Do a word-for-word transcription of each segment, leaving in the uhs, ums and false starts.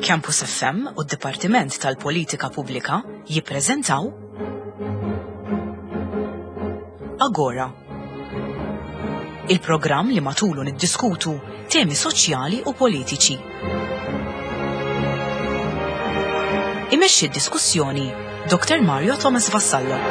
Campus F M u d-Dipartiment tal-Politika Pubblika jippreżentaw Agora. Il-programm li matulu niddiskutu temi soċjali u politiċi. Imexxi d-diskussjoni Doktor Mario Thomas Vassallo.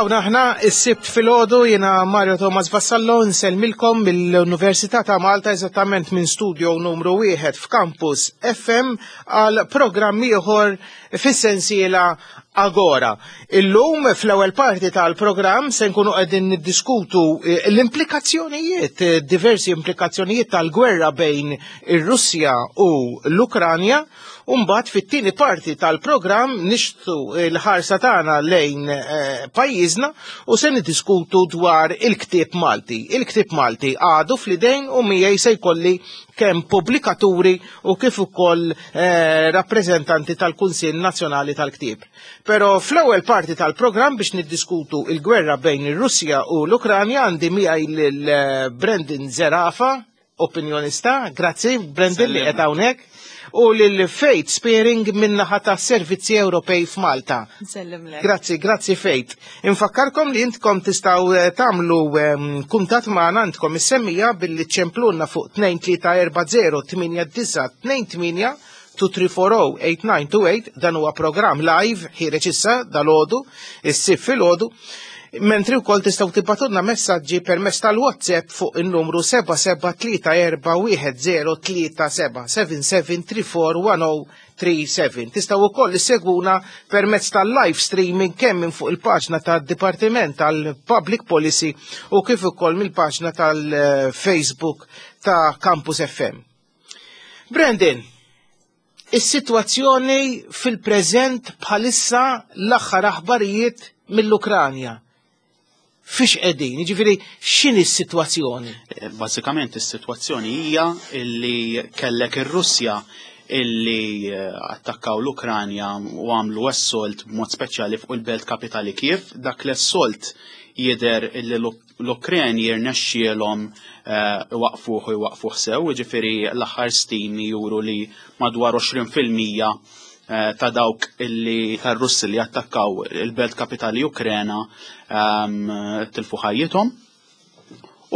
Hawn aħna is-Sibt filgħodu, jiena Mario Thomas Vassallo nsellmilkom mill-Università ta' Malta, eżattament minn studio numru wieħed f'Campus F M, għal programm ieħor fis-sensiela Agora. Illum fl-ewwel parti tal-programm se nkunu qegħdin niddiskutu eh, l-implikazzjonijiet, eh, diversi implikazzjonijiet tal-gwerra bejn ir-Russja u l-Ukranja. U mbagħad fit-tieni parti tal-programm nixtu l-ħarsa tagħna lejn eh, pajjiżna u se niddiskutu dwar il-ktieb Malti. Il-ktieb Malti għadu fl-idejn, u miegħi se jkolli kemm pubblikaturi u kif ukoll eh, rappreżentanti tal-Kunsill Nazzjonali tal-Ktieb. Però fl-ewwel parti tal-programm, biex niddiskutu il-gwerra bejn ir-Russja u l-Ukranja, għandi miegħi lil eh, Brendan Zerafa, opinjonista. Grazzi Brendan li qed hawnhekk, u lil Faith Spearing min-naħa ta' Servizzi Ewropej f'Malta. Nsellimlek. Grazzi, grazzi Faith. Infakkarkom li intkom tistgħu eh, tagħmlu ehm, kuntatt magħna, għandkom is-semmija, billi ċemplunna fuq tnejn tlieta erba' żero tmienja disgħa tnejn tmienja, tnejn tlieta erba' żero tmienja disgħa tnejn tmienja. Dan huwa programm live ħiereġ issa dalgħodu, is-Sibt filgħodu. Mentri wkoll tistgħu tibagħtulna messaġġi permezz tal-WhatsApp fuq in-numru seba' seba' tlieta erba' wieħed żero tlieta seba', seba' seba' tlieta erba' wieħed żero tlieta seba'. Tistgħu wkoll issegwuna permezz tal-live streaming kemm minn fuq il-paġna tad-Dipartiment tal-Public Policy u kif ukoll mill-paġna tal-Facebook ta' Campus F M. Brandon, is-sitwazzjoni fil-preżent bħalissa, l-aħħar aħbarijiet mill-Ukranja. Fiex qegħdin? Jiġifieri x'inhi s-sitwazzjoni? Eh, Bażikament is-sitwazzjoni hija illi kellek ir-Russja illi eh, attakkaw l-Ukranja u għamlu assault b'mod speċjali fuq il-belt kapitali Kiev. Dak l-assault jidher illi l-Ukreni jirnexxielhom eh, waqfuh u jwaqfuh sew, jiġifieri l-aħħar stimi juru li madwar għoxrin fil-mija eh, ta' dawk illi tar-Russi li attakkaw il-belt kapitali Ukrena ehm, tilfu ħajjithom.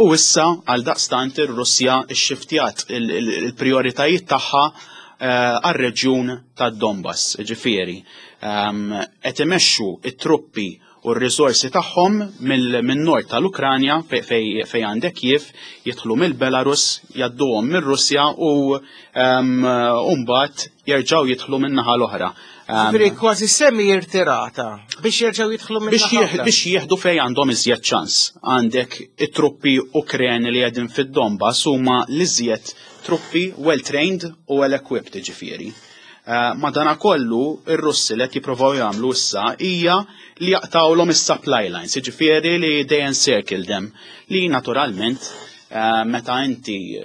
U issa għal daqstant ir-Russja xxiftjat il-prioritajiet tagħha eh, għar-reġjun tad-Donbass, ġifieri ehm, qed imexxu it-truppi u r-risorsi tagħhom mill-nord tal-Ukranja fej fej għandek Kiev, jidħlu mill-Belarus, jgħadduhom mir-Russja u ehm, u mbagħad jerġgħu jidħlu min-naħa l-oħra. Ehm, Ġifieri kważi semi irtirata biex jerġgħu jidħlu minn biex jieħ- biex jieħdu fej għandhom iżjed ċans. Għandek it-truppi Ukreni li qegħdin fid-Donbass huma l-iżjed truppi well trained u well equipped, ġifieri. Uh, Madana kollu, ir-Russi li qed jippruvaw jagħmlu issa hija li jaqtawlhom is-supply lines, jiġifieri li they encircle them, li naturalment uh, meta inti uh,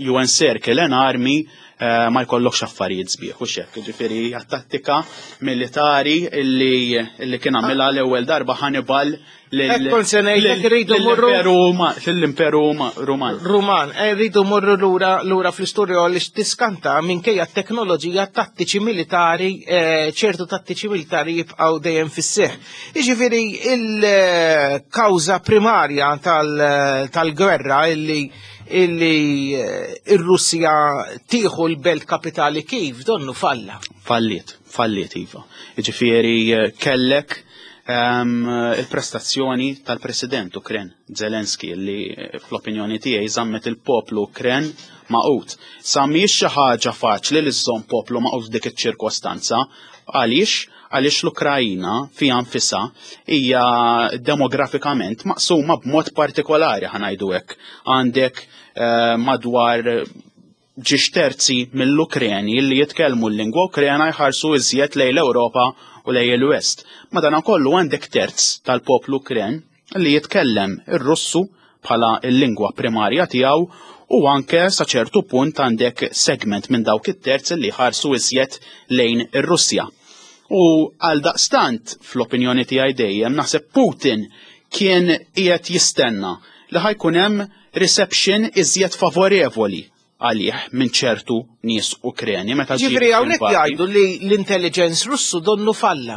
you encircle an army uh, ma jkollokx affarijiet sbieħ u xek, ġifieri hija tattika militari illi, illi kien għamilha l-ewwel darba Hannibal lil- Hekk kont se ngħidlek, lil- irridu morru- lill-Imperu Ruma- lill-Imperu Ruman. Ruman, eh, rridu morru lura lura fl-istorja li tiskanta, minkejja t-teknoloġija, tattiċi militari, eh, ċertu tattiċi militari jibqgħu dejjem fis-seħ. Jiġifieri il-kawża primarja tal- tal-gwerra illi illi eh, ir-Russja tieħu l-belt kapitali Kiev donnu falla. Falliet, falliet iva. Ġifieri eh, kellek ehm, il-prestazzjoni tal-president Ukren, Zelenski, li eh, fl-opinjoni tiegħi żammet il-poplu Ukren magħqud. Sa mhijiex xi ħaġa faċli li żżomm poplu magħqud f'dik iċ-ċirkostanza. Għaliex? Għaliex l-Ukrajina fiha nfisha hija demografikament maqsuma b'mod partikolari, ħa ngħidu hekk. Għandek eh, madwar Żewġ terzi mill-Ukreni li jitkellmu l-lingwa Ukrena jħarsu iżjed lejn l-Ewropa u lejn il-West. Madanakollu għandek terz tal-poplu Ukren li jitkellem ir-Russu bħala l-lingwa primarja tiegħu u anke sa ċertu punt għandek segment minn dawk it-terz li ħarsu iżjed lejn ir-Russja. U għal daqstant, fl-opinjoni tiegħi dejjem, naħseb Putin kien qiegħed jistenna li ħa jkun hemm reception iżjed favorevoli għalih minn ċertu nies Ukreni meta ġie Ġifieri hawnhekk invadi. jgħidu li l-intelligence Russu donnu falla.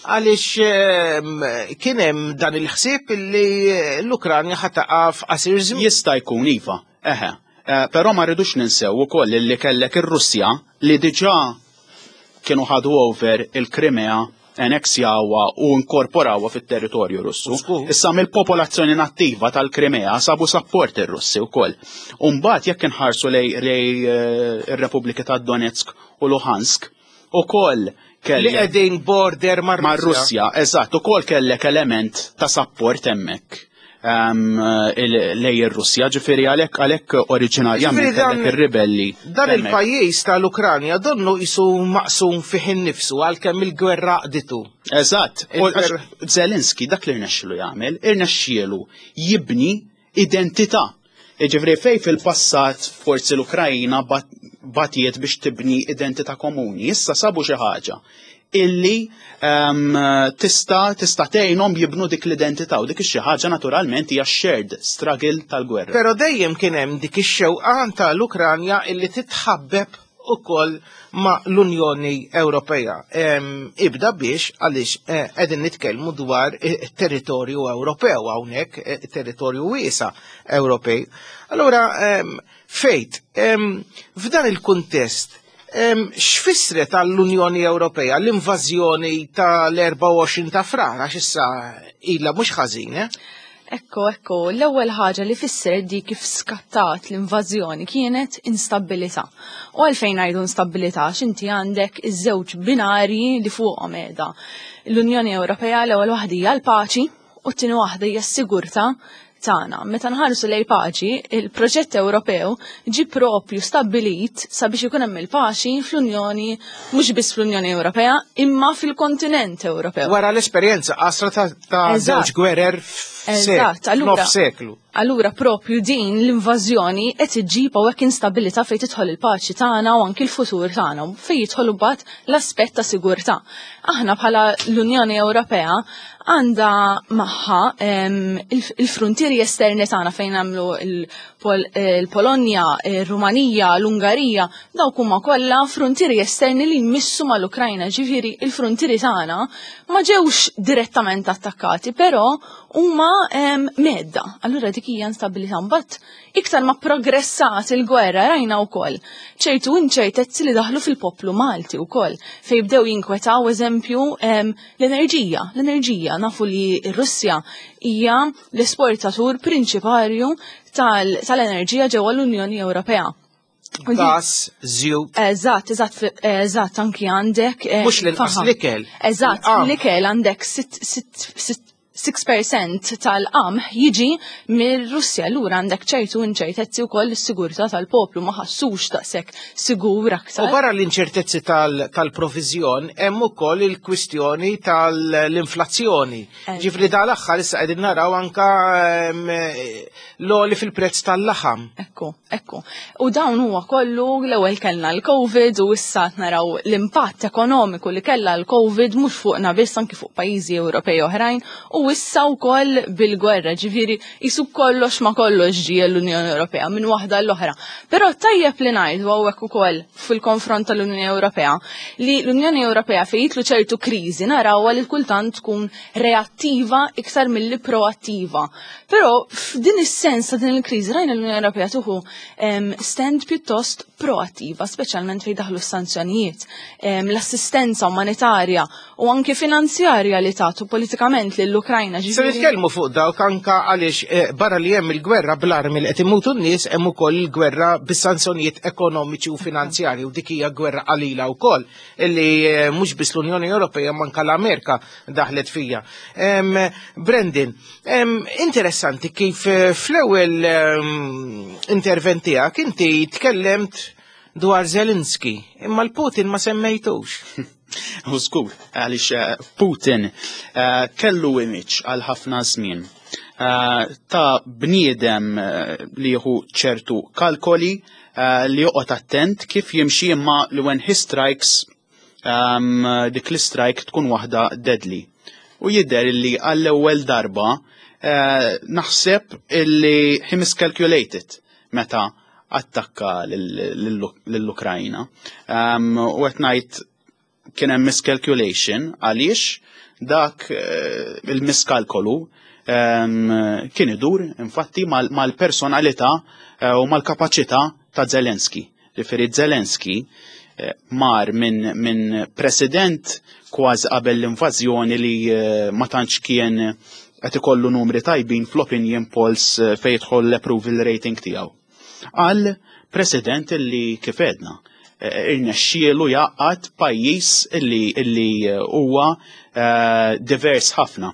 Għaliex ehm, kien hemm dan il-ħsieb li l-Ukranja ħa taqa' f'qasir żmien. Jista' jkun iva, eħe. Eh, Però ma rridux ninsew ukoll li kellek ir-Russja li diġà kienu ħadu over il-Krimea, anneksjawha u inkorporawha fit-territorju Russu. Żgur. Issa mill-popolazzjoni nattiva tal-Krimea sabu support ir-Russi wkoll. U mbagħad jekk inħarsu lej lej eh, ir-Repubblika ta' Donetsk u Luhansk, ukoll Li kellek qegħdin border mar mar-Russja. Russja, eżatt, ukoll kellek element ta' support hemmhekk um, lej ir-Russja, ġifieri għalhekk għalhekk oriġinarjament Ġifieri dan- kellek ir-ribelli. Dan hemmhekk. il-pajjiż tal-Ukranja donnu qisu maqsum fih innifsu għalkemm il-gwerra qditu. Eżatt, u Il-gwerra- għax Zelenski dak li rnexxielu jagħmel, irnexxielu jibni identità. Ġifieri fej fil-passat forsi l-Ukrajna bat- batiet biex tibni identità komuni, issa sabu xi ħaġa illi um, tista tista tgħinhom jibnu dik l-identità u dik ix-xi ħaġa naturalment hija shared struggle tal-gwerra. Però dejjem kien hemm dik ix-xewqa tal-Ukranja illi titħabbeb ukoll ma' l-Unjoni Ewropea. Em, Ibda biex għaliex eh, qegħdin nitkellmu dwar eh, territorju Ewropew hawnhekk, eh, territorju wiesa Ewropej. Allura, em, fejt, em, f'dan il-kuntest, em, x'fissret għall-Unjoni Ewropea l-invażjoni tal-erbgħa u għoxrin ta' Frar, għax issa ilha mhux ħażin, eh? Ekko, ekko, l-ewwel ħaġa li fisser di kif skattat l-invażjoni kienet instabilità. U għalfejn ngħidu instabilità? X'inti għandek iż-żewġ binari li fuqhom qiegħda l-Unjoni Ewropea. L-ewwel waħda hija l-paċi u t-tieni waħda hija s-sigurtà tagħna. Meta nħarsu lejn paċi, il-proġett Ewropew ġi propju stabbilit sabiex ikun hemm il-paċi fl-Unjoni, mhux biss fl-Unjoni Ewropea, imma fil-kontinent Ewropew. Wara l-esperjenza qasra ta' ta' Eżatt. żewġ gwerer f'sek, Eżatt, allura- nofs seklu. Allura propju din l-invażjoni qed iġġib hawnhekk instabilità fejn tidħol il-paċi tagħna u anki l-futur tagħna u fejn jidħol imbagħad l-aspett ta' sigurtà. Aħna bħala l-Unjoni Ewropea għandha magħha em, il- il-frontieri esterni tagħna fejn nagħmlu il-Pol- il-Polonja, il-Rumanija, l-Ungarija, dawk huma kollha frontieri esterni li jmissu mal-Ukrajna, ġifieri il-frontieri tagħna ma ġewx direttament attakkati, però huma em, mhedda. Allura dik hija instabilità. Mbagħad iktar ma progressat il-gwerra rajna wkoll ċertu inċertezzi li daħlu fil-poplu Malti wkoll fejn bdew jinkwetaw, eżempju, em, l-enerġija. L-enerġija, nafu li r-Russja hija l-esportatur prinċiparju tal- tal-enerġija ġewwa l-Unjoni Ewropea. U di- Gas, żjut, Eżatt, eżatt, eżatt, anki għandek. eh, Mhux l-inqas faħam. l-ikel. Eżatt, Il-qamħ. l-ikel għandek sitt fil-mija tal-qamħ jiġi mir-Russja. Allura għandek ċertu inċertezzi wkoll is-sigurtà tal-poplu, ma ħassux daqshekk sigur aktar. U barra l-inċertezzi tal- tal-provizjon, hemm ukoll il-kwistjoni tal-inflazzjoni. Eh. Ġifieri dal-aħħar issa qegħdin naraw anka em, l-għoli fil-prezz tal-laħam. Ekku, ekku. U dawn huwa kollu, l-ewwel kellna l-Covid u issa qed naraw l-impatt ekonomiku li kellha l-Covid mhux fuqna biss, anki fuq pajjiżi Ewropej oħrajn, u issa wkoll bil-gwerra, ġifieri qisu kollox ma kollox ġie l-Unjoni Ewropea minn waħda l-oħra. Però tajjeb li ngħidu hawnhekk ukoll fil-konfront tal-Unjoni Ewropea li l-Unjoni Ewropea fejn jidħlu ċertu kriżi narawha li kultant tkun reattiva iktar milli proattiva. Però f'din is-sens ta' din il-kriżi rajna l-Unjoni Ewropea tieħu em, stand pjuttost proattiva, speċjalment fejn daħlu s-sanzjonijiet, em, l-assistenza umanitarja u anke finanzjarja li tagħtu politikament lill-Ukrajna. Se ġifieri- nitkellmu fuq dawk anka għaliex eh, barra li hemm il-gwerra bl-armi li qed imutu n-nies, hemm ukoll il-gwerra bis-sanzjonijiet ekonomiċi u finanzjarji, u dik hija gwerra qalila wkoll illi eh, mhux biss l-Unjoni Ewropea ma anka l-Amerika daħlet fija. Em, Brandon, em, interessanti kif eh, fl-ewwel em, intervent tiegħek inti tkellemt dwar Zelensky, imma l-Putin ma semmejtux. U żgur, għaliex eh, Putin eh, kellu image għal ħafna żmien eh, ta' bniedem li jieħu ċertu kalkoli, li joqgħod attent kif jimxi, imma li when he strikes, um, dik l-strike tkun waħda deadly. U jidher li għall-ewwel darba naħseb illi he miscalculated meta attakka lill-Ukrajna. Um, u qed ngħid kien hemm miscalculation għaliex dak eh, il-miskalkolu um, kien idur infatti mal-personalità eh, u mal-kapaċità ta' Zelensky. Ġifieri Zelensky eh, mar minn min president kważi qabel l-invażjoni li ma tantx kien qed ikollu numri tajbin fl-opinion polls fejn jidħol l-approval rating tiegħu, għal president li, kif għedna, irnexxielu jgħaqqad pajjiż illi illi huwa eh, divers ħafna.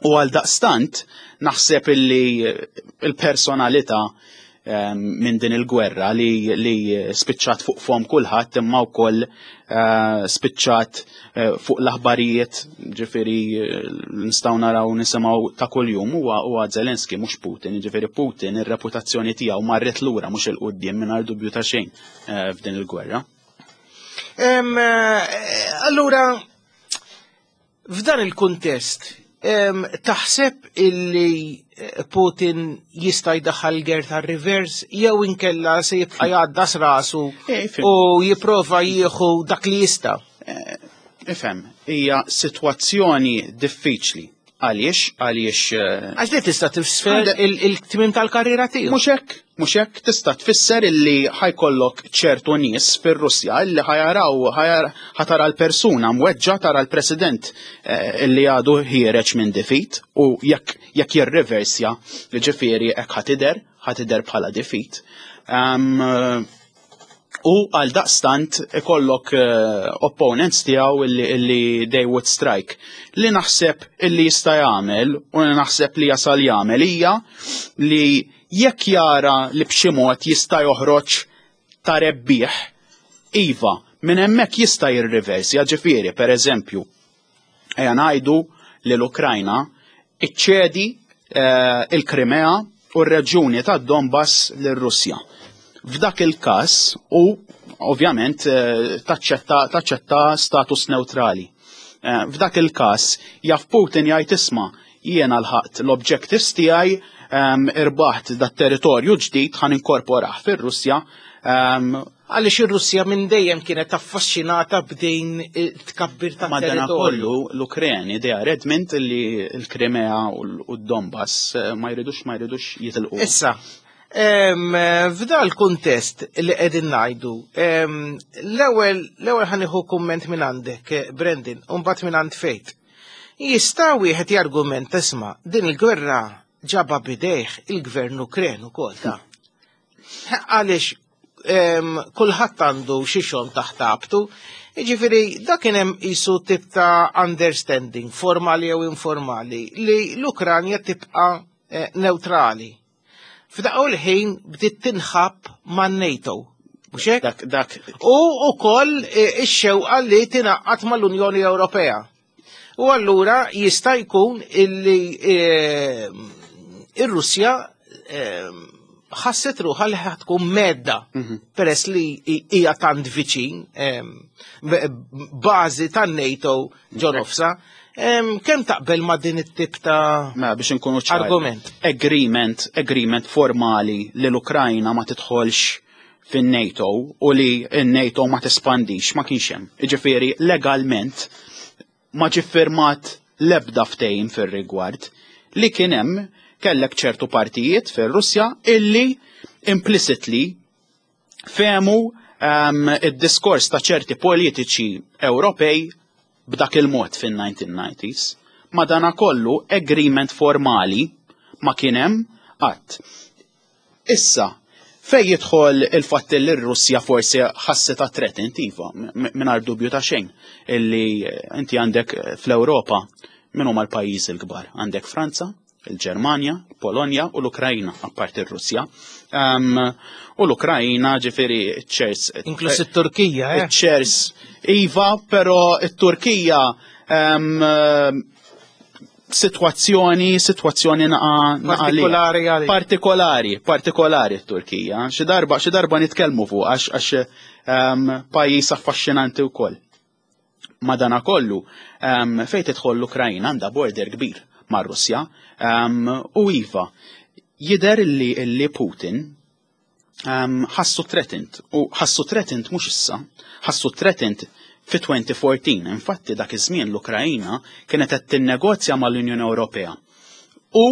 U għal daqstant naħseb illi il-personalità eh, minn din il-gwerra li, li spiċċat fuq fom kulħadd, imma wkoll eh, spiċċat fuq l-aħbarijiet, ġifieri nistgħu naraw, nisimgħu ta' kuljum, huwa huwa Zelensky, mhux Putin. Ġifieri Putin ir-reputazzjoni tiegħu marret lura, mhux 'il quddiem, mingħajr dubju ta' xejn f'din il-gwerra. Allura, f'dan il-kuntest, taħseb illi eh, Putin jista' jdaħħal gear ta' reverse jew inkella se jibqa' jgħaddas rasu Eh, u jipprova jieħu dak li jista'? Eh, ifhem, hija sitwazzjoni diffiċli. Għaliex? Għaliex Għax li tista' tifisser il-tmiem tal-karriera tiegħu. Mhux hekk, mhux hekk, tista' tfisser illi ħa jkollok ċertu nies fir-Russja illi ħa jaraw, ħa tara l-persuna mweġġa, tara l-president eh, illi għadu ħiereġ minn defeat, u jekk jekk jirreversja, ġifieri hekk ħa tidher, ħa tidher bħala defeat. Um, U għal daqstant ikollok uh, opponents tiegħu illi, illi they would strike. Li naħseb illi jista' jagħmel u li naħseb li jasal jagħmel hija li jekk jara li b'xi mod jista' joħroġ ta' rebbieħ, iva, minn hemmhekk jista' jirriversja. Ġifieri, per eżempju, ejja ngħidu li l-Ukrajna iċċedi eh, il-Krimea u r-reġjuni ta' Donbass lir-Russja. F'dak il-każ, u ovvjament eh, taċċetta taċċetta status neutrali. Eh, F'dak il-każ jaf Putin jgħid, "Isma', jiena lħaqt l-objectives tiegħi, em, irbaħt dat territorju ġdid, ħa ninkorporah fir-Russja." em, Għaliex ir-Russja minn dejjem kienet affaxxinata b'din tkabbir ta' Madana territorju. kollu l-Ukreni they are adamant li l-Krimea u l- u d-Donbass eh, ma jridux ma jridux jitilqu. Issa, em, f'dal kuntest li qegħdin ngħidu, em, l-ewwel l-ewwel ħa nieħu kumment minn għandek, eh, Brendan, u mbagħad minn għand Fejt. Jista' wieħed jargumenta, isma', din il-gwerra ġabha b'idejh il-gvern Ukren ukoll ta' għaliex em, kulħadd għandu xi xogħol taħt abtu. Jiġifieri dak kien hemm qisu tip ta' understanding, formali jew informali, li l-Ukranja tibqa' eh, neutrali. F'daqqa l-ħin bdiet tinħab man-NATO. Mhux hekk? Dak dak U ukoll eh, ix-xewqa li tingħaqad mal-Unjoni Ewropea. U allura jista' jkun illi eh, ir-Russja eh, ħasset ruħha li tkun mhedda peress li hija tant viċin em, b- bażi tan-NATO ġo nofsa. Em, Kemm taqbel ma' din it-tip ta' Ma biex nkunu ċari. argument? Agreement, agreement formali li l-Ukrajna ma tidħolx fin-NATO u li n-NATO ma tespandix ma kienx hemm. Jiġifieri legalment ma ġie firmat l-ebda ftehim fir-rigward. Li kien hemm, kellek ċertu partijiet fir-Russja illi implicitly fehmu um, id-diskors ta' ċerti politiċi Ewropej b'dak il-mod fin-nineteen nineties. Madana kollu agreement formali ma kien hemm qatt. Issa, fej jidħol il-fatt li r-Russja forsi ħassitha threatened, iva, mingħajr dubju ta' xejn, illi eh, inti għandek eh, fl-Ewropa min huma l-pajjiżi l-kbar? Għandek Franza, Il-Ġermanja, Polonja u l-Ukrajna, apparti r-Russja. Um, u l-Ukrajna, ġifieri, ċers. Inkluż it-Turkija, eh? Ċers. Iva, però it-Turkija um, situazzjoni, situazzjoni naqa Partikolari għalik. Partikolari, partikolari t-Turkija. Xi darba, xi darba nitkellmu fuq għax għax um, pajjiż affaxxinanti wkoll. Madana kollu, um, fejn tidħol l-Ukrajna għandha border kbir mar-Russja um, u iva, jidher li, li Putin um, ħassu threatened, u ħassu threatened mhux issa, ħassu threatened fi elfejn u erbatax. Infatti dak iż-żmien l-Ukrajna kienet qed tinnegozja mal-Unjoni Ewropea. U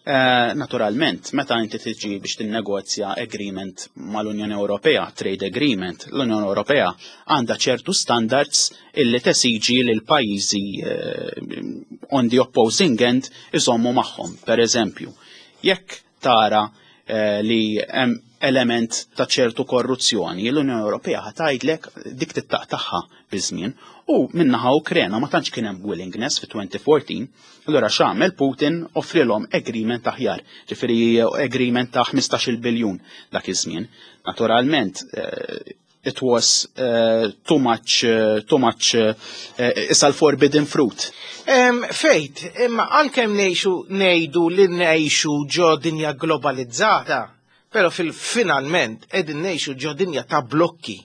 eh, naturalment, meta inti tiġi biex tinnegozja agreement mal-Unjoni Ewropea, trade agreement, l-Unjoni Ewropea għandha ċertu standards illi tesiġi lil pajjiżi eh, on the opposing end iżommu magħhom. Per eżempju, jekk tara eh, li hemm element ta' ċertu korruzzjoni, l-Unjoni Ewropea ħa tgħidlek dik tittaqtagħha biż-żmien. U min-naħa Ukrena ma tantx kien hemm willingness fi elfejn u erbatax, allura x'għamel Putin? Offrilhom agreement aħjar, ġifieri agreement ta' ħmistax-il biljun dak iż-żmien. Naturalment, eh, it was uh, too much, uh, too much, uh, issa l-forbidden fruit. Em, Fejt, imma għalkemm ngħixu ngħidu li ngħixu ġo dinja globalizzata, però fil-finalment qegħdin ngħixu ġo dinja ta' blokki.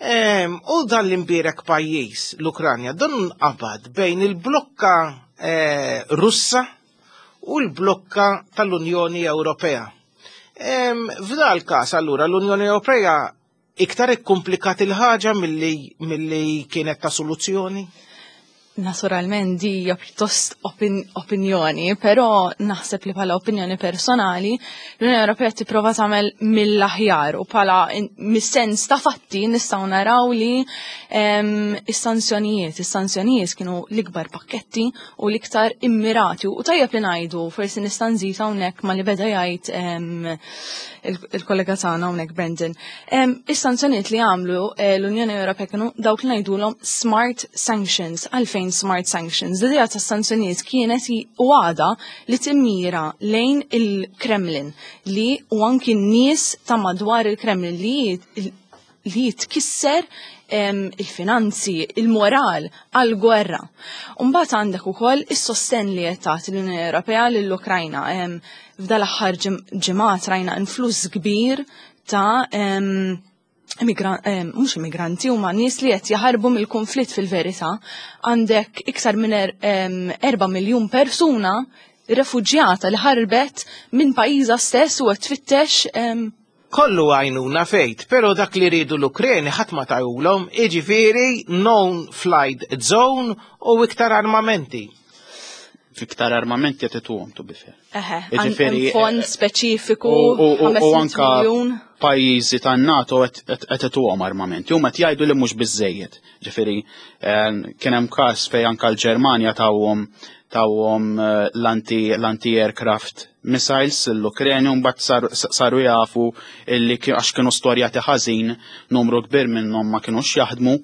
Em, u dan l-imbierek pajjiż, l-Ukranja, dan qabad bejn il-blokka eh, Russa u l-blokka tal-Unjoni Ewropea. Em, F'dal każ allura l-Unjoni Ewropea iktar ikkomplikat il-ħaġa milli milli kienet ta' soluzzjoni? Naturalment di hija pjuttost opin opinjoni, però naħseb li bħala opinjoni personali l-Unjoni Ewropea tipprova tagħmel mill-aħjar u bħala mis-sens ta' fatti nistgħu naraw li em, is-sanzjonijiet, is-sanzjonijiet kienu l-ikbar pakketti u l-iktar immirati u tajjeb li ngħidu, forsi nista' nżid hawnhekk ma li beda jgħid em, il- il-kollega tagħna hawnhekk Brendan. Em, Is-sanzjonijiet li għamlu eh, l-Unjoni Ewropea kienu dawk li ngħidulhom smart sanctions. Għalfejn smart sanctions? L-idea ta' sanzjonijiet kienet i- u għada li timmira lejn il-Kremlin li u anki n-nies ta' madwar il-Kremlin li li jitkisser em, il-finanzi, il-moral għal-gwerra. Umbagħad għandek ukoll is-sosten li qed tagħti l-Unjoni Ewropea lill-Ukrajna. Em, F'dal-aħħar ġim- ġimgħat rajna influss kbir ta' em, immigra- em, mhux immigranti, huma nies li qed jaħarbu mill-konflitt fil-verità. Għandek iktar minn er, em, erba' miljun persuna refuġjata li ħarbet minn pajjiżha stess u qed tfittex em, Kollu għajnuna, Fejt, pero dak li ridu l-Ukreni ħadd ma tawhulhom, iġifieri no-flight zone u iktar armamenti. Fiktar armamenti qed ituhom, to be fair. Eħe, Jiġifieri, hemm fond eh, speċifiku, U, u, u, u ħames mitt anka miljun. pajjiżi tan-NATO qed ituhom armamenti. Huma qed jgħidu li mhux biżejjed. Ġifieri eh, kien hemm każ fejn anka l-Ġermanja tawhom tawhom eh, l-anti l-anti-aircraft missiles l-Ukreni u mbagħad saru, saru jafu illi ki- għax kienu storjati ħażin, numru kbir minnhom ma kinux jaħdmu,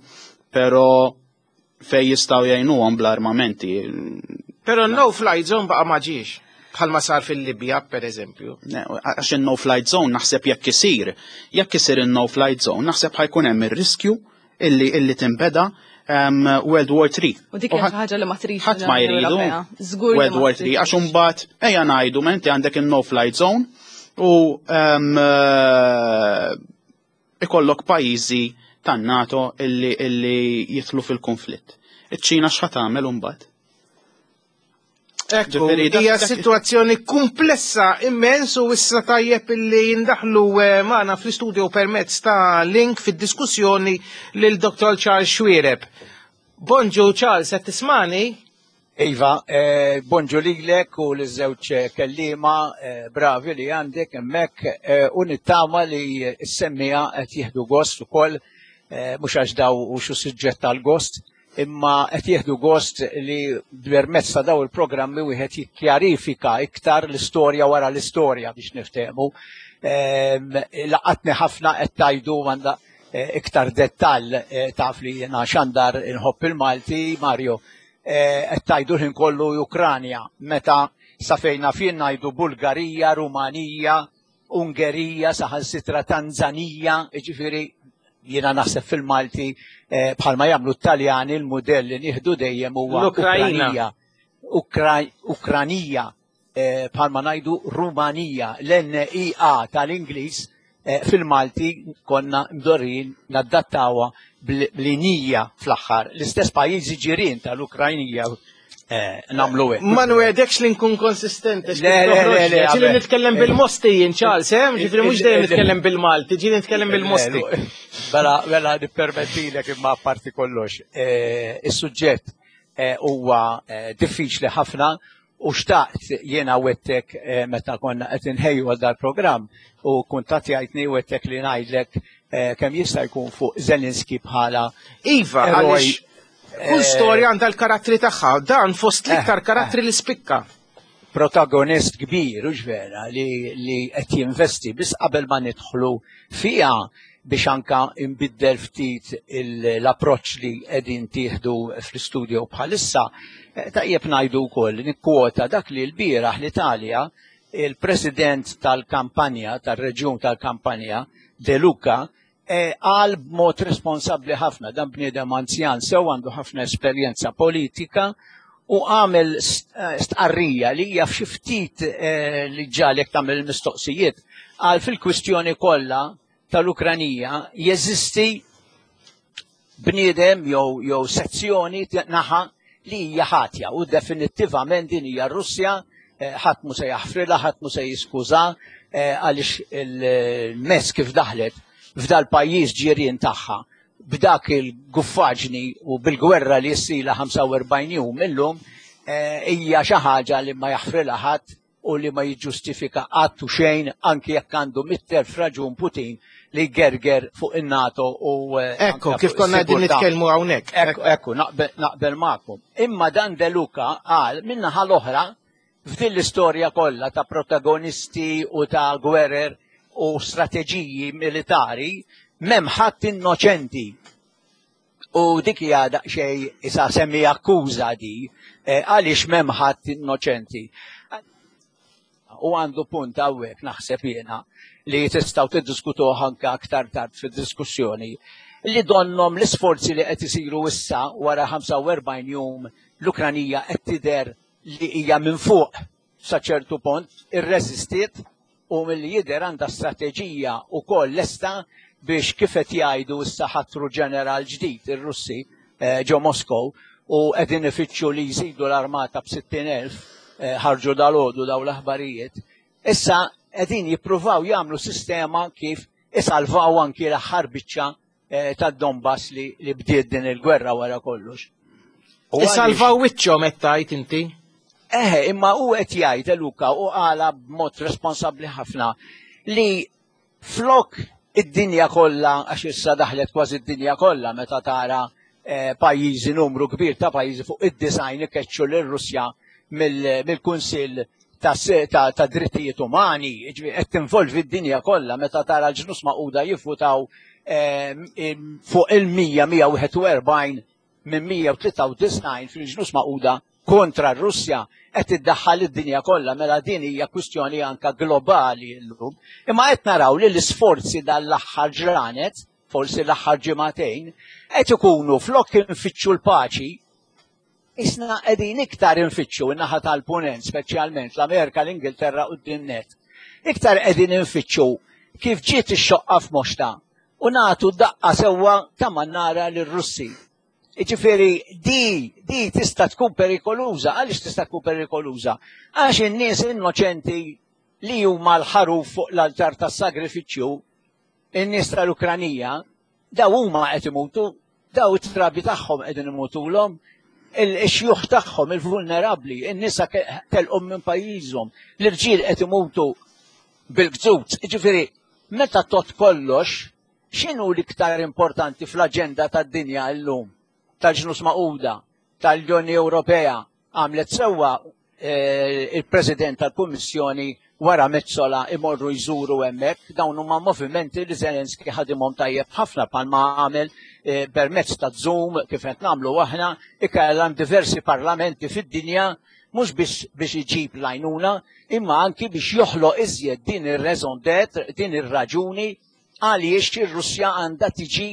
però fej jistgħu jgħinuhom bl-armamenti. Pero no flight zone baqa ma ġiex. Bħalma sar fil-Libja, per eżempju. Ne, għax il-no flight zone naħseb jekk isir, jekk isir il-no flight zone, naħseb ħa jkun hemm ir-riskju illi illi tinbeda um, World War three. U dik hija xi ħaġa li ma tridx ħadd ma l-Unjoni jridu Ewropea. Żgur li World ma War three, tridx. għax imbagħad ejja ngħidu ma inti għandek il-no flight zone u um, uh, ikollok pajjiżi tan-NATO illi illi jidħlu fil-konflitt. Iċ-Ċina x'ħa tagħmel imbagħad? Ekku, Ġifieri, dak- hija dak- situazzjoni komplessa immens u issa tajjeb illi jindaħlu eh, magħna fl-istudio permezz ta' link fid-diskussjoni lil Dottor Charles Xuereb. Bonġu Charles, qed tismani? Iva, eh, bonġu lilek u l-żewġ kellima eh, bravi li għandek hemmhekk eh, u nittama li s-semmiegħa qed jieħdu gost ukoll, eh, mhux għax daw u xu suġġett tal-gost, imma qed jieħdu gost li permezz ta' daw il-programmi wieħed jikkjarifika iktar l-istorja wara l-istorja biex niftehmu. Ehm, Laqatni ħafna qed tajdu għandha eh, iktar dettall, eh, taf li jiena xandar inħobb il-Malti, Mario, eh, qed tajdu l-ħin kollu Ukranja, meta Sa fejn naf jien ngħidu Bulgarija, Rumanija, Ungerija, saħansitra Tanzanija, jiġifieri jiena naħseb fil-Malti eh, bħalma jagħmlu t-Taljani, l-mudell li nieħdu dejjem huwa L-Ukrajna. Ukranija, Ukranija, eh, bħalma ngħidu Rumanija, l-N I A tal-Ingliż eh, fil-Malti konna mdorrin nadattawha bl-inija fl-aħħar. L-istess pajjiżi ġirien tal-Ukrajnija eh, nagħmlu hekk. Ma nwegħdekx li nkun konsistenti. Le, le, le, le, Ġieli għabel. nitkellem bil-Mosti jien, Charles, eh? Ġifieri mhux dejjem nitkellem bil-Malti, ġieli nitkellem bil-Mosti. Bela, bela, nippermettilek, imma parti kollox. Eh, Is-suġġett eh, huwa eh, diffiċli ħafna u xtaqt jiena wegħedtek eh, meta konna qed inħejju għal dal-programm u kuntattjajtni, wegħedtek li ngħidlek eh, kemm jista' jkun fuq Zelenski bħala Iva, eroj. għaliex kull storja għandha l-karattri tagħha, dan fost l-iktar karattri li spikka. Protagonist kbir, u vera, li, li qed jinvesti. Biss qabel ma nidħlu fiha, biex anka imbiddel ftit il- l-approċċ li qegħdin tieħdu fl-istudio bħalissa, eh, tajjeb ngħidu wkoll, nikkwota dak li l-bieraħ l-Italja, il-president tal-kampanja, tal-reġjun tal-kampanja, De Luca, eh, qal b'mod responsabbli ħafna. Dan bniedem anzjan sew, għandu ħafna esperjenza politika u għamel st- eh, stqarrija li hija f'xi ftit eh, li ġalek tagħmel il-mistoqsijiet. Qal fil-kwistjoni kollha tal-Ukranija jeżisti bniedem jew jew sezzjoni naħa li hija ħatja u definittivament din hija Russja, eh, ħadd mu se jaħfrilha, ħadd mu se jiskuża eh, għaliex il-mezz kif daħlet f'dal pajjiż ġirien tagħha b'dak il-guffaġni u bil-gwerra li jissila ħamsa u erbgħin jum illum eh, hija xi ħaġa li ma jaħfrilha ħadd u li ma jiġġustifika qatt u xejn, anki jekk għandu mitt elf raġun Putin li gerger fuq in-NATO u eh, Ekku, anke kif fuq konna qegħdin is-sigurtà. nitkellmu hawnhekk. Ekku, ekku, naqbel, naqbel magħkom. Imma dan De Luca qal min-naħa l-oħra, f'din l-istorja kollha ta' protagonisti u ta' gwerer u strateġiji militari, m'hemm ħadd innoċenti. U dik hija daqsxejn isa semmi akkuża di, eh, għaliex m'hemm ħadd innoċenti. U għandu punt hawnhekk, naħseb jiena, li tistgħu tiddiskutuh anke aktar tard fid-diskussjoni, li donnom l-isforzi li qed isiru issa wara ħamsa u erbgħin jum, l-Ukranija qed tidher li hija minn fuq sa ċertu punt, irreżistiet u milli jidher għandha strateġija wkoll lesta biex, kif qed jgħidu issa, ħatru ġeneral ġdid ir-Russi eh, ġo Moskow u qegħdin ifittxu li jżidu l-armata b'sittin elf, eh, ħarġu dalgħodu daw l-aħbarijiet. Issa qegħdin jippruvaw jagħmlu sistema kif isalvaw anki l-aħħar biċċa eh, tad-Donbass li, li bdiet din il-gwerra wara kollox. U għaliex- Isalvaw wiċċhom qed tgħid inti. Eħe, imma u qed jgħid Luka u qala b'mod responsabbli ħafna li flok id-dinja kollha, għax issa daħlet kważi id-dinja kollha meta tara eh, pajjiżi, numru kbir ta' pajjiżi fuq id-disgħin ikeċċu lir-Russja mill-Kunsill ta', ta, ta' drittijiet umani, ġifieri qed tinvolvi d-dinja kollha meta tara l-Ġnus Magħquda jivvutaw eh, fuq il-mija, mija u wieħed u erbgħin minn mija u tlieta u disgħin fil-Ġnus Magħquda kontra r-Russja, qed iddaħħal id-dinja kollha, mela din hija kwistjoni anka globali llum. Imma qed naraw li l-isforzi dal-aħħar ġranet, forsi l-aħħar ġimagħtejn, qed ikunu flok infittxu l-paċi, isna qegħdin iktar infittxu in-naħa tal-punent, speċjalment l-Amerika, l-Ingilterra u d-dinnet. Iktar qegħdin infittxu kif ġiet ix-xoqqa f'moxta u nagħtu daqqa sewwa ta' mannara lir-Russi. Ġifieri, di, di tista' tkun perikoluża. Għaliex tista' tkun perikoluża? Għax in-nies innoċenti li huma l-ħaruf fuq l-altar tas-sagrifiċċju, in-nies tal-Ukranija, daw huma qed imutu, daw it-trabi tagħhom qegħdin imutulhom, il-xjuħ tagħhom, il-vulnerabbli, in-nisa telqhom minn pajjiżhom, l-irġiel qed imutu bil-gżut. Ġifieri, meta tot kollox, x'inhu l-iktar importanti fl-aġenda tad-dinja llum? Tal-Ġnus Magħquda, tal-Unjoni Ewropea, għamlet sewwa eh, il-President tal-Kummissjoni wara Metsola imorru jżuru hemmhekk. Dawn huma movimenti li Zelenski ħadimhom tajjeb ħafna, palma għamel eh, permezz ta' Zoom kif qed nagħmlu aħna, ikellem diversi parlamenti fid-dinja. Mhux biex biex iġib l-għajnuna, imma anki biex joħloq iżjed din ir-raison d'être, din ir-raġuni għaliex ir-Russja għandha tiġi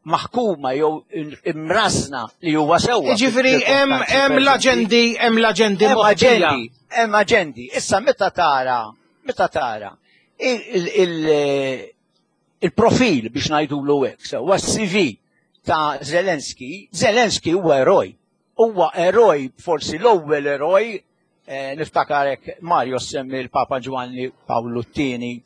maħkuma jew imrażna li huwa sewwa. Ġifieri hemm hemm l-aġendi hemm l-aġendi Hemm moħbija. aġendi, hemm aġendi. Issa meta tara, meta tara il- il- il-profil biex ngħidulu hekk, sewwa C V ta' Zelensky, Zelensky huwa eroj. Huwa eroj, forsi l-ewwel eroj, eh, niftakarek Mario semmi l-Papa Giovanni Paolo T tieni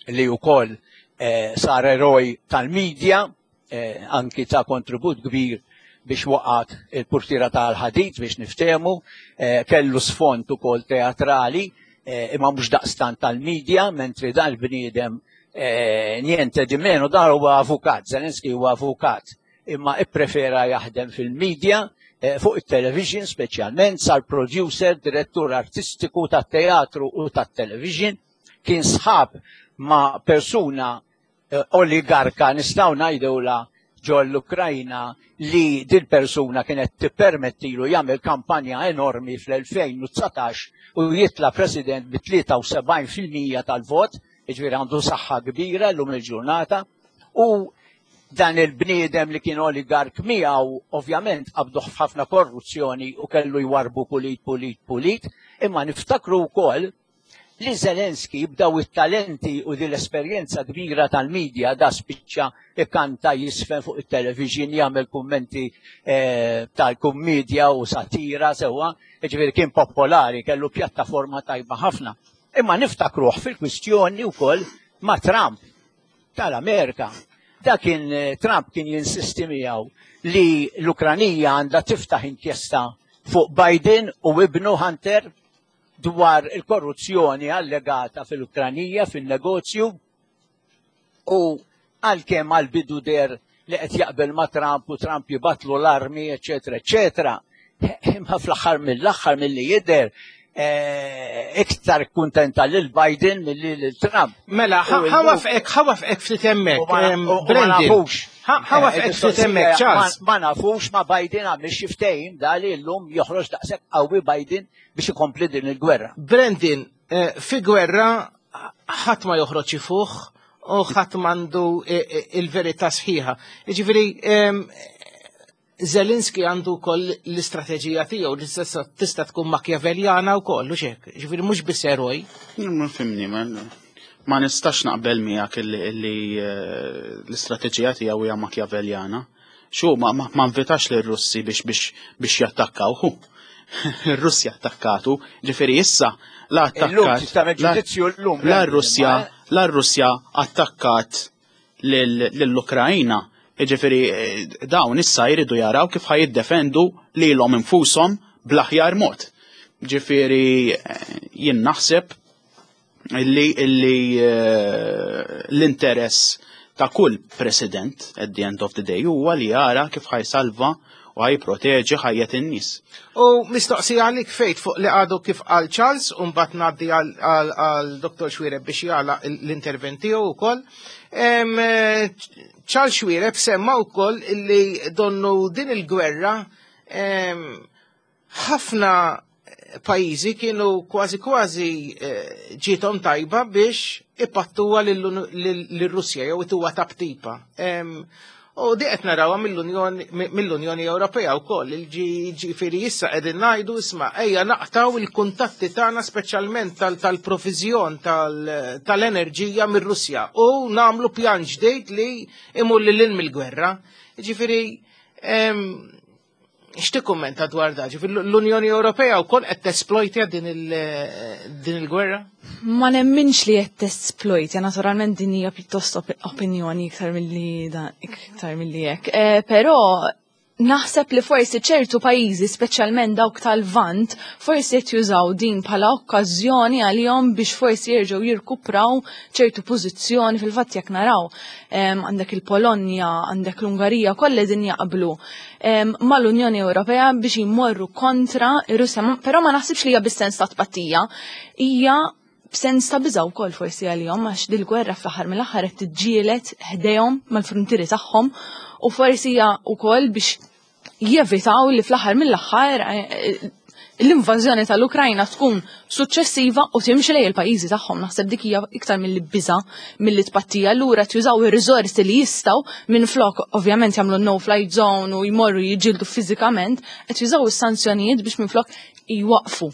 li wkoll eh, sar eroj tal-medja, eh, anki ta' kontribut kbir biex waqgħet il-purtira tal-ħadid biex niftehmu, eh, kellu sfond ukoll teatrali, eh, imma mhux daqstant tal-medja, mentri dan il-bniedem eh, niente di meno, dan huwa avukat, Zelensky huwa avukat, imma ipprefera jaħdem fil-medja, eh, fuq il-television speċjalment, sar producer, direttur artistiku tat-teatru u tat-television, kien sħab ma' persuna eh, oligarka nistgħu ngħidula ġol l-Ukrajna li dil persuna kienet tippermettilu jagħmel kampanja enormi fl-elfejn u dsatax u jitla president bi tlieta u sebgħin fil-mija tal-vot, jiġifieri għandu saħħa kbira llum il-ġurnata, u dan il-bniedem li kien oligark miegħu ovvjament qabduh f'ħafna korruzzjoni u kellu jwarbu pulit, pulit, pulit, imma niftakru wkoll li Zelensky b'daw it-talenti u din l-esperjenza kbira tal-medja da spiċċa ikanta, jiżfen fuq il-television, jagħmel kummenti eh, tal-kummedja u satira sewwa, ġifieri kien popolari, kellu pjattaforma tajba ħafna. Imma niftakruh fil-kwistjoni wkoll ma' Trump tal-Amerika. Da kien eh, Trump kien jinsisti miegħu li l-Ukranija għandha tiftaħ inkjesta fuq Biden u ibnu Hunter dwar il-korruzzjoni allegata fil-Ukranija fil-negozju, u għalkemm għal-bidu deher li qed jaqbel ma' Trump u Trump jibgħatlu l-armi, eċetera, eċetera. Imma fl-aħħar mill-aħħar milli jidher eh, iktar kuntenta lil Biden milli lil Trump. Mela, U ħa nwaqqfek, ħa nwaqqfek ftit hemmhekk. U ma- em, u- u ma Brendan. nafux. Ħa nwaqqfek Eh, ftit hemmhekk, Charles. Ma ma nafux ma Biden għamil xi ftehim da li llum joħroġ daqshekk qawwi Biden biex ikompli din il-gwerra. Brendan, eh, fi gwerra ħadd ma joħroġ ifuħ u ħadd m'għandu eh, eh, il-verità sħiħa. Jiġifieri em, Zelenski għandu wkoll l-istrateġija tiegħu li tista' tista' tkun makjaveljana wkoll, u hekk. Ġifieri mhux biss eroj. Ma fimni, ma, ma nistax naqbel miegħek illi, illi eh, l-istrateġija tiegħu hija makjaveljana. Xu ma, ma, ma invitax lir-Russi biex biex biex jattakkaw. Hu. Ir-Russja attakkatu, ġifieri issa la Illum attakkat. tista' tagħmel la- ġudizzju llum. La r-Russja, la r-Russja attakkat lill-Ukrajna. Ġifieri eh, dawn issa jridu jaraw kif ħa jiddefendu lilhom infushom bl-aħjar mod. Ġifieri eh, jien naħseb illi illi eh, l-interess ta' kull president at the end of the day huwa li jara kif ħa jsalva u ħa jipproteġi ħajjet in-nies. U mistoqsija għalik fejt fuq li għadu kif għal Charles, u mbagħad ngħaddi għal- għal għal Dottor Xuereb biex jagħlaq l-intervent tiegħu wkoll. Em, eh, Charles Xuereb semma wkoll illi donnu din il-gwerra em, ħafna pajjiżi kienu kważi kważi eh, ġietom tajba biex ipattuha lill-Russja jew ituha taptipa. Em, U di qed narawha mill-Unjoni mill-Unjoni Ewropea wkoll, il-ġifieri issa qegħdin ngħidu, isma', ejja naqtaw il-kuntatti tagħna, speċjalment tal-proviżjon tal-enerġija mir-Russja, u nagħmlu pjan ġdejt li imur lil hinn mill-gwerra. Ġifieri x'tikkummenta dwar da? Ġifieri l-Unjoni Ewropea wkoll qed tesploitja din il- din il-gwerra? Ma nemminx li qed tesploitja, naturalment din hija pjuttost op opinjoni iktar milli da, iktar milli hekk. Eh, però naħseb li forsi ċertu pajjiżi, speċjalment dawk tal-Vant, forsi qed jużaw din bħala okkażjoni għalihom biex forsi jerġgħu jirkupraw ċertu pożizzjoni. Fil-fatt jekk naraw em, għandek il-Polonja, għandek l-Ungarija, kollha din jaqblu em, mal-Unjoni Ewropea biex jmorru kontra ir-Russja, Ma- però ma naħsibx li hija bis-sens ta' tpattija, hija b'sens ta' biża' wkoll forsi għalihom, għax dil-gwerra fl-aħħar mill-aħħar qed tiġġieled ħdejhom mal-frontieri tagħhom u forsi hija wkoll biex jevitaw li fl-aħħar mill-aħħar eh, l-invażjoni tal-Ukrajna tkun suċċessiva u timxi lejn il-pajjiżi tagħhom. Naħseb dik hija iktar milli biża milli tpattija. Allura jużaw ir-riżorsi li jistgħu minn flok ovvjament jagħmlu no flight zone u jmorru jiġġieldu fiżikament, qed jużaw is-sanzjonijiet biex minn flok jwaqfu.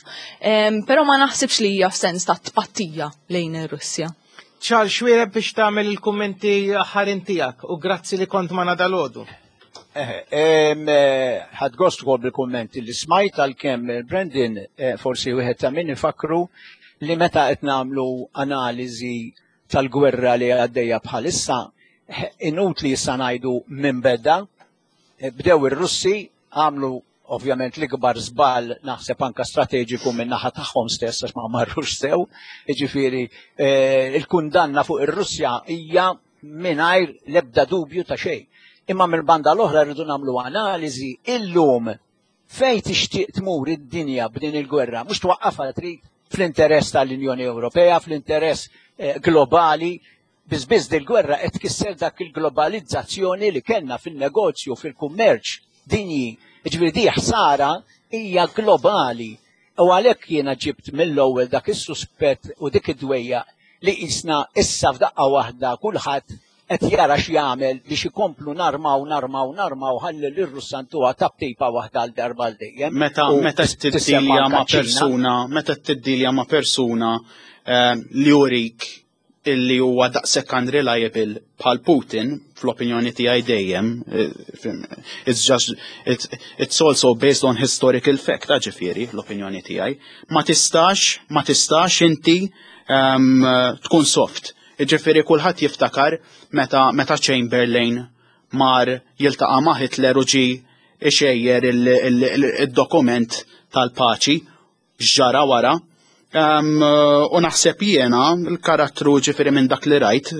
Però ma naħsibx li hija f'sens ta' tpattija lejn ir-Russja. Charles Xuereb, biex tagħmel il-kummenti aħħarin tiegħek, u grazzi li kont magħna dalgħodu. Ħadt gost ukoll bil-kummenti li smajt, għalkemm Brandon eh, forsi wieħed ta' min ifakru li meta qed nagħmlu analiżi tal-gwerra li għaddejja bħalissa, inutli issa ngħidu minn beda, eh, bdew ir-Russi, għamlu ovvjament l-ikbar żball, naħseb anka strateġiku minn naħa tagħhom stess, għax ma marrux sew, jiġifieri eh, il-kundanna fuq ir-Russja hija mingħajr l-ebda dubju ta' xejn. Imma mill-banda l-oħra rridu nagħmlu analiżi illum fejn tixtieq tmur id-dinja b'din il-gwerra, mhux twaqqafha trid fl-interess tal-Unjoni Ewropea, fl-interess eh, globali, biss dil-gwerra qed tkisser dak il-globalizzazzjoni li kellna fil-negozju, fil-kummerċ dinji. Ġifieri di ħsara hija globali. U għalhekk jiena ġibt mill-ewwel dak is-suspett u dik id-dwejja li jisna issa f'daqqa waħda kulħadd qed jara x'jagħmel biex ikomplu narmaw, narmaw, narmaw, ħalli lir-Russa ntuha taptipa waħda għal darba għal dejjem. Meta meta tiddilja ma' persuna, meta tiddilja ma' persuna eh, li jurik illi huwa daqshekk unreliable bħal Putin, fl-opinjoni tiegħi dejjem, eh, it's just it's, it's also based on historical fact, ġifieri l-opinjoni tiegħi. Ma tistax, ma tistax inti um, tkun soft. Ġifieri kulħadd jiftakar meta meta Chamberlain mar jiltaqa' ma' Hitler u ġi ixejjer il-dokument tal-paċi, ġara wara. Um, u naħseb jiena il-karattru, ġifieri minn dak li rajt,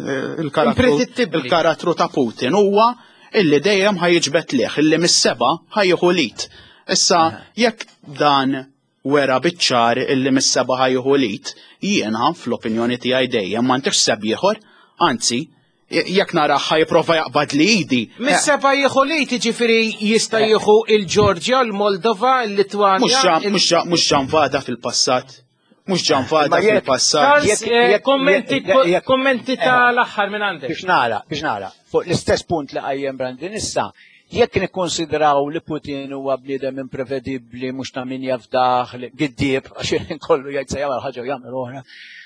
il-karattru il-karattru ta' Putin huwa illi dejjem ħa jiġbed lejh, illi mis-seba' ħa jieħu l-id. Issa jekk dan wera biċ-ċar illi mis-seba' ħa jieħu l-id, jiena fl-opinjoni tiegħi dejjem ma ntix seb ieħor, anzi, jekk nara ħa jipprova jaqbad li idi. Mis-seba' jieħu l-id, ġifieri jista' jieħu il-Ġorġja, il-Moldova, il-Litwanja. Mhux ġa nvada fil-passat. Mhux ġa nvada fil-passat. Eh, kommenti kommenti tal-aħħar minn għandek. Biex nara, biex nara, fuq l-istess punt li qajjem Brandon issa, jekk nikkonsidraw li Putin huwa bniedem imprevedibbli, mhux ta' min jafdaħ, giddieb, għax kollu jgħid se jagħmel ħaġa u jagħmel oħra.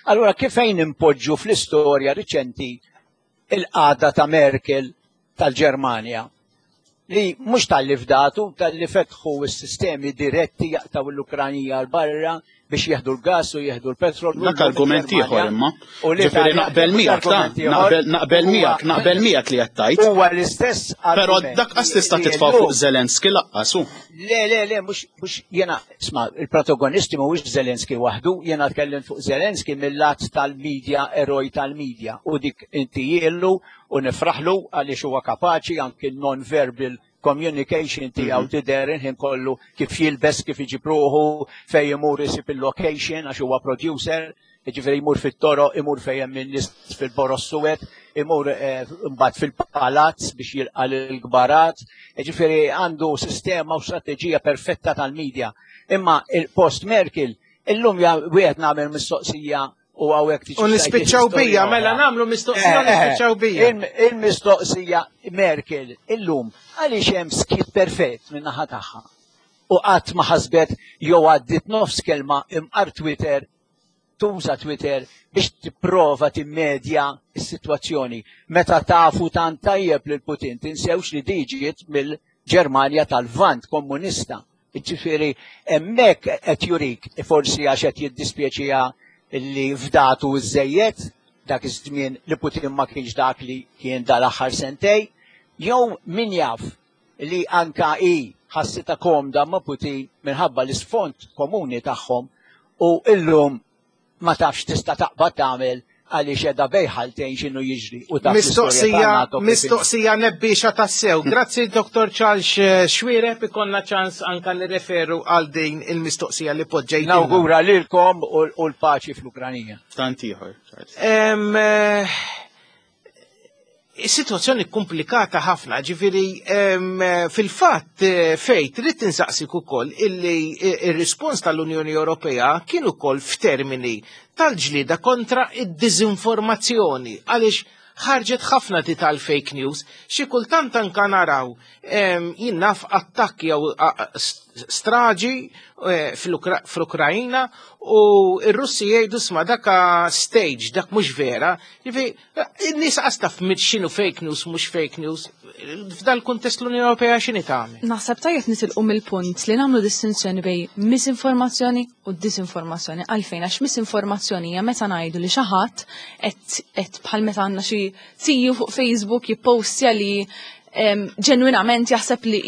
Allura kif fejn impoġġu fl-istorja riċenti il-qagħda ta' Merkel tal-Ġermanja, li mhux talli fdatu, talli fetħu s-sistemi diretti jaqtaw l-Ukranija l-barra biex jieħdu l-gas u jieħdu l-petrol. Dak argument ieħor imma. Ġifieri naqbel miegħek ta' naqbel miegħek, naqbel miegħek li qed tgħid. Huwa l-istess. Però dak qas tista' titfa' fuq Zelenski laqqas hu. Le, le, le, mhux mhux jiena, isma', il-protagonisti mhuwiex Zelenski waħdu, jiena tkellim fuq Zelenski mill-lat tal-medja, eroj tal-medja, u dik inti jiellu u nifraħlu għaliex huwa kapaċi anki non-verbal communication tiegħu tidher ħin kollu, kif jilbes, kif iġib ruħu, fejn imur isib il-location, għax huwa producer, jiġifieri jmur fit-toroq, imur fejn hemm in-nies fil-Boros Suwed, imur eh, mbagħad fil-palazz biex jilqa' l-kbarat, jiġifieri għandu sistema u strateġija perfetta tal-medja. Imma il-post Merkel, illum wieħed nagħmel mistoqsija u hawnhekk tiġi. U nispiċċaw bija, mela nagħmlu mistoqsija u nispiċċaw bija. Il-mistoqsija Merkel illum għaliex hemm skit perfett minn naħa tagħha. U qatt ma ħasbet jew għaddit nofs kelma imqar Twitter, tuża Twitter biex tipprova timmedja s-sitwazzjoni. Meta tafu tant tajjeb lil Putin, tinsewx li diġiet mill-Ġermanja tal-Vant komunista. Ġifieri hemmhekk qed jurik forsi għax qed jiddispjaċiha li fdatu żejjed dak iż-żmien li Putin ma kienx dak li kien dal-aħħar sentej, jew min jaf li anka i ħassita komda ma' Putin minħabba l-isfond komuni tagħhom u illum ma tafx tista' taqbad tagħmel għaliex qiegħda bejħaltejn x'inhu jiġri u taf Mistoqsija, mistoqsija nebbiexa tassew. Grazzi Doktor Charles Xuereb, ikonna ċans anka nirreferu għal din il-mistoqsija li poġġejt. Nawgura lilkom u l-paċi fl-Ukranija. Tant ieħor. Em, eh, Situazzjoni komplikata ħafna, ġifieri fil-fatt eh, fejt trid tinsaqsik ukoll illi ir-rispons tal-Unjoni Ewropea kien ukoll f'termini tal-ġlida kontra id-diżinformazzjoni għaliex ħarġet ħafna di tal-fake news, xi kultant anka naraw jien naf attakki jew straġi eh, fl-Ukrajna u r-Russi jgħidu sma daka stage, dak mhux vera. Ġifieri, in-nies taf x'inhu fake news, mhux fake news. F'dal kuntest l-Unjoni Ewropea x'inhi tagħmel? Naħseb tajjeb nitilqu mill-punt li nagħmlu distinzjoni bejn misinformazzjoni u disinformazzjoni. Għalfejn għax misinformazzjoni hija meta ngħidu li xi ħadd qed bħal meta għandna xi tiju fuq Facebook jippostja li ġenwinament jaħseb li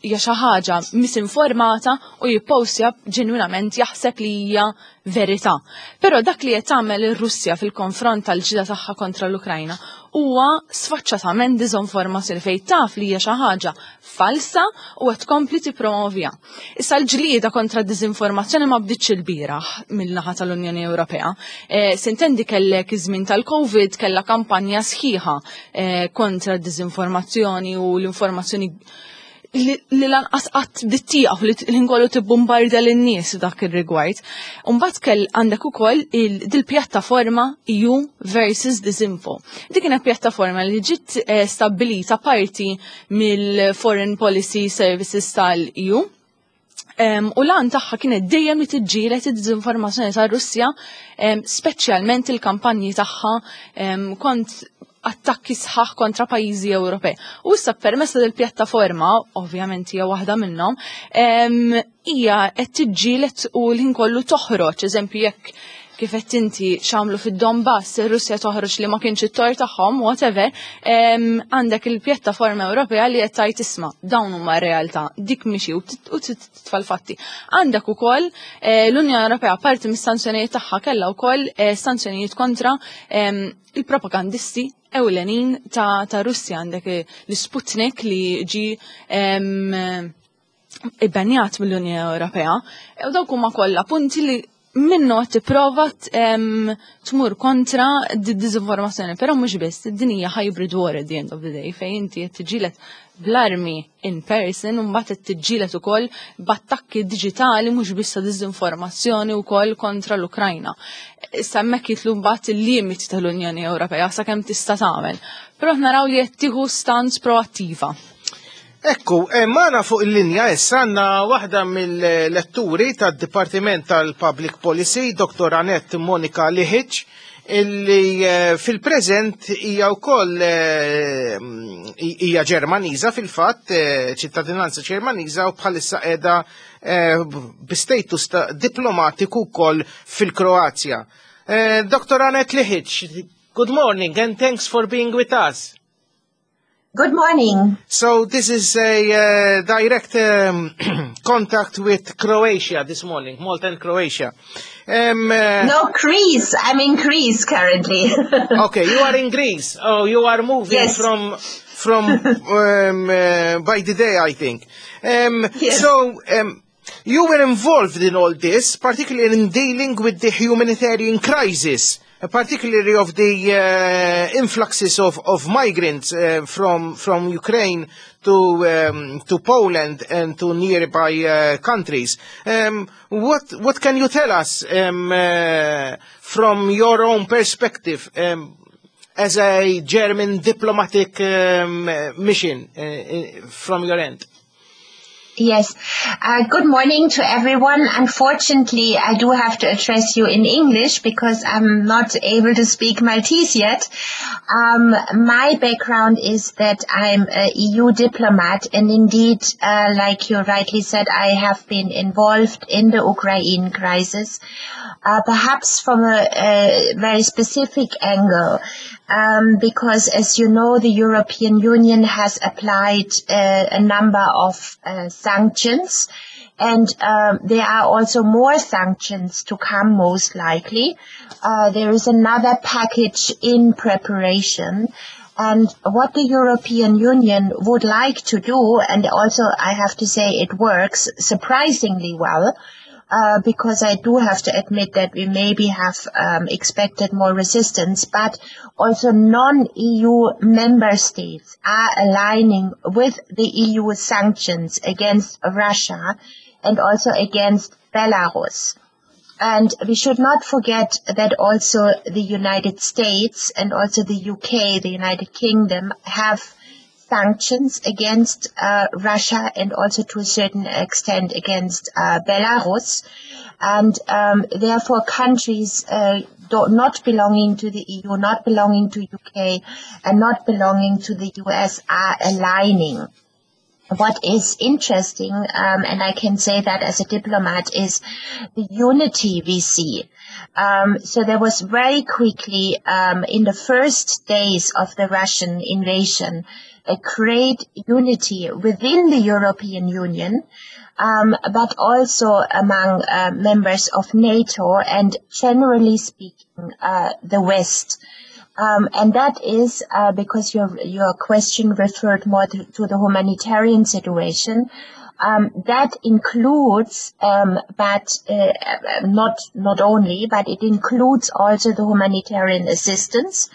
hija xi ħaġa misinformata u jippostja ġenwinament jaħseb li hija verità. Però dak li qed tagħmel ir-Russja fil-konfront tal-ġida tagħha kontra l-Ukrajna huwa sfaċċatament diżinformazzjoni fejn taf li hija xi ħaġa falsa u qed tkompli tippromovja. Issa l-ġlieda kontra d-diżinformazzjoni ma bdietx il-bieraħ mill-naħa tal-Unjoni Ewropea. E, Sintendi kellek iż-żmien tal-Covid kellha kampanja sħiħa e, kontra d-diżinformazzjoni u l-informazzjoni li lanqas qatt bdiet tieqaf li l-ingollu tibbombarda lin-nies dak ir-rigward. Imbagħad kell għandek ukoll dil-pjattaforma EU versus Disinfo. Dik kienet pjattaforma li ġiet eh, stabbilita parti mill-Foreign Policy Services tal-EU. Um, u l-għan tagħha kienet dejjem li tiġġieled id-diżinformazzjoni tar-Russja, um, speċjalment il-kampanji tagħha um, kont attakki sħaħ kontra pajjiżi Ewropej. U issa permezz del pjattaforma, ovvjament hija waħda minnhom, hija qed tiġġieled u l-ħin kollu toħroġ, eżempju jekk kif qed inti x'għamlu fid-Donbass, ir-Russja toħroġ li ma kienx it-tort tagħhom, whatever, għandek il-pjattaforma Ewropea li qed tgħid isma' dawn huma r-realtà, dik mixi u titfa' l-fatti. Għandek ukoll eh, l-Unjoni Ewropea parti mis-sanzjonijiet tagħha kellha wkoll eh, sanzjonijiet kontra il-propagandisti ewlenin ta', ta Russja għandek eh, l-Sputnik li ġi ibbenjat mill-Unjoni Ewropea. U dawk huma kollha punti li minnu qed tipprova tmur kontra d-dizinformazzjoni, però mhux biss, din hija hybrid war at the end of the day, fejn inti qed tiġġieled bl-armi in person u mbagħad qed tiġġieled ukoll b'attakki diġitali mhux biss ta' dizinformazzjoni wkoll kontra l-Ukrajna. Issa hemmhekk jidħlu mbagħad il-limiti tal-Unjoni Ewropea sakemm tista' tagħmel. Però naraw li qed tieħu stance proattiva. Ekku, eh, magħna fuq il-linja issa għandna waħda mill-letturi tad-Dipartiment tal-Public Policy, Dr. Annette Monika Lihic, illi eh, fil-preżent hija wkoll eh, hija Ġermaniża fil-fatt, ċittadinanza Ġermaniża u bħalissa qiegħda bi status diplomatiku wkoll fil-Kroazja. Dr. Annette Lihic, good morning and thanks for being with us. Good morning. So this is a uh, direct um, contact with Croatia this morning, Malta and Croatia. Um, uh, no, Greece. I'm in Greece currently. okay, you are in Greece. Oh, you are moving yes. from from um, uh, by the day, I think. Um, yes. So um, you were involved in all this, particularly in dealing with the humanitarian crisis particularly of the uh, influxes of, of migrants uh, from, from Ukraine to, um, to Poland and to nearby uh, countries. Um, what, what can you tell us um, uh, from your own perspective um, as a German diplomatic um, mission uh, from your end? Yes. Uh, good morning to everyone. Unfortunately, I do have to address you in English because I'm not able to speak Maltese yet. Um, my background is that I'm an EU diplomat and indeed, uh, like you rightly said, I have been involved in the Ukraine crisis, uh, perhaps from a, a very specific angle um, because as you know, the European Union has applied uh, a number of uh, sanctions and um, there are also more sanctions to come most likely. Uh, there is another package in preparation. And what the European Union would like to do, and also I have to say it works surprisingly well, uh, because I do have to admit that we maybe have um, expected more resistance, but also non-E U member states are aligning with the E U sanctions against Russia and also against Belarus. And we should not forget that also the United States and also the U K, the United Kingdom, have sanctions against uh, Russia and also to a certain extent against uh, Belarus. And um, therefore countries uh, not belonging to the E U, not belonging to U K, and not belonging to the U S are aligning. What is interesting, um, and I can say that as a diplomat, is the unity we see. Um, so there was very quickly, um, in the first days of the Russian invasion, a great unity within the European Union, um, but also among uh, members of NATO and, generally speaking, uh, the West. Um, and that is uh, because your your question referred more to, to the humanitarian situation. Um, that includes, um, but uh, not not only, but it includes also the humanitarian assistance.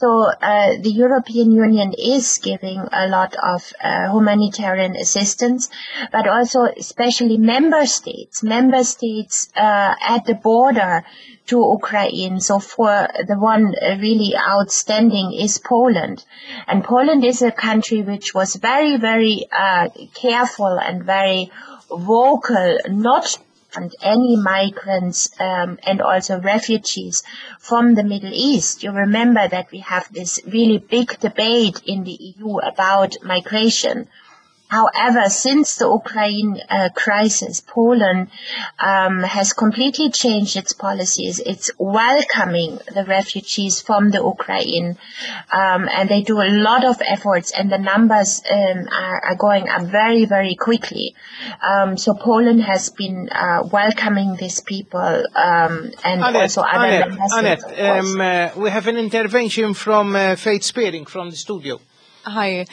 So uh, the European Union is giving a lot of uh, humanitarian assistance, but also especially member states, member states uh, at the border to Ukraine. So for the one really outstanding is Poland. And Poland is a country which was very, very uh, careful and very vocal not and any migrants um, and also refugees from the Middle East. You remember that we have this really big debate in the E U about migration. However, since the Ukraine uh, crisis, Poland um, has completely changed its policies. It's welcoming the refugees from the Ukraine, um, and they do a lot of efforts, and the numbers um, are, are, going up very, very quickly. Um, so Poland has been uh, welcoming these people um, and Annette, also other Annette, member Annette, states, of course. um, uh, we have an intervention from uh, Faith Spearing from the studio. Hi. Um,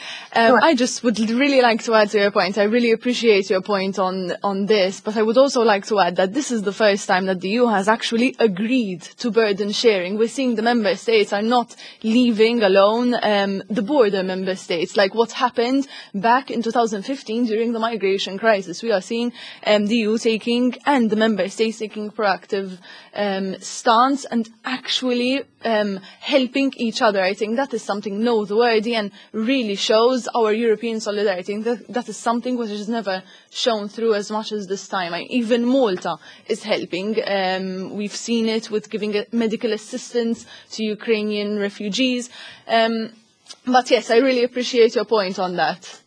Sure. I just would really like to add to your point. I really appreciate your point on, on this, but I would also like to add that this is the first time that the E U has actually agreed to burden sharing. We're seeing the member states are not leaving alone um, the border member states, like what happened back in twenty fifteen during the migration crisis. We are seeing um, the E U taking and the member states taking proactive um, stance and actually um, helping each other. I think that is something noteworthy and really shows our European solidarity. And that, that is something which is never shown through as much as this time. I, even Malta is helping. Um, we've seen it with giving uh, medical assistance to Ukrainian refugees. Um, but yes, I really appreciate your point on that.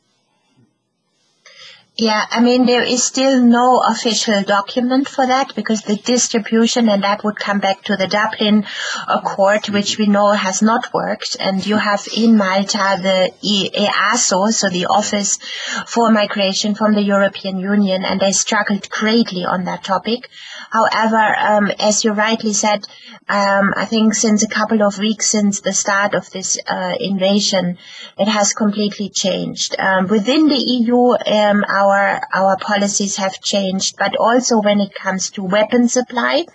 Yeah, I mean, there is still no official document for that because the distribution, and that would come back to the Dublin Accord, which we know has not worked. And you have in Malta the E A S O, so the Office for Migration from the European Union, and they struggled greatly on that topic. However, um, as you rightly said, um, I think since a couple of weeks since the start of this uh, invasion, it has completely changed. Um, within the E U, um, our our policies have changed, but also when it comes to weapon supply.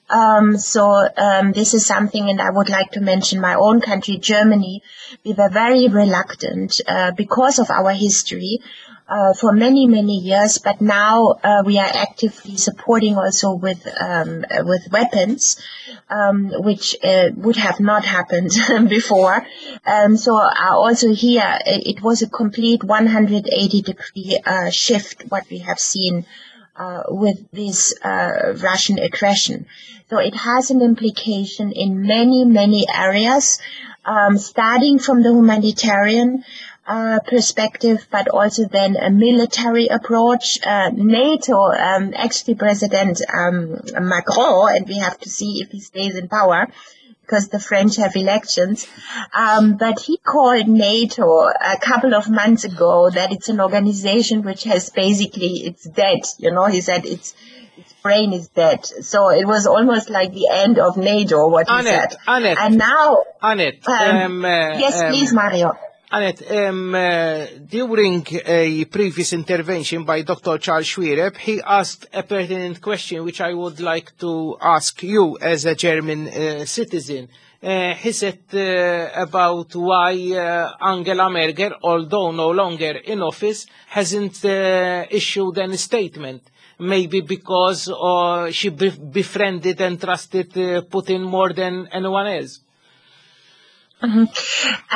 Um, so um, this is something, and I would like to mention my own country, Germany. We were very reluctant uh, because of our history uh, for many, many years, but now uh, we are actively supporting also with um, uh, with weapons, um, which uh, would have not happened before. Um, so uh, also here, it, it was a complete one hundred eighty degree uh, shift what we have seen uh, with this uh, Russian aggression. So it has an implication in many, many areas, um, starting from the humanitarian uh, perspective, but also then a military approach. Uh, NATO, um, actually President um, Macron, and we have to see if he stays in power, because the French have elections. Um, but he called NATO a couple of months ago that it's an organization which has basically, it's dead. You know, he said it's, its brain is dead. So it was almost like the end of NATO, what he Annette, said. Annette. And now, Annette, um, um, uh, yes, um, please, Mario. Annette, um, uh, during a previous intervention by Doctor Charles Xuereb, he asked a pertinent question which I would like to ask you as a German uh, citizen. Uh, he said uh, about why uh, Angela Merkel, although no longer in office, hasn't uh, issued any statement. Maybe because uh, she befriended and trusted uh, Putin more than anyone else. Mm-hmm.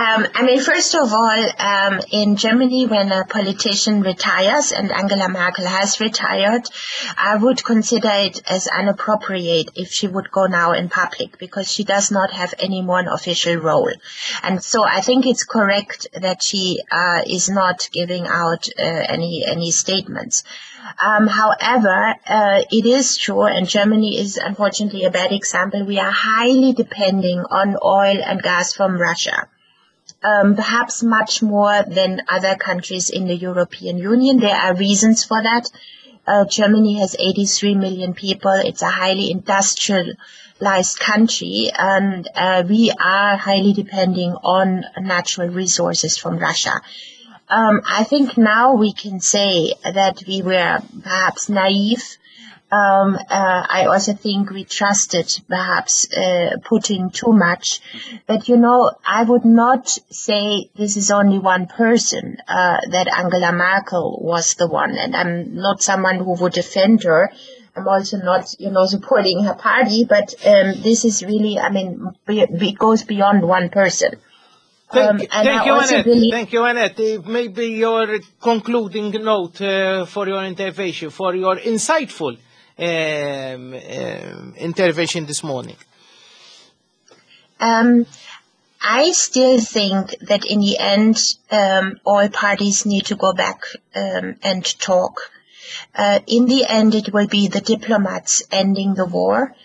Um, I mean, first of all, um, in Germany, when a politician retires, and Angela Merkel has retired, I would consider it as inappropriate if she would go now in public, because she does not have any more an official role. And so I think it's correct that she uh, is not giving out uh, any, any statements. Um, however, uh, it is true, and Germany is unfortunately a bad example, we are highly depending on oil and gas from Russia, um, perhaps much more than other countries in the European Union. There are reasons for that. Uh, Germany has eighty-three million people. It's a highly industrialized country, and uh, we are highly depending on natural resources from Russia. Um, I think now we can say that we were perhaps naive. Um, uh, I also think we trusted perhaps uh, Putin too much. But, you know, I would not say this is only one person, uh, that Angela Merkel was the one. And I'm not someone who would defend her. I'm also not, you know, supporting her party. But um, this is really, I mean, it goes beyond one person. Thank, um, thank you, Annette. Really thank you, Annette. Maybe your concluding note uh, for your intervention, for your insightful um, um, intervention this morning. Um, I still think that in the end, um, all parties need to go back um, and talk. Uh, in the end, it will be the diplomats ending the war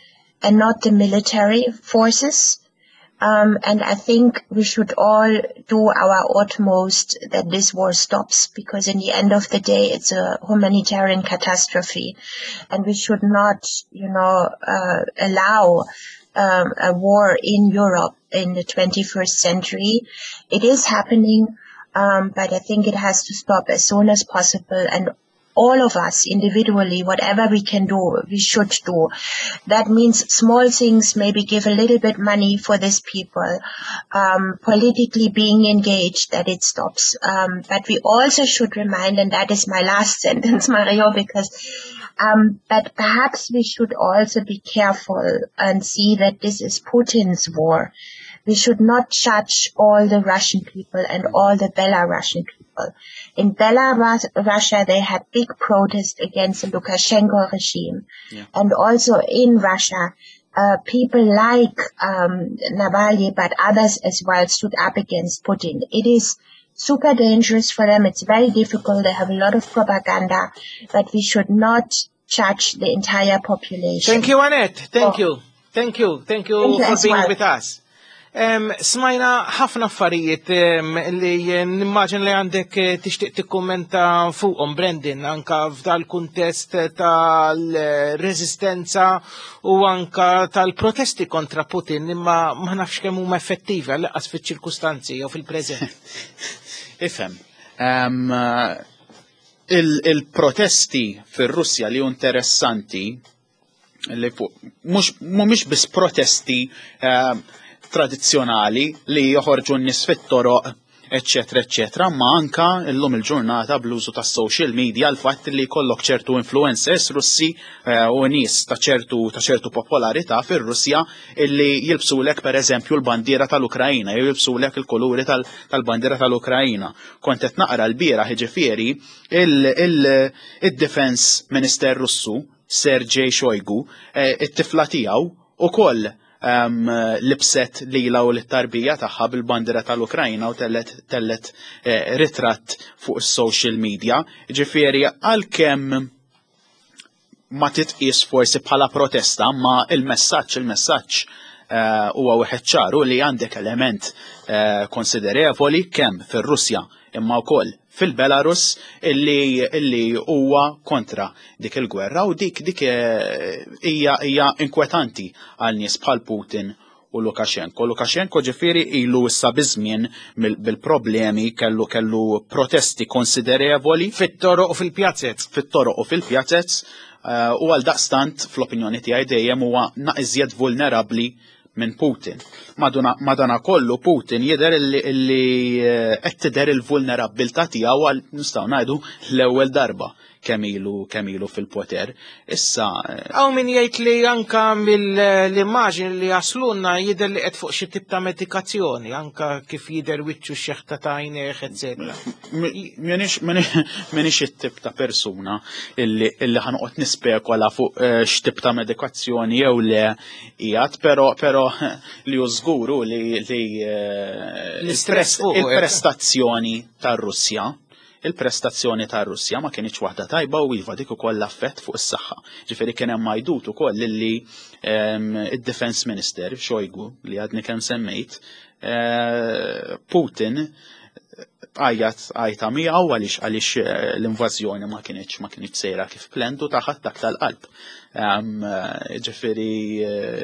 and not the military forces. Um, and I think we should all do our utmost that this war stops, because in the end of the day, it's a humanitarian catastrophe. And we should not, you know, uh, allow um, a war in Europe in the twenty-first century. It is happening, um, but I think it has to stop as soon as possible. And all of us individually, whatever we can do, we should do. That means small things, maybe give a little bit money for these people, um, politically being engaged, that it stops. Um, but we also should remind, and that is my last sentence, Mario, because, um, but perhaps we should also be careful and see that this is Putin's war. We should not judge all the Russian people and all the Belarusian people. In Belarus, Russia, they had big protests against the Lukashenko regime. Yeah. And also in Russia, uh, people like um, Navalny, but others as well, stood up against Putin. It is super dangerous for them. It's very difficult. They have a lot of propaganda, but we should not judge the entire population. Thank you, Annette. Thank oh. you. Thank you. Thank you, Thank you for being well. with us. Um, smajna ħafna affarijiet um, li nimmaġin li għandek tixtieq tikkummenta fuqhom, Brendan, anka f'dal-kuntest tal-reżistenza u anka tal-protesti kontra Putin, imma ma nafx kemm huma effettivi għall-inqas fiċ-ċirkustanzi jew fil-preżent. Ifhem. Um, il-protesti fir-Russja li interessanti li fuq mhux mhumiex biss protesti uh, tradizzjonali li joħorġu n-nies fit-toroq, eccetera, eccetera, ma anka illum il-ġurnata bl-użu tas social media, l-fatt li jkollok ċertu influencers Russi u nies ta' ċertu ta' ċertu popolarità fir-Russja illi jilbsulek per eżempju l-bandiera tal-Ukrajna, jew jilbsulek il-kuluri tal-bandiera tal-Ukrajna. Kont qed naqra l-bieraħ, jiġifieri il-Defense Minister Russu Sergej Shoigu, it-tifla tiegħu ukoll Um, libset lila u l-tarbija tagħha bil-bandira tal-Ukrajna u tellet, tellet eh, ritratt fuq is-social media. Ġifieri għalkemm ma titqis forsi bħala protesta, ma il-messaġġ il-messaġġ huwa uh, wieħed ċaru li għandek element uh, konsiderevoli kemm fir-Russja imma wkoll fil-Belarus illi illi huwa kontra dik il-gwerra, u dik dik hija hija inkwetanti għal nies bħal Putin u Lukashenko. Lukashenko ġifieri ilu issa biżmien bil-problemi, kellu kellu protesti konsiderevoli fit-toroq u fil-pjazzez. Fit-toroq u fil-pjazzez eh, u għal daqstant fl-opinjoni tiegħi dejjem huwa naqra iżjed vulnerabbli minn Putin. Madana kollu Putin jidher illi eh, qed tidher il-vulnerabbiltà tiegħu għal, nistgħu ngħidu, l-ewwel darba kemm ilu kemm ilu fil-poter. Issa Hawn min jgħid li anka mill-immaġni li jaslunna jidher li qed fuq xi tip ta' medikazzjoni, anka kif jidher wiċċu, xeħta ta' għajnejh, eċetera. M'iniex it-tip ta' persuna illi illi ħa noqgħod nispekola fuq eh, x'tip ta' medikazzjoni jew le qiegħed, però però li hu żguru li li eh, l-istress fuq il-prestazzjoni tar-Russja il-prestazzjoni ta' Russja ma kienx waħda tajba u iva, dik ukoll affett fuq is-saħħa. Ġifieri kien hemm għajdut ukoll lilli id-Defense Minister Shoigu li għadni kemm semmejt, eh, Putin għajjat għajta miegħu għaliex għaliex eh, l-invażjoni ma kienx ma kienx sejra kif planned u tah attakk tal-qalb. Eh, ġifieri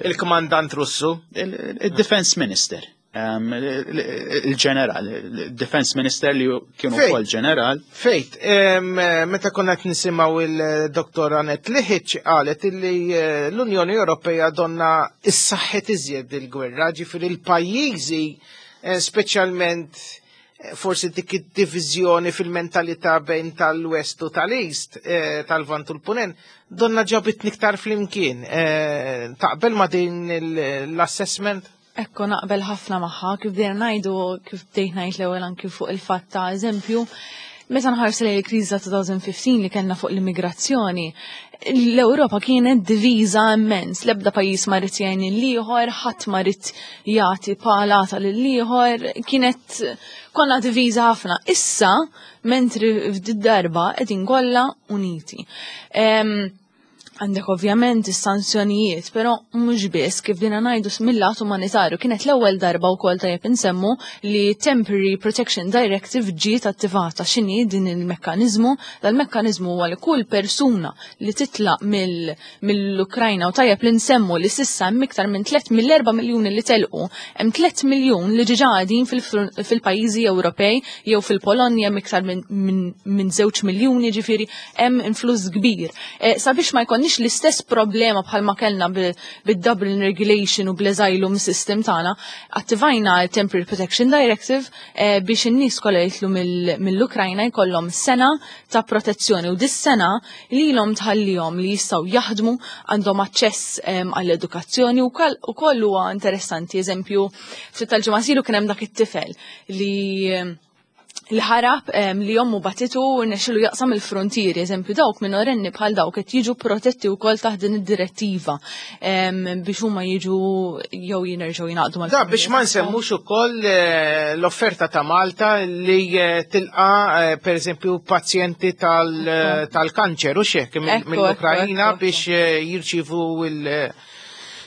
Il-kmandant Russu? Il-Defense Minister, il-ġeneral, il-Defense Minister li kienu Fejt. ukoll ġeneral. Fejt, meta konna qed nisimgħu il-Dottor Anet Liħiċ qalet illi eh, l-Unjoni Ewropea donna issaħħet iżjed il-gwerra, ġifieri il-pajjiżi, eh, speċjalment eh, forsi dik id-diviżjoni fil-mentalità bejn tal-West u tal-East, eh, tal-Vant u l-Punent, donna ġabit iktar flimkien. Eh, Taqbel ma din il- l-assessment? Ekku, naqbel ħafna magħha, kif bdejna ngħidu, kif bdejt ngħid l-ewwel anki fuq il-fatt ta' eżempju, meta nħarsu lejn il-kriżi ta' elfejn u ħmistax li kellna fuq l-immigrazzjoni, l-Ewropa kienet diviża immens, l-ebda pajjiż ma ried jgħin lill-ieħor, ħadd ma ried jagħti palata lill-ieħor, kienet konna diviża ħafna. Issa, mentri f'did darba qegħdin kollha uniti. Em, Għandek ovvjament is-sanzjonijiet, però mhux biss, kif dina ngħidu mill-lat umanitarju, kienet l-ewwel darba wkoll, tajjeb insemmu, li Temporary Protection Directive ġiet attivata. X'inhi din il-mekkaniżmu? Dal-mekkaniżmu huwa li kull persuna li titlaq mill- mill-Ukrajna, u tajjeb li nsemmu li s'issa hemm iktar minn tliet mill-erba' miljuni li telqu, hemm tliet miljun li ġiġa qegħdin fil- fil-pajjiżi Ewropej jew fil-Polonja, hemm iktar minn min, min żewġ miljuni, ġifieri hemm influss kbir. Eh, sabiex ma jkollniex l-istess problema bħalma kellna bil-Dublin Regulation u bl-Asylum System tagħna, attivajna il-Temporary Protection Directive eh, biex in-nies kollha jitlu mill- mill-Ukrajna jkollhom sena ta' protezzjoni u dis-sena lilhom tħallihom li jistgħu jaħdmu, għandhom aċċess em, għall-edukazzjoni u kol- u koll huwa interessanti. Eżempju, ftit tal-ġimgħa ilu kien hemm dak it-tifel li li ħarab em, li ommu bagħtitu u rnexxielu jaqsam il-frontieri, eżempju, dawk minorenni bħal dawk qed jiġu protetti wkoll taħt din id-direttiva em, biex huma jiġu jew jinerġgħu jingħaqdu mal Da, biex ma nsemmux ukoll eh, l-offerta ta' Malta li eh, tilqa eh, per eżempju pazjenti tal- eh, tal-kanċer u xek Ekku, mill-Ukrajina ekku, ekku. biex eh, jirċivu il-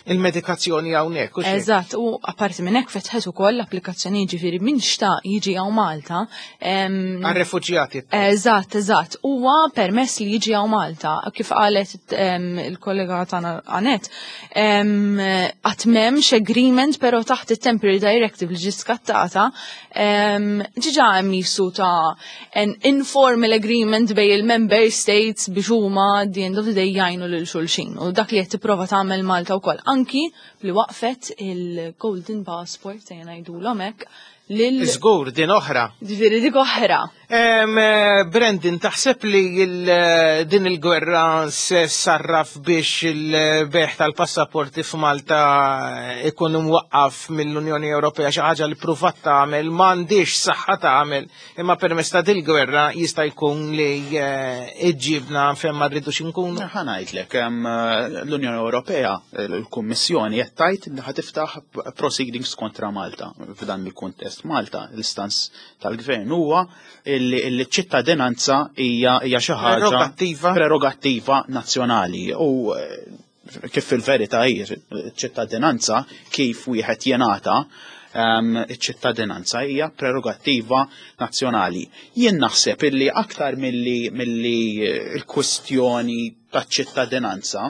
il-medikazzjoni hawnhekk u xek. Eżatt, u apparti minn hekk fetħet ukoll l-applikazzjoni, ġifieri min xtaq jiġi hawn Malta. em, Għar-refuġjati. Eżatt, eżatt. Huwa permess li jiġi hawn Malta. Kif qalet em, il-kollega tagħna Anet, em, qatt m'hemmx agreement, però taħt it-Temporary Directive li ġiet skattata, em, ġiġa hemm jisu ta' an informal agreement bejn il-member states biex huma at the end of the day jgħinu lil xulxin. U dak li qed tipprova tagħmel Malta wkoll. Anki li waqfet il-Golden Passport, se ngħidulhom hekk, lil Żgur, din oħra. Ġifieri dik oħra. Em, eh, Brandon, taħseb li il- eh, din il-gwerra se sarraf biex il-bejgħ tal-passaporti f'Malta ikun imwaqqaf mill-Unjoni Ewropea, xi ħaġa li pruvat tagħmel, m'għandix saħħa tagħmel, imma permezz ta' dil-gwerra jista' jkun li eh, iġġibna fejn ma rridux inkunu? Ħa ngħidlek, em, l-Unjoni Ewropea, l-Kummissjoni qed tgħid li ħa tiftaħ proceedings kontra Malta f'dan il-kuntest. Malta, l-istance tal-gvern huwa illi illi ċ-ċittadinanza hija hija xi ħaġa Prerogattiva. Prerogattiva nazzjonali u eh, kif fil-verità hi ċittadinanza, kif wieħed jingħata em, iċ-ċittadinanza hija prerogattiva nazzjonali. Jien naħseb illi aktar milli milli l-kwistjoni taċ-ċittadinanza,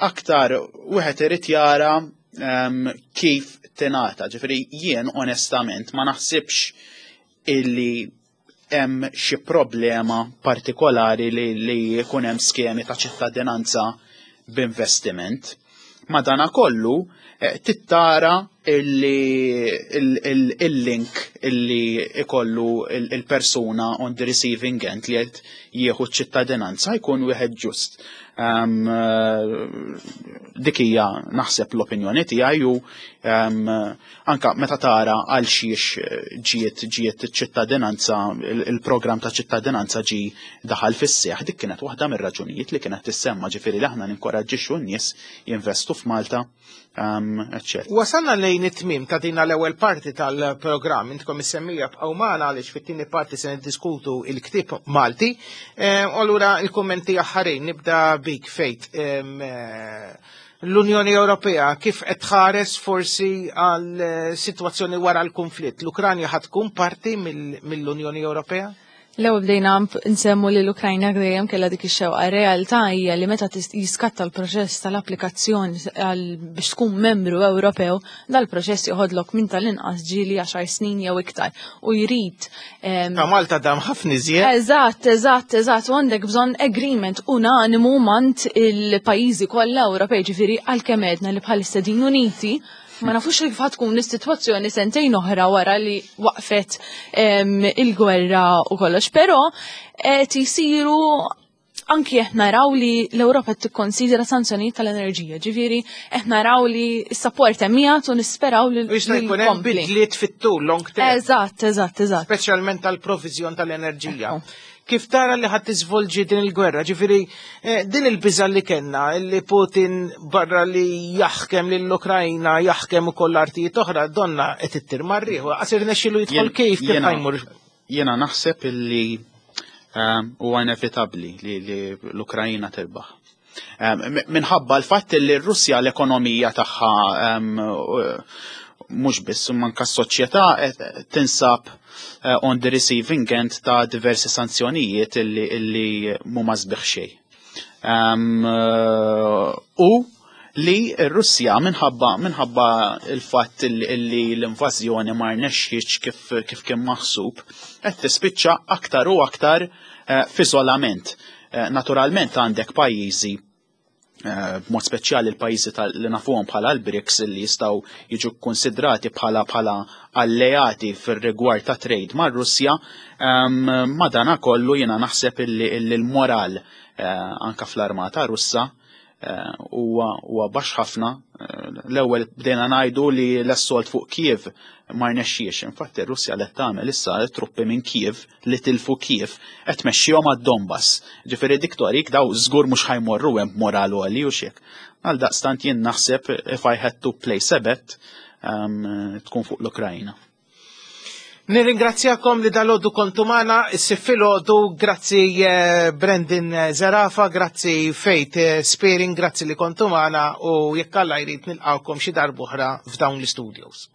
aktar wieħed irid jara um, kif tingħata. Ġifieri jien onestament ma naħsibx illi hemm xi problema partikolari li, li jkun hemm skemi ta' ċittadinanza b'investiment. Madana kollu eh, tittara illi il-link illi ikollu il-persuna on the receiving end li qed jieħu ċittadinanza jkun wieħed ġust. Um, dik hija naħseb l-opinjoni tiegħi u um, anka meta tara għal xiex ġiet ġiet ċittadinanza il-programm ta' ċittadinanza ġi daħal fis-seħ, dik kienet waħda mir-raġunijiet li kienet tissemma, ġifieri li aħna ninkoraġġixxu n-nies jinvestu f'Malta, um, eċċetera. Wasalna lejn it-tmiem ta' din l-ewwel parti tal-programm, intkom is-semmiegħa bqgħu magħna għaliex fit-tieni parti se niddiskutu il-ktieb Malti. Eh, allura il-kummenti aħħarin nibda bik Faith. Eh, L-Unjoni Ewropea kif qed tħares forsi għal eh, sitwazzjoni wara l-konflitt? L-Ukranja ħad tkun parti mill-Unjoni Ewropea? L-ewwel bdejna nsemmu li l-Ukrajna dejjem kellha dik ix-xewqa. Realtà hija li meta jiskatta l-proċess tal-applikazzjoni biex tkun membru Ewropew, dal-proċess joħodlok minn tal-inqas ġieli għaxar snin jew iktar u jrid. Ta' Malta dam ħafna iżjed. Eżatt, eżatt, eżatt, u għandek bżonn agreement unanimu mant il-pajjiżi kollha Ewropej, ġifieri għalkemm għedna li bħalissa din Uniti ma nafux kif tkun is-sitwazzjoni sentejn oħra wara li waqfet il-gwerra u kollox, però qed isiru anki qed naraw li l-Ewropa tikkonsidra sanzjonijiet tal-enerġija, ġifieri qed naraw li s-sapport hemm u nisperaw li Jista' jkun hemm bidliet fit-tul long term. Eżatt, eżatt, eżatt. Speċjalment tal-proviżjon tal-enerġija. Kif tara li ħadd tiżvolġi din il-gwerra? Ġifieri eh, din il-biża li kellna li Putin barra li jaħkem lill-Ukrajna jaħkem ukoll artijiet oħra donna qed ittir mar-riħ. Qasir nexxielu jidħol kif kif ħajmur. Jiena naħseb illi ehm, huwa inevitabbli li l-Ukrajna tirbaħ. Ehm, minħabba l-fatt li r-Russja l-ekonomija tagħha ehm, mhux biss manka s-soċjetà tinsab eh, on the receiving end ta' diversi sanzjonijiet illi, illi mhuma sbieħ xejn. Um, u li r-Russja minħabba minħabba il-fatt illi l-invażjoni ma rnexxietx kif kif kien maħsub qed tispiċċa aktar u aktar uh, f'iżolament. Uh, naturalment għandek pajjiżi b'mod speċjali l-pajjiżi li nafuhom bħala l-BRICS li jistgħu jiġu konsidrati bħala bħala alleati fir-rigward ta' trade mar-Russja, madana kollu jiena naħseb illi l-moral anka fl-armata Russa huwa baxx ħafna. L-ewwel bdejna ngħidu li l-assolt fuq Kiev ma rnexxiex. Infatti r-Russja qed tagħmel issa truppi minn Kiev li tilfu Kiev qed tmexxihom għad-Donbass. Ġifieri dik torik daw żgur mhux ħajmorru hemm b'moral għoli u xek. Għal daqstant jien naħseb if I had to place a bet tkun fuq l-Ukrajna. Nirringrazzjakom li dalgħodu kontu magħna, filgħodu, grazzi eh, Brendan Zerafa, grazzi Faith eh, Spearing, grazzi li kontu magħna u jekk Alla jrid nilqawkom xi darb'oħra f'dawn l-studios.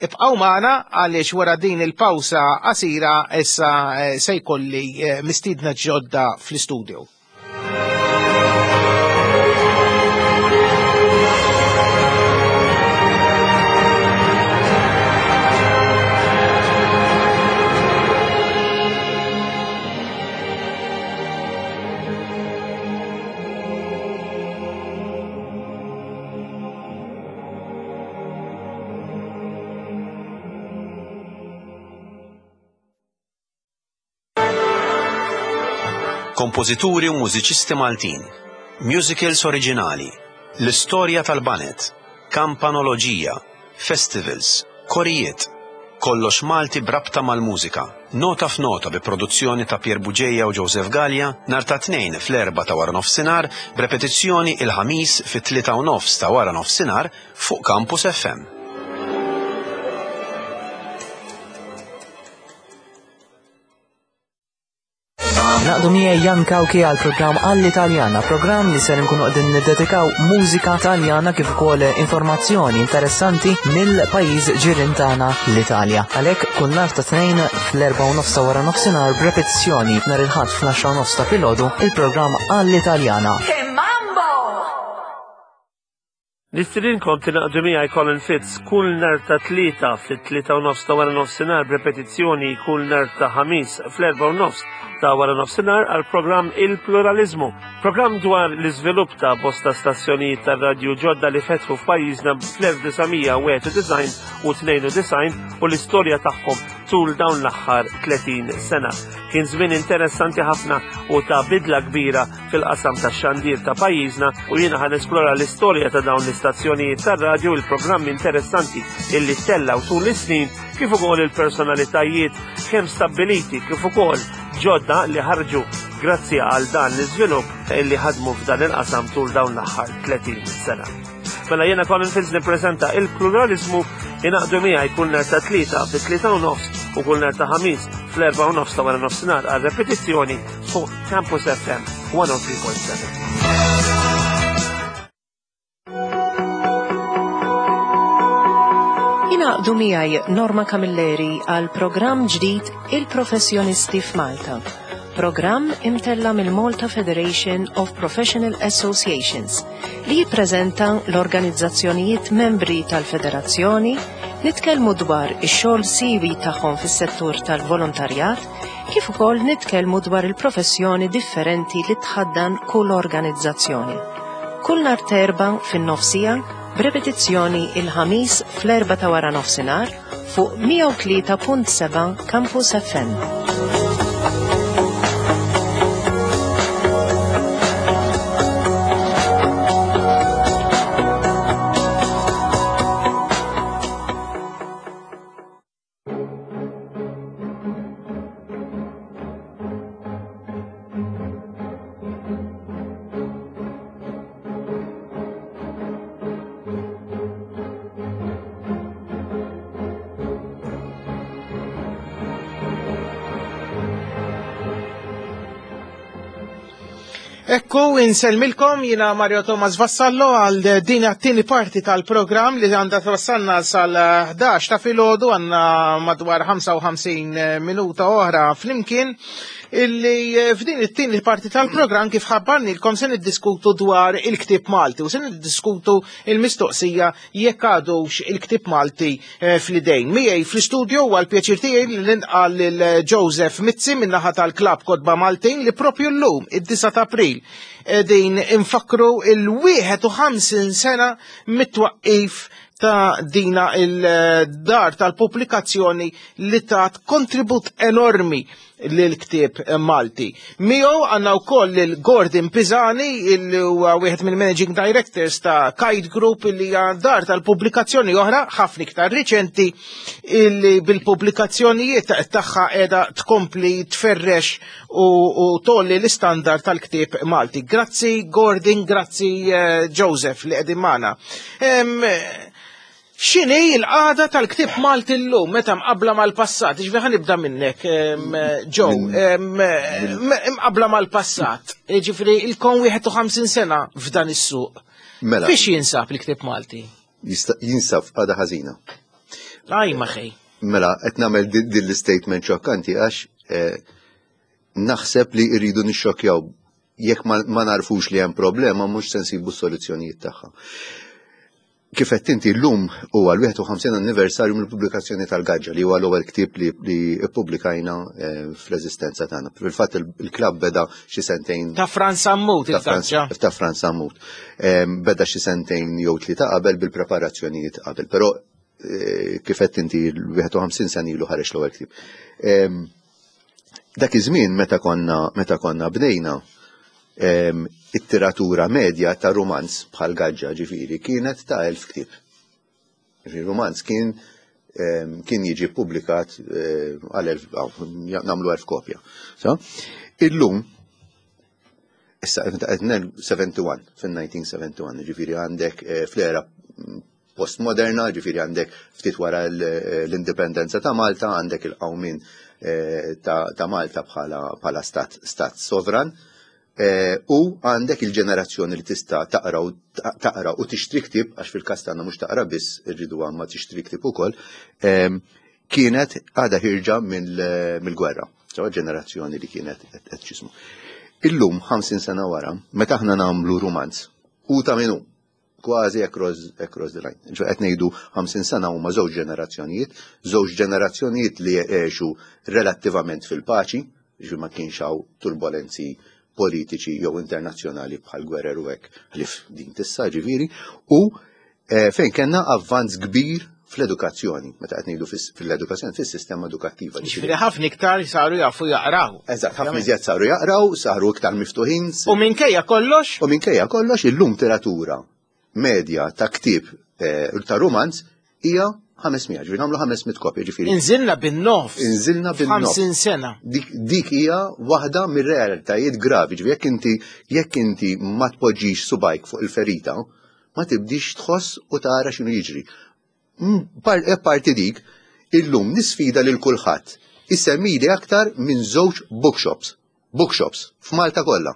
Ibqgħu magħna għaliex wara din il-pawsa qasira issa eh, se jkolli mistiedna ġodda fl-istudio. Kompożituri u mużiċisti Maltin, musicals oriġinali, l-istorja tal-baned, kampanoloġija, festivals, korijiet, kollox Malti brabta mal-mużika. Nota f'nota bi produzzjoni ta' Pier Buġeja u Joseph Gallia, nhar ta' tnejn fl-erba ta' wara nofsinhar, b'repetizzjoni il-ħamis fit-tlieta u nofs ta' wara nofsinhar fuq Campus F M. Naqdu miegħi Jan Kawki għal programm għall-Italjana, programm li ser nkunu qegħdin niddedikaw mużika Taljana kif ukoll informazzjoni interessanti mill-pajjiż ġirien tagħna l-Italja. Għalhekk kull nhar ta' tnejn fl-erba' u nofs ta' wara nofsinhar b'repetizzjoni nhar il-Ħadd fl-għaxra u nofs ta' filgħodu il-programm għall-Italjana. Che mambo! Nistedinkom tingħaqdu miegħi Colin Fitz kull nhar ta' Tlieta fit-tlieta u nofs ta' wara nofsinhar b'repetizzjoni kull nhar ta' Ħamis fl-erba' u nofs ta' wara nofsinhar għal programm Il-Pluralizmu. Programm dwar l-iżvilupp ta' bosta stazzjonijiet tar-radju ġodda li fetħu f'pajjiżna fl-elf disa' mija wieħed u disgħin u tnejn u disgħin u l-istorja tagħhom tul dawn l-aħħar tletin sena. Kien żmien interessanti ħafna u ta' bidla kbira fil-qasam tax-xandir ta' pajjiżna u jiena ħa nesplora l-istorja ta' dawn l-istazzjonijiet tar-radju u l-programmi interessanti illi tellgħu tul is-snin kif ukoll il-personalitajiet kemm stabbiliti kif ukoll ġodda li ħarġu grazzi għal dan l-iżvilupp illi ħadmu f'dan il-qasam tul dawn l-aħħar tletin sena. Mela jiena Colin Fitz nippreżenta il-pluralizmu ingħaqdu miegħi kull nhar ta' Tlieta fit-tlieta u nofs u kull nhar ta' Ħamis fl-erba' u nofs ta' wara nofsinhar għal repetizzjoni fuq Campus F M one oh three point seven. Ingħaqdu miegħi Norma Camilleri għal programm ġdid Il-Professjonisti f'Malta. Programm imtella mill-Malta Federation of Professional Associations li jippreżenta l-organizzazzjonijiet membri tal-federazzjoni, nitkellmu dwar ix-xogħol siwi tagħhom fis-settur tal-volontarjat, kif ukoll nitkellmu dwar il-professjoni differenti li tħaddan kull organizzazzjoni. Kull nhar t'Erbgħa fin-nofsija, b'repetizzjoni il-Ħamis fl-erba' ta' wara nofsinhar fuq mija u tlieta punt seba' Campus F M. Ekku, insellmilkom, jina Mario Thomas Vassallo għal din għat-tieni parti tal-programm li għandha twassalna sal-ħdax ta' filgħodu, għandna madwar ħamsa u ħamsin minuta oħra flimkien, illi f'din it-tieni parti tal-programm kif ħabbarnilkom se niddiskutu dwar il-ktieb Malti u se niddiskutu il-mistoqsija jekk għadux il-ktieb Malti, eh, fl-idejn. Miegħi fl-istudio huwa l-pjaċir tiegħi li nilqa' lil Joseph Mizzi min-naħa tal-Klabb Kotba Maltin li propju llum id-disa ta' April qegħdin infakru il-wieħed u ħamsin sena mit-twaqqif ta' dina il-dar tal-pubblikazzjoni li tat kontribut enormi lil-ktieb Malti. Miegħu għandna wkoll lil Gordon Pisani, illi huwa wieħed mill-Managing Directors ta' Kite Group, illi hija dar tal-pubblikazzjoni oħra ħafna iktar riċenti, illi bil-pubblikazzjonijiet tagħha qiegħda tkompli tferrex u, u tolli l-istandard tal-ktieb Malti. Grazzi Gordon, grazzi, eh, Joseph li qegħdin magħna. Em, X'inhi l-qagħda tal-ktieb Malti llum meta mqabbla mal-passat? Jiġifieri ħa nibda minnek, em, Joe, em, mqabbla mal-passat. Jiġifieri ilkom wieħed u ħamsin sena f'dan is-suq. Mela. Fiex jinsab il-ktieb Malti? Jista-, jinsab f'qagħda ħażina. Aj, ma xejn. Mela, qed nagħmel di-, din l-statement xokkanti għax, eh, naħseb li rridu nixxokkjaw jekk ma, ma narfux li hemm problema mhux se nsibu s-soluzzjonijiet tagħha. Kif qed inti llum huwa l-wieħed u ħamsin anniversarju mill-pubblikazzjoni tal-Gaġġa li huwa l-ewwel ktieb li, li ppubblikajna, eh, fl-eżistenza tagħna. Fil-fatt il-, il-klabb beda xi sentejn Ta' Frans Sammut Ta' Frans il-Gaġġa. Ta' Frans Sammut. Em, beda xi sentejn jew tlieta qabel bil-preparazzjonijiet qabel, però, eh, kif qed inti l-wieħed u ħamsin sena ilu ħareġ l-ewwel ktieb. Em, dak iż-żmien meta konna, meta konna bdejna, em, it-tiratura medja ta' rumanz bħal Gaġġa ġifieri kienet ta' elf ktieb. Ġifieri rumanz kien, em, kien jiġi ppubblikat, eh, għal elf, aw, nagħmlu elf kopja. So, illum, issa qed ngħid seventy-one, fin-nineteen seventy-one, ġifieri għandek, eh, fl-era postmoderna, ġifieri għandek ftit wara l-, l-indipendenza ta' Malta, għandek il-qawmien, eh, ta', ta' Malta bħala, bħala stat, stat sovran. Eh, u għandek il-ġenerazzjoni li tista' taqra u taqra u tixtri ktieb, għax fil-każ tagħna mhux taqra biss, irridu għamma tixtri ktieb ukoll, ehm, kienet għadha ħirġa mill-, mill-gwerra. So, ġenerazzjoni li kienet qed, qed x'ismu. Illum, ħamsin sena wara, meta aħna nagħmlu rumanz, u ta' minu, Kważi across, across the line. Ġo qed ngħidu ħamsin sena huma żewġ ġenerazzjonijiet, żewġ ġenerazzjonijiet li għexu relattivament fil-paċi, ġi ma kienx hawn turbolenzi politiċi jew internazzjonali bħal gwerer u hekk ħlief din tissa ġifieri, u eh, fejn kellna avvanz kbir fl-edukazzjoni, meta qed ngħidu fil-edukazzjoni fis-sistema edukattiva. Ġifieri ħafna iktar saru jafu jaqraw. Eżatt, ħafna iżjed saru jaqraw, saru iktar miftuħin. U minkejja kollox? U minkejja kollox illum tiratura medja ta' ktieb eh, ta' romanz hija ħames mija, ġifieri nagħmlu ħames mitt kopja, ġifieri. Inżilna bin-nofs. Inżilna bin-nofs. ħamsin sena. Dik, dik hija waħda mir-realtajiet gravi, ġifieri jekk inti jekk inti ma tpoġġix subgħajk fuq il-ferita, ma tibdix tħoss u tara x'inhu jiġri. Mm, par- e Parti dik, illum nisfida lil kulħadd. Isemmili aktar minn żewġ bookshops. Bookshops f'Malta kollha.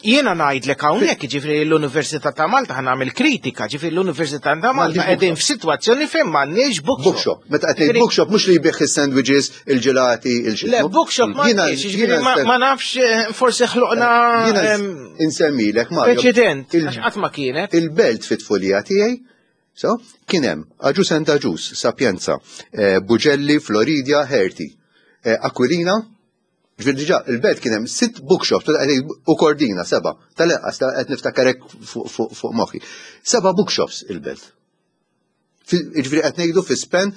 Jiena ngħidlek hawnhekk, ġifieri l-Università ta' Malta, ħa nagħmel kritika, ġifieri l-Università ta' Malta M'għandix qegħdin f'sitwazzjoni fejn m'għandniex bookshop. Bookshop. Meta qed ngħid bookshop mhux li jbigħ is-sandwiches, il-ġelati, il Le, bookshop m'għandniex, ġifieri ma- ma nafx, eh, forsi ħloqna Jiena em, insemmilek, Mario. preċedent, il- għax qatt ma kienet. Il-belt fit-tfulija tiegħi, so, kien hemm Agius and Agius, Sapienza, eh, Bugelli, Floridia, Herti, eh, Aquilina, ġifieri diġà il-belt kien hemm sitt bookshops u Kordina seba', tal-eqqas ta' qed niftakarek fuq fuq fuq moħħi. Seba' bookshops il-belt. Fi- Ġifieri qed ngħidu fi span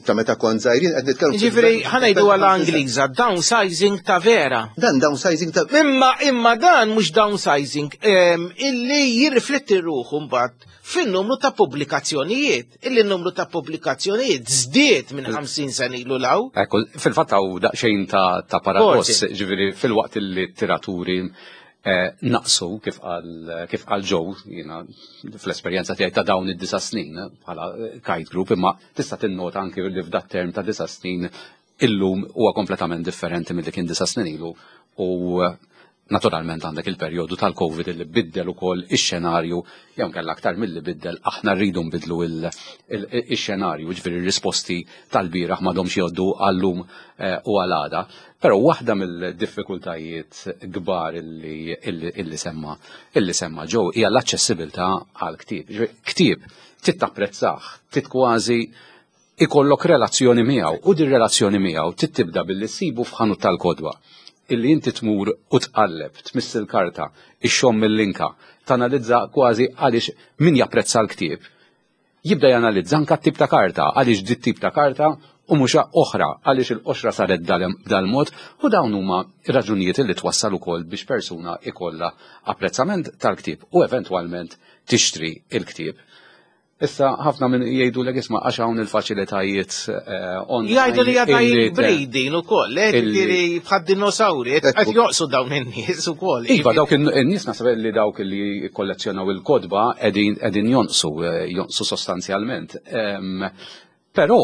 ta' meta kont żgħirin qed nitkellmu. Ġifieri ħa ngħidu għal Ingliża, downsizing ta' vera. Dan downsizing ta' Imma imma dan mhux downsizing em, illi jirrifletti ruħu mbagħad fin-numru ta' pubblikazzjonijiet. Illi n-numru ta' pubblikazzjonijiet żdied minn ħamsin sena ilu law. Ekku, fil-fatt hawn daqsxejn ta', ta paradoss, Forsi. ġifieri fil-waqt li t-tiraturi eh, naqsu kif qal kif qal Joe, jiena fl-esperjenza tiegħi ta' dawn id-disa snin eh, bħala eh, Kite Group, imma tista' tinnota anki li f'dat term ta' disa snin illum huwa kompletament differenti milli kien disa snin ilu u eh, naturalment għandek il-perjodu tal-Covid li biddel ukoll ix-xenarju, jew kellha aktar milli biddel, aħna rridu nbidlu il- il- ix-xenarju, ġifieri r-risposti tal-bieraħ m'għadhomx jgħoddu għallum eh, u għal-għada. Però waħda mill-diffikultajiet kbar illi, illi, illi semma illi semma Joe hija l-aċċessibilità għal ktieb. Ġifieri, ktieb trid tapprezzah, trid kważi ikollok relazzjoni miegħu u din relazzjoni miegħu trid tibda billi ssibu f'ħanut tal-kotba illi inti tmur u tqalleb, tmiss il-karta, ixxomm mill-linka, tanalizza kważi għaliex min japprezza l-ktieb. Jibda janalizza anka t-tip ta' karta, għaliex dit tip ta' karta u mhux oħra, għaliex il-qoxra saret dal- dal-mod u dawn huma raġunijiet li twassal ukoll biex persuna ikollha apprezzament tal-ktieb u eventwalment tixtri il-ktieb. Issa ħafna minn jgħidu l isma' għax hawn il-faċilitajiet eh, online. Jgħidu li għadha illi te- breeding ukoll, eh, illi- ġifieri bħad dinosauri, qed joqsu dawn in-nies ukoll. Iva, dawk in-nies naħseb li dawk li kollezzjonaw il-kotba qegħdin qegħdin jonqsu, eh, jonqsu sostanzjalment. Em, Però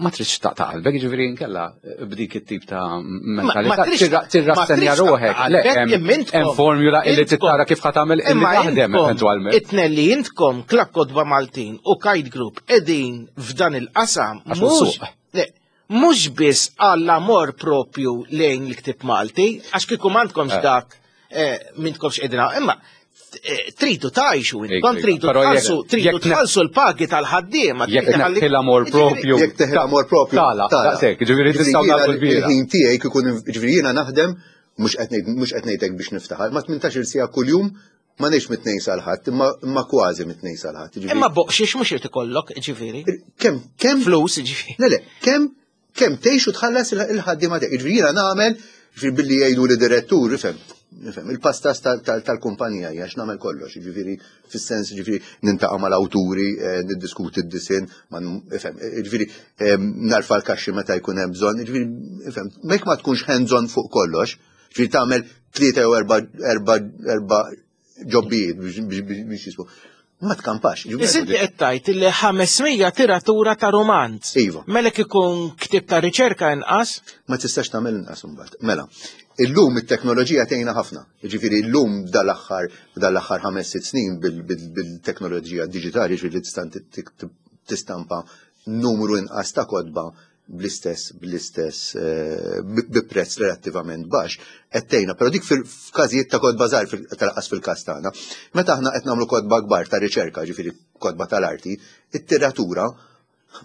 ma tridx taqta' qalbek, ġifieri nkella eh, b'dik it-tip ta' mentalità ma tridx- tirra- tirrassenja ma tridx ruħek. taqta' Le, qalbek, hemm imma intkom- hemm formula illi intkom- tittara kif ħa tagħmel illi Imma taħdem intkom, eventwalment. It-tnejn li intkom Klabb Kotba Maltin u Kite Group qegħdin f'dan il-qasam Għax mhux suq. le, mhux biss għall-amor propju lejn il-ktib Malti, għax kieku m'għandkomx Eh. dak eh, m'intkomx qegħdin hawn, imma eh, tridu tgħixu intkom Iva, tridu però jekk- tħallsu tridu jekk ne- tħallsu l-pagi tal-ħaddiema. Jekk tridu tħalli- neħħi l-amor propju. Jekk teħi l-amor propju. Tala, tala. daqshekk, ġifieri Ġifieri tistgħu jiena nagħmlu l-bira. Il-ħin tiegħi kikun ġifieri jiena naħdem mhux qed ngħid mhux qed ngħidlek biex niftaħar, ma tmintax-il siegħa kuljum ma ngħidx mit-tnejn sal-Ħadd, imma imma kważi mit-tnejn sal-Ħadd. Ġifieri- Imma boqxiex mhux irid ikollok, ġifieri. Kemm kemm Flus, ġifieri. Le, le, kemm kemm tgħix u tħallas il- il-ħaddiema tiegħek. Ġifieri jiena nagħmel, ġifieri billi jgħidu li direttur, ifhem, ifhem, il-pastas tal- tal- tal-kumpanija hija għax nagħmel kollox, ġifieri fis-sens ġifieri nintaqa' mal-awturi, eh, niddiskuti d-disinn, ma n- ifhem, eh, ġifieri eh, narfa l-kaxxi meta jkun hemm bżonn, ġifieri ifhem, mek ma tkunx hands-on fuq kollox, ġifieri tagħmel tlieta jew erba' erba' erba' ġobbijiet biex biex- biex biex jismu. Ma tkampax. Ġifieri- Is inti qed tgħid li ħames mija tiratura ta' romanz. Iva. Melek ikun ktib ta' riċerka inqas? Ma tistax tagħmel inqas imbagħad. Mela, illum it-teknoloġija tgħinna ħafna. Jiġifieri illum dal-aħħar dal-aħħar ħames sitt snin bil- bil- bil-teknoloġija diġitali, ġifieri tista' tistampa numru inqas ta' kotba bl-istess bl-istess eh, bi prezz relattivament baxx qed tgħinna, però dik fil-każijiet ta' kotba żgħar, tal-qas fil-każ tagħna. Meta aħna qed nagħmlu kotba kbar ta' riċerka, ġifieri kotba tal-arti, it-tiratura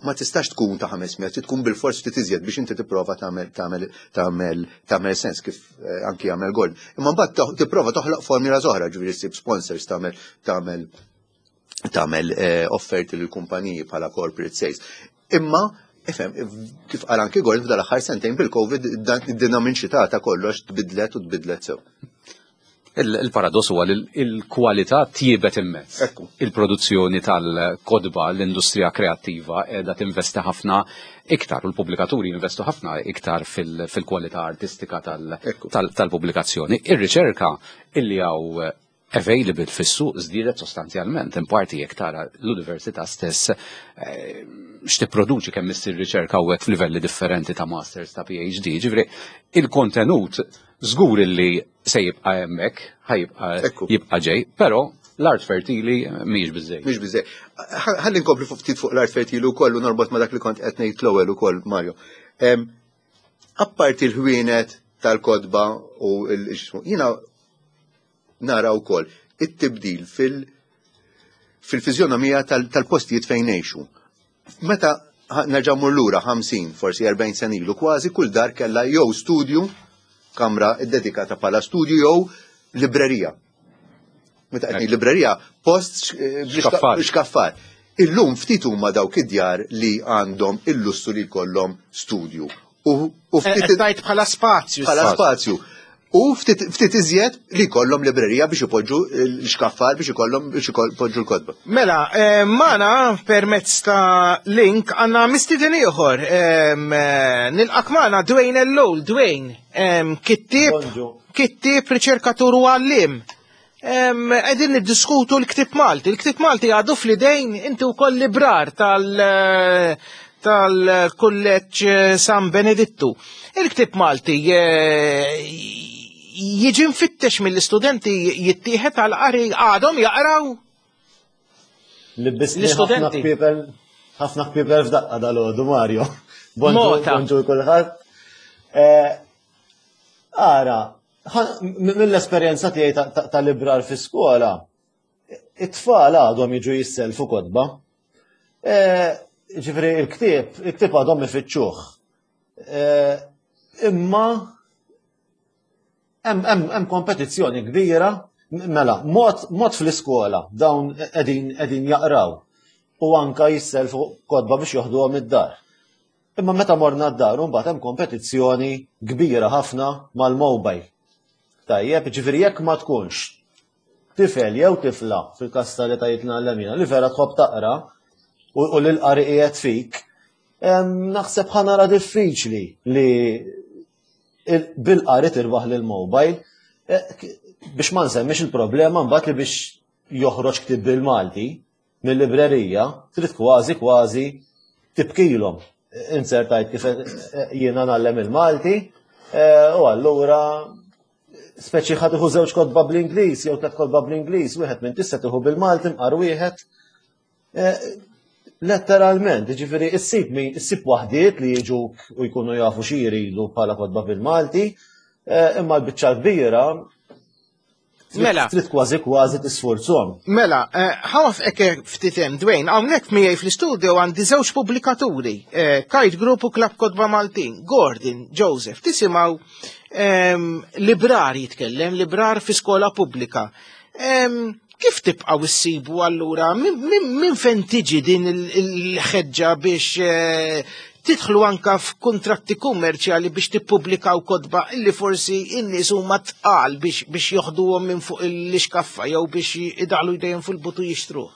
ma tistax tkun ta' ħames mija, trid tkun bil-fors ftit iżjed biex inti tipprova tagħmel tagħmel tagħmel tagħmel sens, kif eh, anki jagħmel Gordon. Imma mbagħad tipprova toħloq formula oħra, ġifieri ssib sponsors, tagħmel tagħmel tagħmel eh, offerti lil kumpaniji bħala corporate sales. Imma ifhem, kif qal anki Gordon, f'dal aħħar sentejn bil-Covid id-dinamiċità ta' kollox tbidlet u tbidlet sew. Il-paradoss huwa li l-kwalità tjiebet immens. Il-produzzjoni tal-kotba, l-industrija kreattiva qiegħda tinvesti ħafna iktar u l-pubblikaturi jinvestu ħafna iktar fil-kwalità artistika tal-pubblikazzjoni. Ir-riċerka illi hawn available fis-suq żdiedet sostanzjalment, in parti jekk tara l-università stess eh, x'tipproduċi, kemm issir riċerka hawnhekk f'livelli differenti ta' masters, ta' P H D, ġifieri il-kontenut żgur li se jibqa' hemmhekk, ħa jibqa' jibqa' ġej, però l-art fertili mhijiex biżejjed. Mhix biżejjed. Ħalli nkompli fuq ftit fuq l-art fertili wkoll u norbot ma' dak li kont qed ngħid l-ewwel ukoll, Mario. Apparti l-ħwienet tal-kotba u l-, jiena nara wkoll it-tibdil fil- fil-fiżjonomija tal-postijiet fejn ngħixu. Meta nerġa' mmur lura ħamsin, forsi erbgħin sena ilu, kważi kull dar kellha jew studju, kamra ddedikata bħala studju, jew librerija. Meta qed librerija, post xkaffar. Illum ftit huma dawk id-djar li għandhom il-lussu li jkollhom studju. U ftit tajt bħala spazju. Bħala spazju. U ftit ftit iżjed li jkollhom librerija biex ipoġġu l-xkaffar, biex ikollhom biex ipoġġu l-kotba. Mela, eh, magħna permezz ta' link għandna mistieden ieħor. em, eh, Nilqgħek magħna, Dwayne Ellul. Dwayne, em, kittib, kittib, riċerkatur u għallim. Em, Qegħdin niddiskutu l-ktib Malti. Il-ktib Malti għadu fl-idejn, inti wkoll librar tal- tal-kulleġġ San Benedittu. Il-ktib Malti eh, jiġi mfittex mill-istudenti, jittieħed għal qari, għadhom jaqraw? Libbisni ħafna L-istudenti. kpiepel, ħafna kpiepel f'daqqa dal-għodu, Mario. Bonġu, Mota. bonġu kulħadd. Eh, Ara, ħa- m- mill-esperjenza tiegħi ta- ta- tal-librar fi skola, it-tfal għadhom jiġu jisselfu kotba. Eh, Ġifieri il-ktieb, il-ktieb għadhom ifittxuh. Eh, Imma hemm hemm hemm kompetizzjoni kbira, mela, mod mod fl-iskola dawn qegħdin qegħdin jaqraw u anka jisselfu kotba biex joħduhom id-dar. Imma meta morna d-dar, mbagħad hemm kompetizzjoni kbira ħafna mal-mobile. Tajjeb, ġifieri jekk ma tkunx tifel jew tifla, fil-każ tal-etajiet l li vera tħobb taqra u u li l-qari qiegħed fik, em, naħseb ħa nara diffiċli li il- bil-qari tirbaħ lil mobile eh, k- biex ma nsemmix il-problema mbagħad li biex joħroġ ktib bil-Malti mill-librerija trid kważi kważi tibkilhom. Inzertajt kif eh, jiena ngħallem il-Malti eh, u allura speċi ħa tieħu żewġ kotba bl-Ingliż jew tliet kotba bl-Ingliż, wieħed minn tista' tieħu bil-Malti mqar wieħed. Eh, Letteralment, ġifieri, issib min, issib waħdiet li jiġuk u jkunu jafu xi jridu bħala kotba bil-Malti, eh, imma l-biċċa kbira Mela. trid kważi kważi tisforzhom. Mela, eh, ħa nwaqqfek ftit hemm, Dwayne, hawnhekk miegħi fl-istudio għandi żewġ pubblikaturi, eh, Kite Group u Club Kotba Maltin, Gordon, Joseph, tisimgħu em, librar jitkellem, librar fi skola pubblika. Em, Kif tibqaw issibu allura, min, min, min fejn tiġi din il- il-ħeġġa biex eh, tidħlu anka f'kuntratti kummerċjali biex tippubblikaw kotba illi forsi in-nies huma tqal biex biex joħduhom minn fuq l-iskaffa jew biex idaħlu jdejhom fil-but u jixtruh?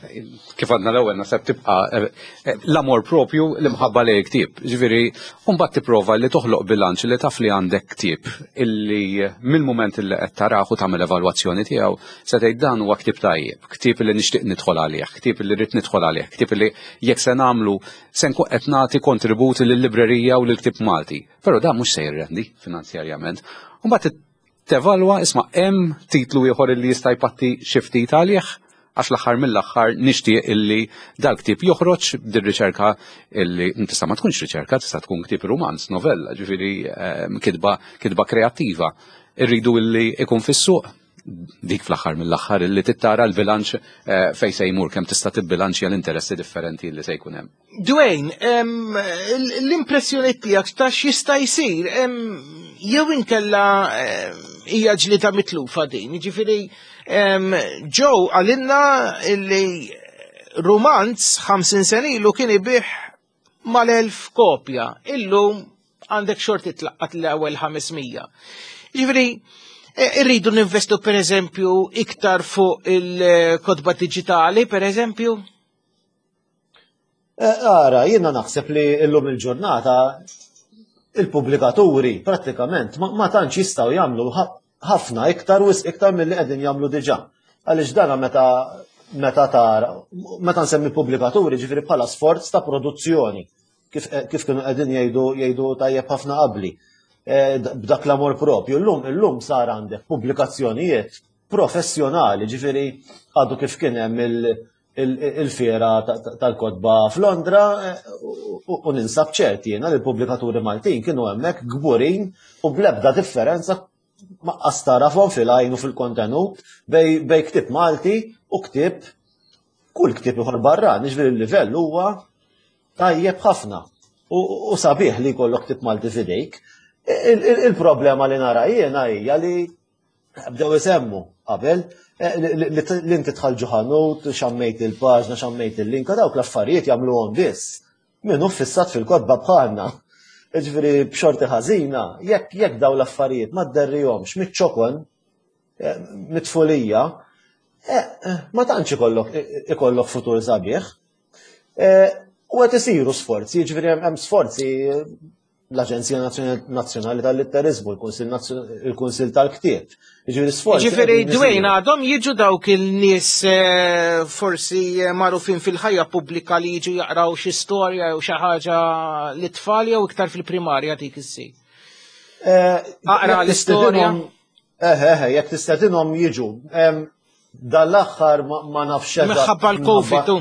Kif għadna l-ewwel, naħseb tibqa' eh, eh, l-amor propju, l-imħabba li ktieb. Ġifieri, mbagħad tipprova li toħloq bilanċ li taf li għandek ktieb illi mill-mument illi qed tarah u tagħmel evalwazzjoni tiegħu se tgħid dan huwa ktieb tajjeb, ktieb li nixtieq nidħol għalih, ktieb li rrid nidħol għalih, ktieb li jekk se nagħmlu se nkun qed nagħti kontributi lill-librerija u lill-ktieb Malti. Però dan mhux se jirrendi finanzjarjament. Mbagħad tevalwa, isma', hemm titlu ieħor li jista' jpatti xi ftit għalih. Għax l-aħħar mill-aħħar nixtieq illi dal-ktieb joħroġ dir-riċerka illi tista' ma tkunx riċerka, tista' tkun ktieb romanz, novella, ġifieri ehm, kitba kitba kreattiva. Irridu illi ikun fis-suq dik fl-aħħar mill-aħħar illi tittara l-bilanċ eh, fejn se jmur kemm tista' tibbilanċja l-interessi differenti li se jkun hemm. Dwayne, l-impressjoni tiegħek ta' x'jista' jsir jew inkella hija ġlida mitlufa din, jiġifieri Joe għalinna illi rumanz ħamsin sena ilu kien ibih mal-elf kopja, illum għandek xorti tlaqqat l-ewwel ħames mija. Jiġifieri irridu ninvestu per eżempju iktar fuq il-kotba diġitali, per eżempju? Ara, jiena naħseb li illum il-ġurnata il-pubblikaturi prattikament ma tantx jistgħu jagħmlu ħafna iktar wisq iktar milli qegħdin jagħmlu diġà. Għaliex dana meta meta tara, meta nsemmi pubblikaturi ġifieri bħala sforz ta' produzzjoni, kif, kif kienu qegħdin jgħidu jgħidu tajjeb ħafna qabli. B'dak l-amor propju. Illum illum sar għandek pubblikazzjonijiet professjonali, ġifieri għadu kif kien hemm il-fiera tal-kotba f'Londra u ninsab ċert jiena li l-pubblikaturi Maltin kienu hemmhekk kburin u bl-ebda differenza ma tarafhom fil-għajn u fil-kontenut bej, bej ktieb Malti u ktieb kull ktieb ieħor barran, ġifieri l-livell huwa tajjeb ħafna u sabiħ li jkollok ktieb Malti f'idejk. Il-problema li nara jiena hija li bdew isemmu qabel li inti tħall ġo ħanut, xammejt il-paġna, xammejt il-linka, dawk l-affarijiet jagħmluhom biss. Min hu fissat fil-kotba bħalna. Ġifieri b'xorti ħażina, jekk jekk daw l-affarijiet ma dderrihomx miċ-ċokon, mit-tfulija, ma tantx ikollok ikollok futur sabiħ. U qed isiru sforzi, ġifieri hemm sforzi l-Aġenzija Nazzjonali tal-Litteriżmu, il-Kunsill tal-Ktieb. Ġifieri sforzi. Ġifieri Dwayne għadhom jiġu dawk il-nies forsi magħrufin fil-ħajja pubblika li jiġu jaqraw xi storja jew xi ħaġa lit-tfal jew iktar fil-primarja dik issir. Aqra l-istorja. Eh, eh, jekk tistedinhom jiġu. Dal-aħħar ma nafx Minħabba l-Covid.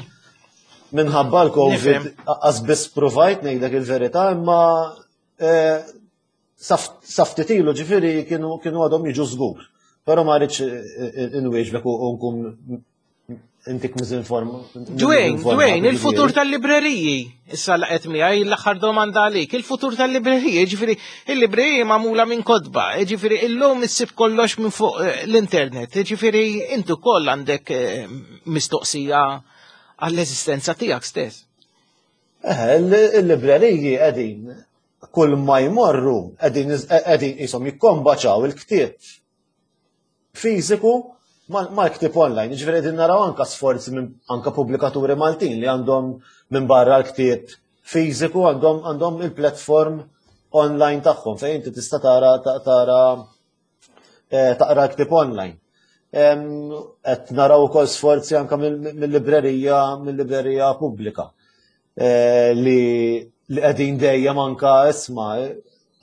Minħabba l-Covid qas biss provajt ngħidlek il-verità, imma sa ftit ilu ġifieri kienu għadhom jiġu żgur. Però ma rridx inwieġbek u nkun intik miżinform. Dwayne, Dwayne, il-futur tal-libreriji. Issa laqgħet miegħi l-aħħar domanda għalik. Il-futur tal-libreriji, ġifieri il-libreriji magħmula minn kotba, ġifieri illum issib kollox minn fuq l-internet, ġifieri intu koll għandek mistoqsija għall-eżistenza tiegħek stess. Eh, il-libreriji qegħdin kull ma jmorru qegħdin qegħdin qishom jikkombaċaw il-ktieb fiżiku mal-ktieb online. Ġifieri qegħdin naraw anka sforzi minn anka pubblikaturi Maltin li għandhom minn barra l-ktieb fiżiku għandhom għandhom il-platform online tagħhom fejn inti tista' tara tara taqra l-ktieb online. Qed naraw ukoll sforzi anka mill-librerija mill-librerija pubblika li li qegħdin dejjem anka isma'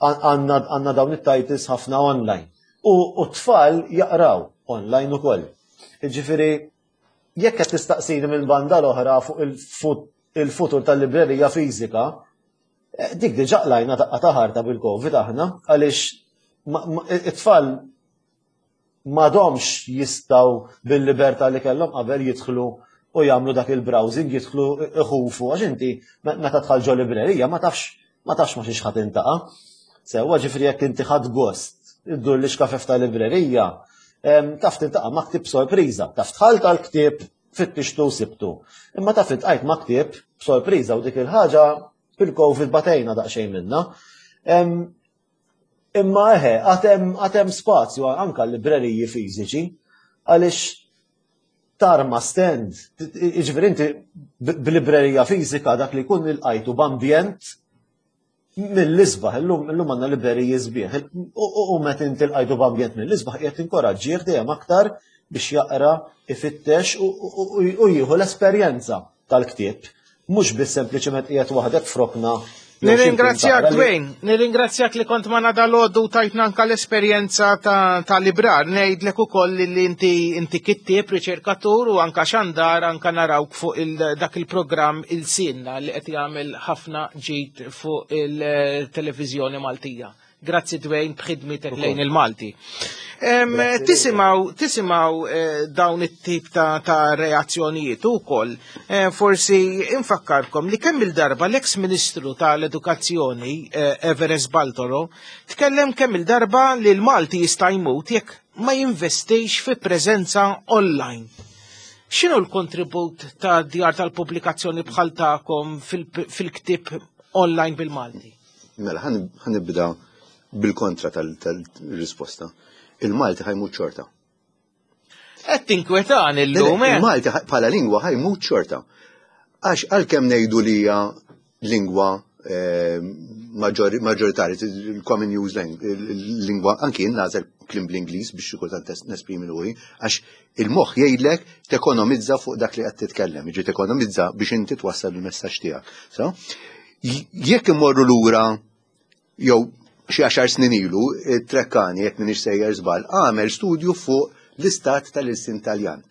għandna dawn it-titles ħafna online. U t-tfal jaqraw online ukoll. Ġifieri jekk qed tistaqsini minn banda l-oħra fuq il-futur tal-librerija fiżika, dik diġà qlajna daqqa ta' ħarta bil-Covid aħna, għaliex it-tfal m'għadhomx jistgħu bil-libertà li kellhom qabel jidħlu u jagħmlu dak il-browsing, jidħlu iħufu, għax inti meta tħall ġo librerija ma tafx ma tafx ma xiex ħadd intaqa'. Sewwa ġifieri jekk inti ħadd gost iddur li xkafef ta' librerija, taf tintaqa' ma' ktieb sorpriża, taf tħall tal-ktieb fittixtu sibtu. Imma taf iltqajt ma' ktieb sorpriża u dik il-ħaġa bil-Covid batejna daqsxejn minna. Imma eħe, għad hemm spazju anka l-libreriji fiżiċi għaliex tarma stand, jiġifieri inti b'librerija fiżika dak li jkun ilqajtu b'ambjent mill-isbaħ, illum illum għandna libreriji sbieħ, u meta inti lqajtu b'ambjent mill-isbaħ qiegħed tinkoraġġih dejjem aktar biex jaqra, ifittex u jieħu l-esperjenza tal-ktieb. Mhux biss sempliċement qiegħed waħdek f'rokna Nirringrazzjak Dwayne, nirringrazzjak li kont magħna dalgħodu tajtna anka l-esperjenza ta', ta librar. Ngħidlek ukoll li inti inti kittieb, riċerkatur u anka xandar anka narawk fuq il, dak il-programm Il-Sinna li qed jagħmel ħafna ġid fuq il-televiżjoni Maltija. Grazzi Dwayne b'ħidmitek lejn il-Malti. Tisimgħu tisimgħu eh, dawn it-tip ta', ta reazzjonijiet ukoll. Eh, forsi infakkarkom li kemm il-darba l-eks Ministru tal-Edukazzjoni eh, Everest Baltoro tkellem kemm il-darba li l-Malti jista' jmut jekk ma jinvestix fi preżenza online. X'inhu l-kontribut ta' djar tal-pubblikazzjoni bħal tagħkom fil-ktieb online bil-Malti? Mela, ħa nibda bil-kontra tal-risposta. Il-Malti ħa jmut xorta. Qed tinkwetan illum, eh? Il-Malti bħala lingwa ħa jmut xorta. Għax għalkemm ngħidu li hija lingwa eh, maġġoritarja, il-common use lingwa, anki jien nagħżel kliem bl-Ingliż biex xi kultant nesprimi ruħi, għax il-moħħ jgħidlek tekonomizza fuq dak li qed titkellem, jiġi tekonomizza biex inti twassal il-messaġġ tiegħek. So, jekk immorru lura jew xi għaxar snin ilu, Treccani, jekk m'iniex sejjer żball, għamel studju fuq l-istat tal-ilsien Taljan.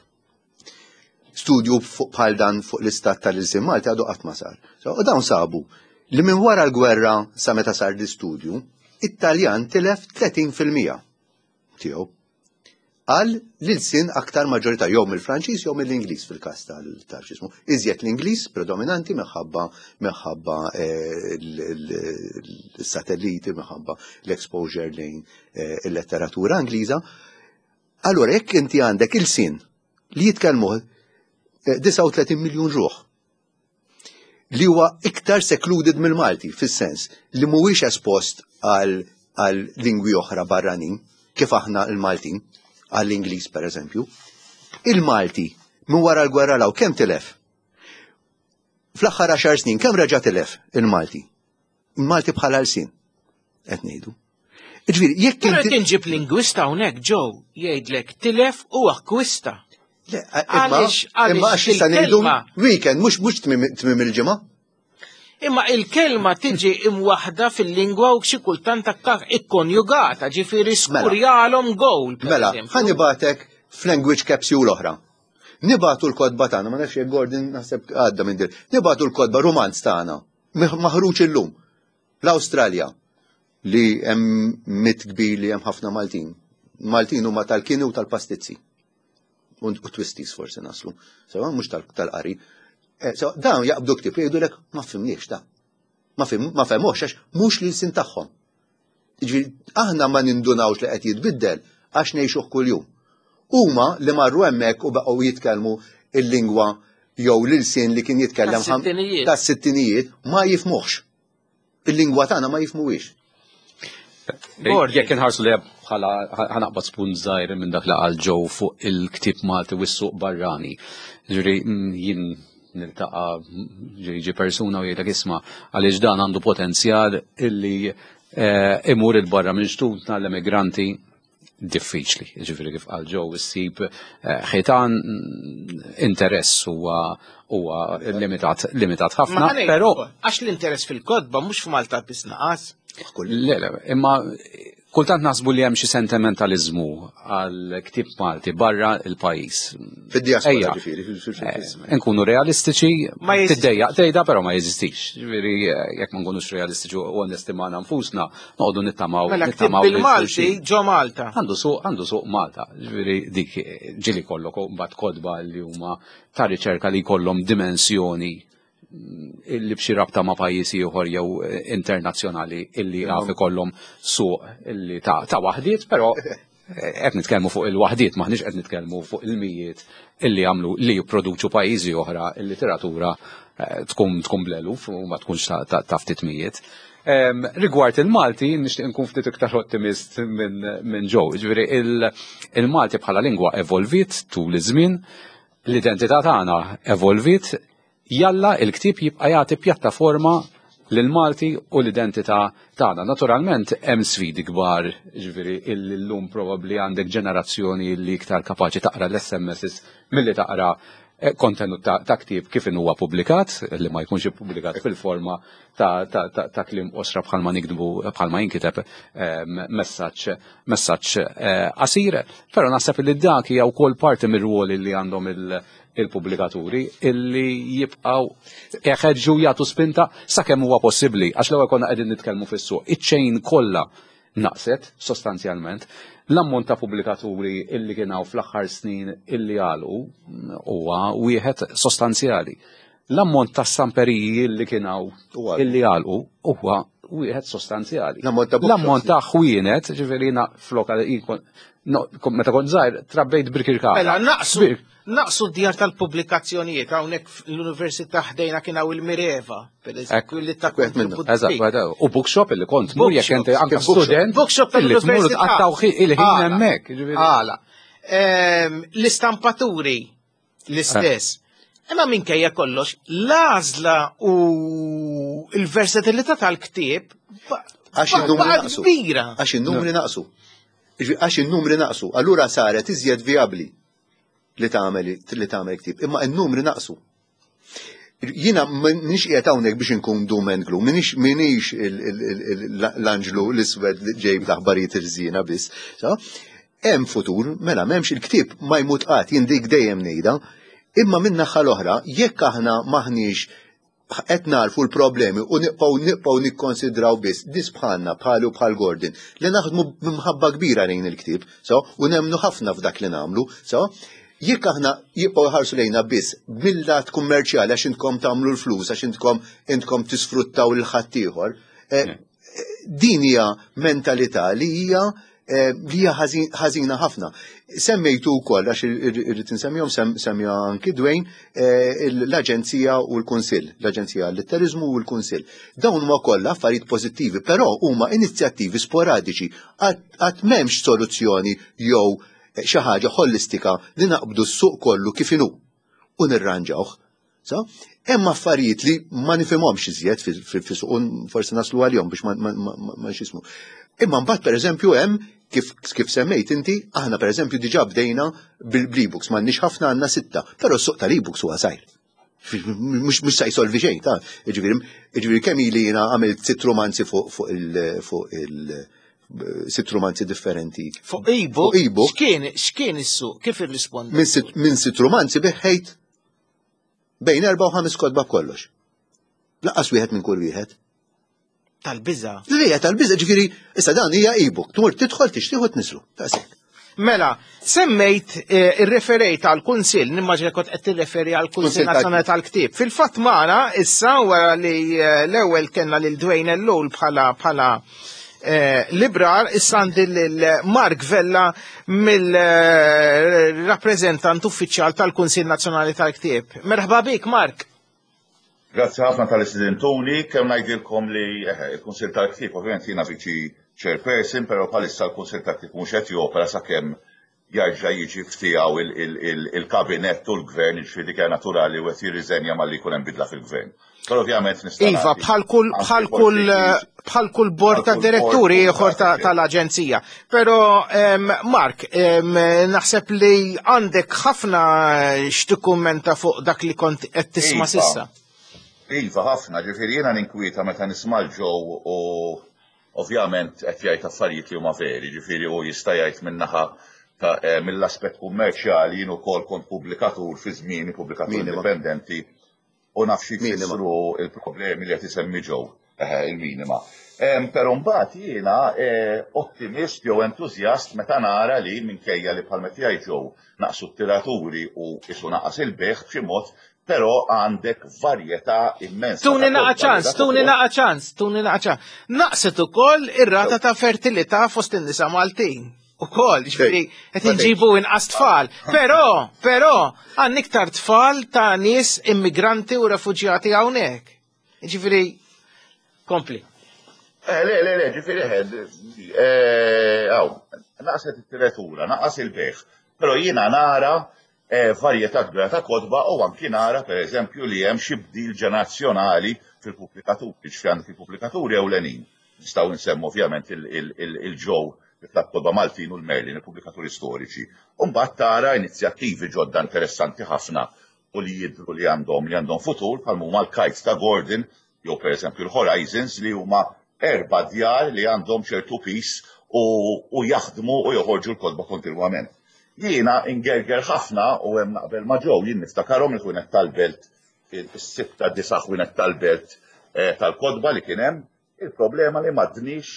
Studju fuq bħal dan fuq l-istat tal-ilsien Malti għadu qatt ma sar. So, u dawn sabu li minn wara l-gwerra sa meta sar l-istudju, it-Taljan tilef tletin fil-mija tiegħu għal l-ilsien aktar maġġorità jew mill-Franċiż jew mill-Ingliż fil-każ tal-ġismu. Iżjed l-Ingliż predominanti minħabba minħabba eh, l-satelliti, minħabba l-exposure lejn eh, il-letteratura Ingliża. Allura jekk inti għandek ilsien li jitkellmu eh, disgħa u tletin miljun ruħ li huwa iktar secluded mill-Malti fis-sens li mhuwiex espost għal, għal lingwi oħra barranin kif aħna l-Maltin, għall-Ingliż per eżempju. Il-Malti minn wara l-gwerra law kemm tilef? Fl-aħħar għaxar snin kemm reġa' tilef il-Malti? Il-Malti bħala lsien qed ngħidu. Ġifieri, jekk Però inti qed inġib lingwista hawnhekk ġew jgħidlek tilef u akkwista. Le, imma Għaliex, għaliex imma għax issa ngħidu il-kelma weekend mhux mhux tmiem tmiem il-ġimgħa. Imma il-kelma tiġi imwaħda fil-lingwa u xi kultant aktar ikkonjugata, ġifieri Mela. skurjalhom goal, per Mela, eżempju. ħa nibagħtek f'language capsule oħra. Nibagħtu l-kotba tagħna, ma nafx jekk Gordon naħseb għadda minn dir. Nibagħtu l-kotba romanz tagħna, maħruġ illum. L-Awstralja li hemm mit kbir li hemm ħafna Maltin. Maltin huma tal-kini u tal-pastizzi. U twisties forsi naslu. Sewa mhux tal-qari. Eh, so, dawn jaqbdu ktieb jgħidulek ma fimniex da. Ma fim, ma fehmux għax mhux l-ilsien tagħhom. Jiġifieri aħna ma nindunawx li qed jitbiddel għax ngħixuh kuljum. Huma li marru hemmhekk u baqgħu jitkellmu il-lingwa jew l-ilsien li kien jitkellem ħam- Tas-sittinijiet. tas-sittinijiet ma jifmuhx. Il-lingwa tagħna ma jifmuhiex. Gordon. Jekk inħarsu li bħala ħa naqbad spunt żgħir minn dak li qal Joe fuq il-ktieb Malti u s-suq barrani. Ġifieri mm, jien niltaqa' ġiġi persuna u jgħidlek isma' għaliex dan għandu potenzjal illi eh, imur il-barra minn xtutna l-emigranti diffiċli. Ġifieri kif qal Joe issib eh, ħitan mm, interess huwa huwa limitat limitat ħafna, Ma ħa ngħid però ukoll, għax l-interess fil-kotba mhux f'Malta biss naqas. Le, le, imma kultant naħsbu li hemm xi sentimentalizmu għal ktieb Malti barra il-pajjiż. Fid-diaspora Ejja. ġifieri, fil- fil- fil- fil- Eh, Nkunu realistiċi, Ma jeżistix. tiddejjaq tgħidha però ma jeżistix. Ġifieri eh, jekk ma nkunux realistiċi u onesti magħna nfusna, noqogħdu nittamaw Mela ktieb nittamaw lil bil-Malti xulxin. ġo Malta. Għandu suq, għandu suq Malta. Ġifieri dik eh, ġieli kollok mbagħad kotba li huma ta' riċerka li jkollhom dimensjoni illi b'xi rabta ma' pajjiż ieħor jew eh, internazzjonali illi għaf ikollhom suq illi ta' ta' waħdiet, però eh, qed nitkellmu fuq il-waħdiet, maħniex qed nitkellmu fuq il-mijiet illi jagħmlu li jipproduċu pajjiżi oħra il-literatura eh, tkun tkun bl-eluf u ma tkunx ta'- ta' ta' ftit mijiet. Em, Rigward il-Malti, nixtieq nkun ftit iktar ottimist minn min Joe. Ġifieri il- il-Malti bħala lingwa evolvit tul iż-żmien, l-identità tagħna evolvit, jalla il-ktieb jibqa' jagħti pjattaforma lil-Malti u l-identità tagħna. Naturalment hemm sfidi kbar, ġifieri illum probabbli għandek ġenerazzjoni li iktar kapaċi taqra l-S M Ss milli taqra kontenut ta' ktieb kif huwa pubblikat, li ma jkunx ippubblikat fil-forma ta' kliem qosra bħalma nikdbu bħalma jinkiteb messaġġ messaġġ qasir, però naħseb li dak hija wkoll parti mir-rwol li għandhom il-pubblikaturi illi jibqgħu jeħeġġu jagħtu spinta sakemm huwa possibbli, għax l-ewwel konna qegħdin nitkellmu fis-suq. Iċ-chain kollha naqset sostanzjalment. L-ammont ta' pubblikaturi illi kien hawn fl-aħħar snin illi għalqu huwa wieħed sostanzjali. L-ammont ta' stamperiji illi kien hawn illi għalqu huwa wieħed sostanzjali. L-ammont ta' ħwienet, ġifieri flok meta kont żgħir trabbejt Birkirkara. Mela naqsu naqsu d-djar tal-pubblikazzjonijiet hawnhekk l-Università ħdejna kien hawn il-Mireva, pereżempju, li ta' Eżatt, u bookshop illi kont mur jekk inti anke student. Bookshop tal-Università. Tqattaw il-ħin hemmhekk. Għala. L-istampaturi l-istess. Imma minkejja kollox, l-għażla u l-versatilità tal-ktieb għax in-numri naqsu. Għax in-numri naqsu. Għax in-numri naqsu. Allura saret iżjed vijabbli li tagħmel li tagħmel ktieb, imma n-numri naqsu. Jiena m'iniex qiegħed hawnhekk biex inkun doom and gloom, m'iniex m'iniex l-anġlu l-iswed li ġej bl-aħbarijiet irżina biss. Hemm futur, mela m'hemmx il-ktieb ma jmut qatt, jien dik dejjem ngħidha, imma min naħa l-oħra, jekk aħna maħniex qed narfu l-problemi u nibqgħu nibqgħu nikkonsidraw biss nies bħalna bħalu bħal Gordon li naħdmu b'imħabba kbira lejn il-ktieb, so, u nemmnu ħafna f'dak li nagħmlu, so, jekk aħna jibqgħu jħarsu lejna biss mill-lat kummerċjali għax intkom tagħmlu l-flus, għax intkom intkom tisfruttaw lil ħaddieħor, din hija mentalità li hija li hija ħażina ħafna. Semmejtu wkoll għax irrid insemmihom semmija anki Dwayne l-Aġenzija u l-Kunsill, l-Aġenzija għall-Litteriżmu u l-Kunsill. Dawn huma kollha affarijiet pożittivi, però huma inizjattivi sporadiċi qatt m'hemmx soluzzjoni jew xi ħaġa ħolistika li naqbdu s-suq kollu kif inhu u nirranġawh. Hemm affarijiet li ma nifhimhomx iżjed fis-suq, forsi naslu għalihom biex ma x'ismu. Imma mbagħad pereżempju hemm kif kif semmejt inti, aħna pereżempju diġà bdejna bil-ebooks, m'għandniex ħafna, għandna sitta, però s-suq tal-ebooks huwa żgħir. Mhux se jsolvi xejn, ta' jiġifieri jiġifieri kemm ili jiena għamilt sitt romanzi fuq fuq il fuq il sitt romanzi differenti. Fuq e-book? E-book. X'kien x'kien is-suq? Kif irrisponda? Minn sitt romanzi biħejt bejn erba' u ħames kotba b'kollox. Lanqas wieħed minn kull wieħed. Tal-biża. Lija tal-biża, ġifieri, issa dan hija e-book, tmur tidħol tixtieq u tniżlu. Daqshekk. Mela, semmejt irreferejt għal kunsill, nimmaġina kont qed tirreferi għal Kunsill Nazzjonali tal-Ktieb. Fil-fatt magħna issa wara li l-ewwel kellna lil Dwayne Ellul bħala bħala librar, issa għandi lil Mark Vella mill-rappreżentant uffiċjal tal-Kunsill Nazzjonali tal-Ktieb. Merħba bik, Mark. Grazzi ħafna tal-istudentuni, kemm ngħidilkom li il-Kunsill tal-Ktieb ovvjament jiena viċi chairperson, però bħalissa l-Kunsill tal-Ktieb mhux qed jopera sakemm jarġa' jiġi ftiegħu il-kabinett u l-gvern, jiġifieri dik hija naturali u qed jirriżenja malli jkun hemm bidla fil-gvern. Però ovvjament nista' Iva, bħal kull bħal kull bħal kull bord ta' diretturi ieħor tal-aġenzija. Però Mark, naħseb li għandek ħafna x'tikkummenta fuq dak li kont qed tisma' s'issa. Iva, ħafna, ġifieri jiena ninkwieta meta nisma' l-ġew u ovvjament qed jgħid affarijiet li huma veri, ġifieri hu jista' jgħid min-naħa mill-aspett kummerċjali, jien ukoll kont pubblikatur fi żmieni, pubblikatur indipendenti, u naf xi jfissru il-problemi li qed isemmi ġew, il-minima. Però mbagħad jiena ottimist jew entużjast meta nara li minkejja li bħal meta jgħid ġew naqsu t-tiraturi u isu naqas il-beħ b'xi mod, però għandek varjetà immensa. Tuni naqa ċans, tuni naqa ċans, tuni naqa ċans. Naqset ukoll ir-rata ta' fertilità fost in-nisa Maltin. Ukoll, ġifieri qed inġibu inqas tfal. Però, però, għandna iktar tfal ta' nies immigranti u refuġjati hawnhekk. Ġifieri, kompli. Le, le, le, ġifieri ħed, hawn, naqset it-tiratura, naqas il-beħ. Però jiena nara varjetà kbira ta' kotba u anki nara pereżempju li hemm xi bdil ġenerazzjonali fil-pubblikaturi, ġifieri għandek il-pubblikaturi ewlenin. Nistgħu nsemmu ovvjament il-ġew tal-kotba Maltin u l-Merlin, il-pubblikaturi storiċi. U mbagħad tara inizjattivi ġodda interessanti ħafna u li jidhru li għandhom li għandhom futur bħal huma l-Kites ta' Gordon jew pereżempju l-Horizons li huma erba' djar li għandhom ċertu piż u, u jaħdmu u joħorġu l-kotba kontinwament. Jiena ingerger ħafna u hemm naqbel ma' Joe, jien niftakarhom il-ħwienet tal-belt, is-sitta disa' ħwienet tal-belt eh, tal-kotba li kien hemm, il-problema li m'għadniex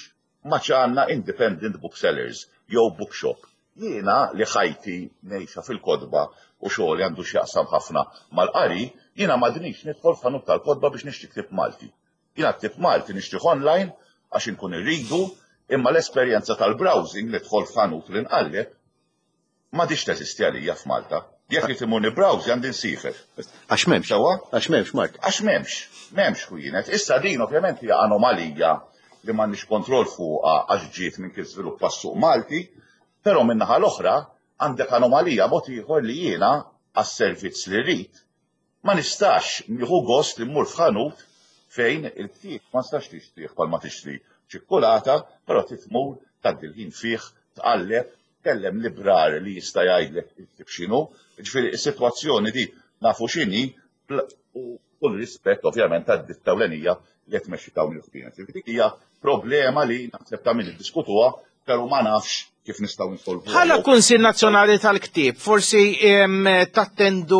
ma għandna independent booksellers jew bookshop. Jiena li ħajti ngħixha fil-kotba u xogħol għandu x'jaqsam ħafna mal-qari, jiena m'għadnix nidħol f'ħanut tal-kotba biex nixtri ktieb Malti. Jiena ktieb Malti nixtrih online għax inkun irridu, imma l-esperjenza tal-browsing li dħol f'ħanut li nqalleb m'għadhiex teżisti għalija f'Malta. Jekk li timur nibbrowsi għandi nsiefer. Għax m'hemmx. Sewwa? Għax m'hemmx, Mark. Għax m'hemmx, m'hemmx ħwienet. Issa din ovvjament hija anomalija li m'għandniex kontroll fuqha għax ġiet minn kif żviluppa s-suq Malti, però min-naħa l-oħra għandek anomalija mod ieħor li jiena għas-servizz li rrid ma nistax nieħu gost li mmur f'ħanut fejn il-ktieb ma nistax tixtrih bħalma tixtri ċikkulata, però titmur tgħaddi l-ħin fih, tqalleb, kellem librar li jista' jgħidlek il-ktieb x'inhu. Ġifieri is-sitwazzjoni di nafu x'inhi u kull rispett ovvjament għad-ditta ewlenija li qed tmexxi dawn il-ħwienet. Ġifieri dik hija problema li naħseb ta' min iddiskutuha, però ma nafx kif nistgħu nsolvuha. Bħala Kunsill Nazzjonali tal-Ktieb, forsi em, tattendu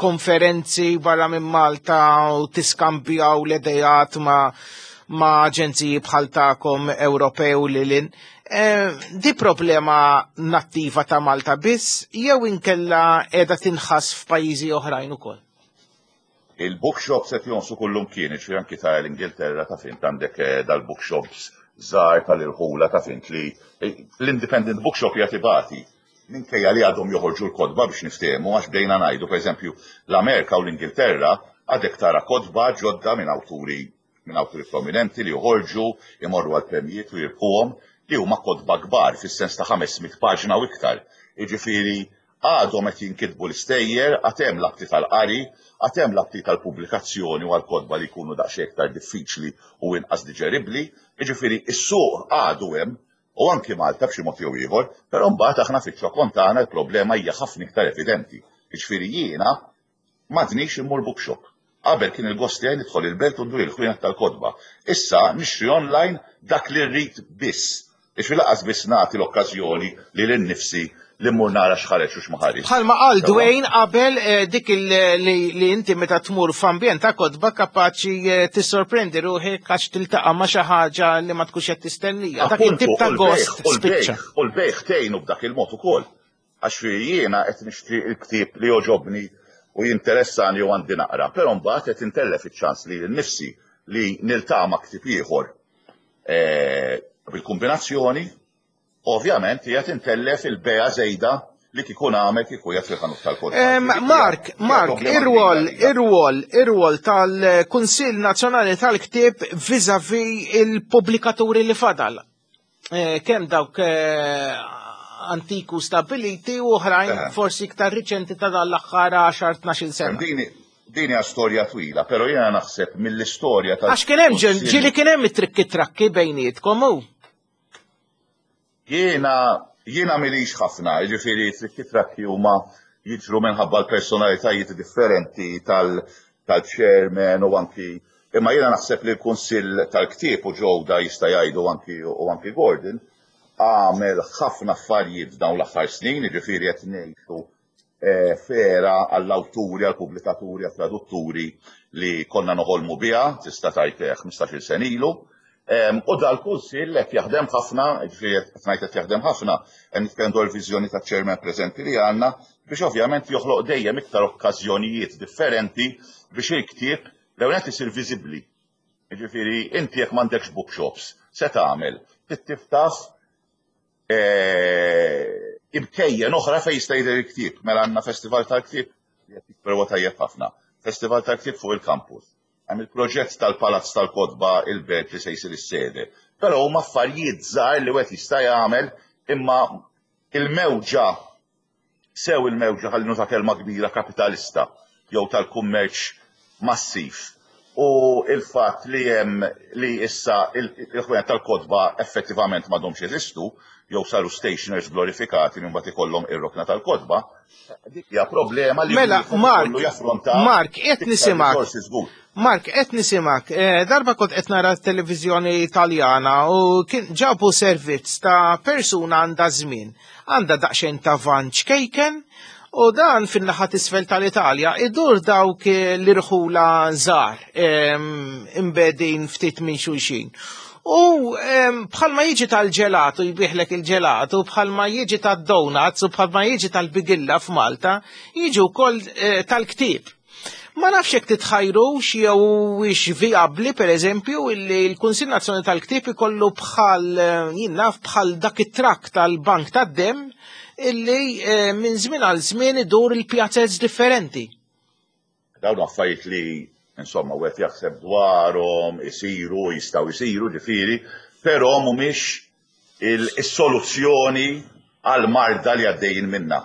konferenzi barra minn Malta u tiskambjaw l-idejat ma' ma' aġenziji bħal tagħkom Ewropew li lin. Eh, di problema nattiva ta' Malta biss jew inkella qiegħda tinħass f'pajjiżi oħrajn ukoll? Il-bookshops qed jonqsu kullimkien, ġifieri anki ta' l-Ingilterra ta' fint għandek eh, dal-bookshops żgħar tal-irħula ta' fint li eh, l-independent bookshop jagħti bati. Minkejja li għadhom joħorġu l-kotba biex niftehmu, għax bdejna ngħidu, pereżempju, l-Amerika u l-Ingilterra għadek tara kotba ġodda minn awturi minn awturi prominenti li joħorġu, imorru għal premjiet u jirbħuhom, li huma kotba kbar fis-sens ta' ħames mitt paġna u iktar. Jiġifieri għadhom qed jinkitbu l-istejjer, għad hemm l-aptit tal-qari, għad hemm l-aptit tal-pubblikazzjoni u għal-kotba li jkunu daqsxejn iktar diffiċli u inqas diġeribbli. Jiġifieri is-suq għadu hemm u anki Malta b'xi mod jew ieħor, però mbagħad aħna fiċ-ċokon tagħna l-problema hija ħafna iktar evidenti. Jiġifieri jiena m'għadnix immur bookshop. Qabel kien il-gost tiegħi nidħol il-belt u ndur il-ħwienet tal-kotba. Issa nixtri online dak li rrid biss. Ixfi lanqas biss nagħti l-okkażjoni li lil nifsi li mmur nara x'ħareġ u x'ma ħareġ. Bħalma qal Dwayne qabel, eh, dik il- li, li inti meta tmur f'ambjent ta' kotba kapaċi eh, tissorprendi ruħek għax tiltaqa' ma' xi ħaġa li ma tkunx qed tistennija. Dak it-tip ta' gost spiċċa. U l-bejgħ tgħinu b'dak il-mod ukoll. Għax fi jiena qed nixtri l-ktieb li jogħġobni u jinteressani u għandi naqra, però mbagħad qed intellef iċ-ċans li nnifsi li niltaqa' ma' ktieb ieħor eh, bil-kombinazzjoni, ovvjament hija tintellef il-bejgħa żejda li kieku nagħmel kieku qiegħed fil-ħanut tal-kotba. Em, Mark, Mark, ir-rwol, ir-rwol, ir-rwol tal-Kunsill Nazzjonali tal-Ktieb vis-a-vis il-pubblikaturi li fadal. Eh, Kemm dawk eh, antiku stabiliti u oħrajn Eh. forsi iktar riċenti ta' dan l-aħħar għaxar tnax-il sena. Dini din hija storja twila, però jiena naħseb mill-istorja tal Għax kien hemm ġen- ġieli kien hemm it-trikki trakki bejnietkom u. Jiena jiena milix ħafna, jiġifieri trikki trakki huma jiġru minħabba l-personalitajiet differenti tal tal-chairman u anki imma jiena naħseb li l-Kunsill tal-Ktieb u ġewda jista' jgħidu anki u anki Gordon għamel ħafna affarijiet dawn l-aħħar snin, jiġifieri qed ngħixu eh, fera għall-awturi, għall-pubblikaturi, għall-tradutturi li konna noħolmu biha, tista' tgħid ħmistax-il sena ilu. Em, U dal-kunsill qed jaħdem ħafna, ġifieri qed ngħid qed jaħdem ħafna, hemm nitkellem dwar viżjoni taċ-chairman preżenti li għandna biex ovvjament joħloq dejjem iktar okkażjonijiet differenti biex il-ktieb l-ewwel nett isir viżibbli. Ġifieri inti jekk m'għandekx bookshops, se tagħmel? Trid tiftaħ eh, imkejjen oħra fejn jista' jidher il-ktieb. Mela għandna festival tal-ktieb li qed jikber huwa tajjeb ħafna. Festival tal-ktieb fuq il-campus. Hemm il-proġett tal-Palazz tal-Kotba il-Belt li se jsir is-sede. Però huma affarijiet żgħar li wieħed jista' jagħmel imma il-mewġa sew il-mewġa ħalli nuża kelma kbira kapitalista jew tal-kummerċ massiv U il-fatt li hemm li issa il-ħwienet tal-kotba effettivament m'għadhomx jeżistu, jew saru stationers glorifikati li mbagħad ikollhom ir-rokna tal-kotba, dik hija problema li Mela, wieħed Mark, ikollu jaffronta Mark, qed iktar nisimak. risorsi żgur. Mark, qed nisimak, eh, darba kont qed nara televiżjoni Italjana u kien ġabu servizz ta' persuna għandha żmien, għandha daqsxejn ta' van ċkejken u dan fin-naħa t'isfel tal-Italja idur dawk eh, l-irħula żgħar em, imbegħdin ftit minn xulxin. U em, bħalma jiġi tal-ġelatu jbigħlek il-ġelatu, bħalma jiġi tad-donuts u bħalma jiġi tal-bigilla f'Malta, jiġi wkoll eh, tal-ktieb. Ma nafx jekk titħajrux jew hix vijabbli pereżempju illi l-Kunsill Nazzjonali tal-Ktieb ikollu bħal eh, jien naf bħal dak it-trakk tal-Bank tad-Demm illi eh, minn żmien għal żmien idur il-pjazez differenti. Dawn affarijiet li insomma wieħed jaħseb dwarhom, isiru, jistgħu jsiru ġifieri, però mhumiex il-soluzzjoni għal marda li għaddejjin minna.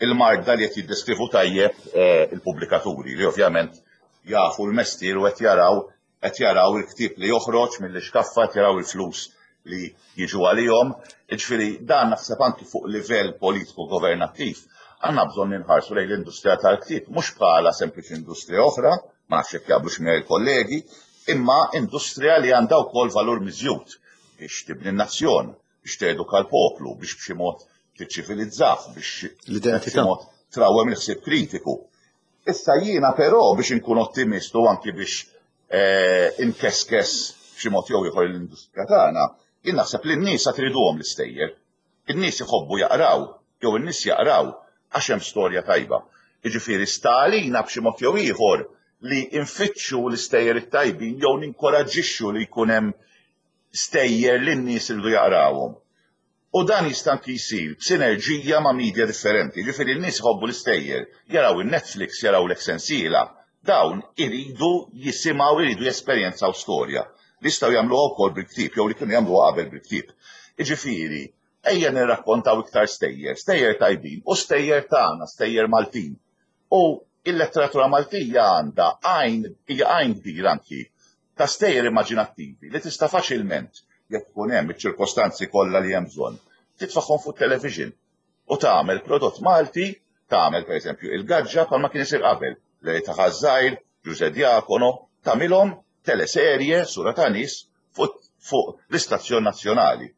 Il-marda li qed jiddeskrivu tajjeb eh, il-pubblikaturi li ovvjament jafu l-mestier u qed jaraw qed jaraw il-ktieb li joħroġ mill-iskaffa, qed jaraw il-flus li jiġu għalihom. Jiġifieri dan naħseb anki fuq livell politiku governattiv għandna bżonn ninħarsu lejn l-industrija tal-ktieb mhux bħala sempliċi industrija oħra, ma nafx jekk jaqblux miegħi il-kollegi, imma industrija li għandha wkoll valur miżjud biex tibni n-nazzjon, biex teduka l-poplu, biex b'xi mod tiċċivilizzah, biex L-identità. b'xi mod trawwem il-ħsieb kritiku. Issa jiena però biex inkun ottimist u anki biex eh, inkeskes b'xi mod jew ieħor l-industrija tagħna, jien naħseb li n-nies għad iriduhom l-istejjer. In-nies iħobbu jaqraw, jew in-nies jaqraw għax hemm storja tajba. Jiġifieri sta għalina b'xi mod jew ieħor li nfittxu l-istejjer it-tajbin jew ninkoraġġixxu li jkun hemm stejjer li n-nies iridu jaqrawhom. U dan jista' anki jsir b'sinerġija ma' media differenti. Ġifieri n-nies iħobbu l-istejjer, jaraw il-Netflix, jaraw l-Exensila. Dawn iridu jisimgħu, iridu jesperjenzaw storja. Li jistgħu jagħmluha wkoll bil-ktieb jew li kienu jagħmluha qabel bil-ktieb. Jiġifieri, ejja nirrakkontaw iktar stejjer, stejjer tajbin u stejjer tagħna, stejjer Maltin. U il-letteratura Maltija għandha għajn, hija għajn kbir anki ta' stejjer immaġinattivi li tista' faċilment jekk ikun hemm iċ-ċirkostanzi kollha li hemm bżonn, titfagħhom fuq television u tagħmel prodott Malti, tagħmel pereżempju il-Gaġġa bħalma kien isir qabel, li ta' Ħaż-Żgħir, Ġuże Diacono, tagħmilhom teleserje sura ta' nies fuq fuq l-istazzjon nazzjonali.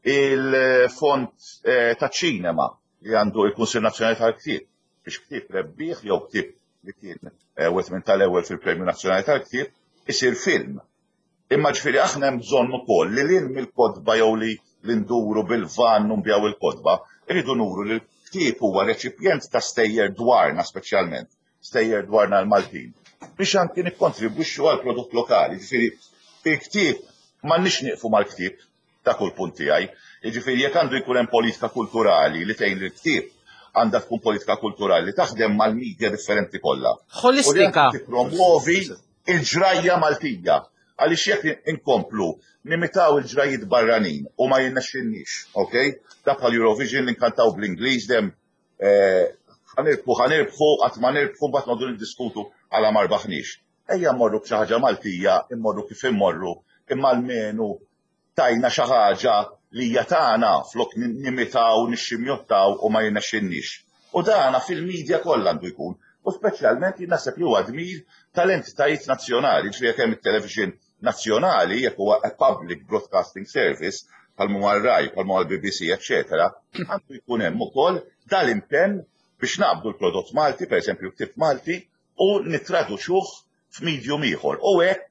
Il-fond eh, ta' ċinema li għandu il-Kunsill Nazzjonali tal-Ktieb biex ktieb rebbieħ jew ktieb li kien eh, wieħed minn tal-ewwel fil-Premju Nazzjonali tal-Ktieb isir film. Imma ġifieri aħna hemm bżonn ukoll li lil mill-kotba jew li li nduru bil-van u nbigħu il-kotba, irridu nuru li l-ktieb huwa reċipjent ta' stejjer dwarna speċjalment, stejjer dwarna l-Maltin, biex anki nikkontribwixxu għal prodott lokali. Ġifieri il-ktieb m'għandniex nieqfu mal-ktieb ta' kull punt tiegħi. Jiġifieri jekk għandu jkun hemm politika kulturali li tgħin l-ktieb, għandha tkun politika kulturali li taħdem mal-medja differenti kollha. Holistika. U li tippromuovi il-ġrajja Maltija. Għaliex jekk inkomplu nimitaw il-ġrajiet barranin u ma jirnexxilniex, ok? Da bħal Eurovision li nkantaw bl-Ingliż dem eh, ħa nirbħu, ħa nirbħu, qatt ma nirbħu, mbagħad noqogħdu niddiskutu għala ma rbaħniex. Ejja mmorru b'xi ħaġa Maltija, immorru kif immorru, imma almenu tajna xi ħaġa li hija tagħna flok nimitaw, nixximjottaw u ma jirnexxilniex. U dana fil-medja kollha għandu jkun. U speċjalment jien naħseb li huwa dmir tal-entitajiet nazzjonali, ġifieri jekk hemm it-television nazzjonali, jekk huwa a public broadcasting service, bħal huwa r-RAI, bħal huwa l-B B C, eċetera, għandu jkun hemm ukoll dal-impenn biex naqbdu l-prodott Malti, pereżempju ktieb Malti, u nittraduċuh f'medium ieħor. U hekk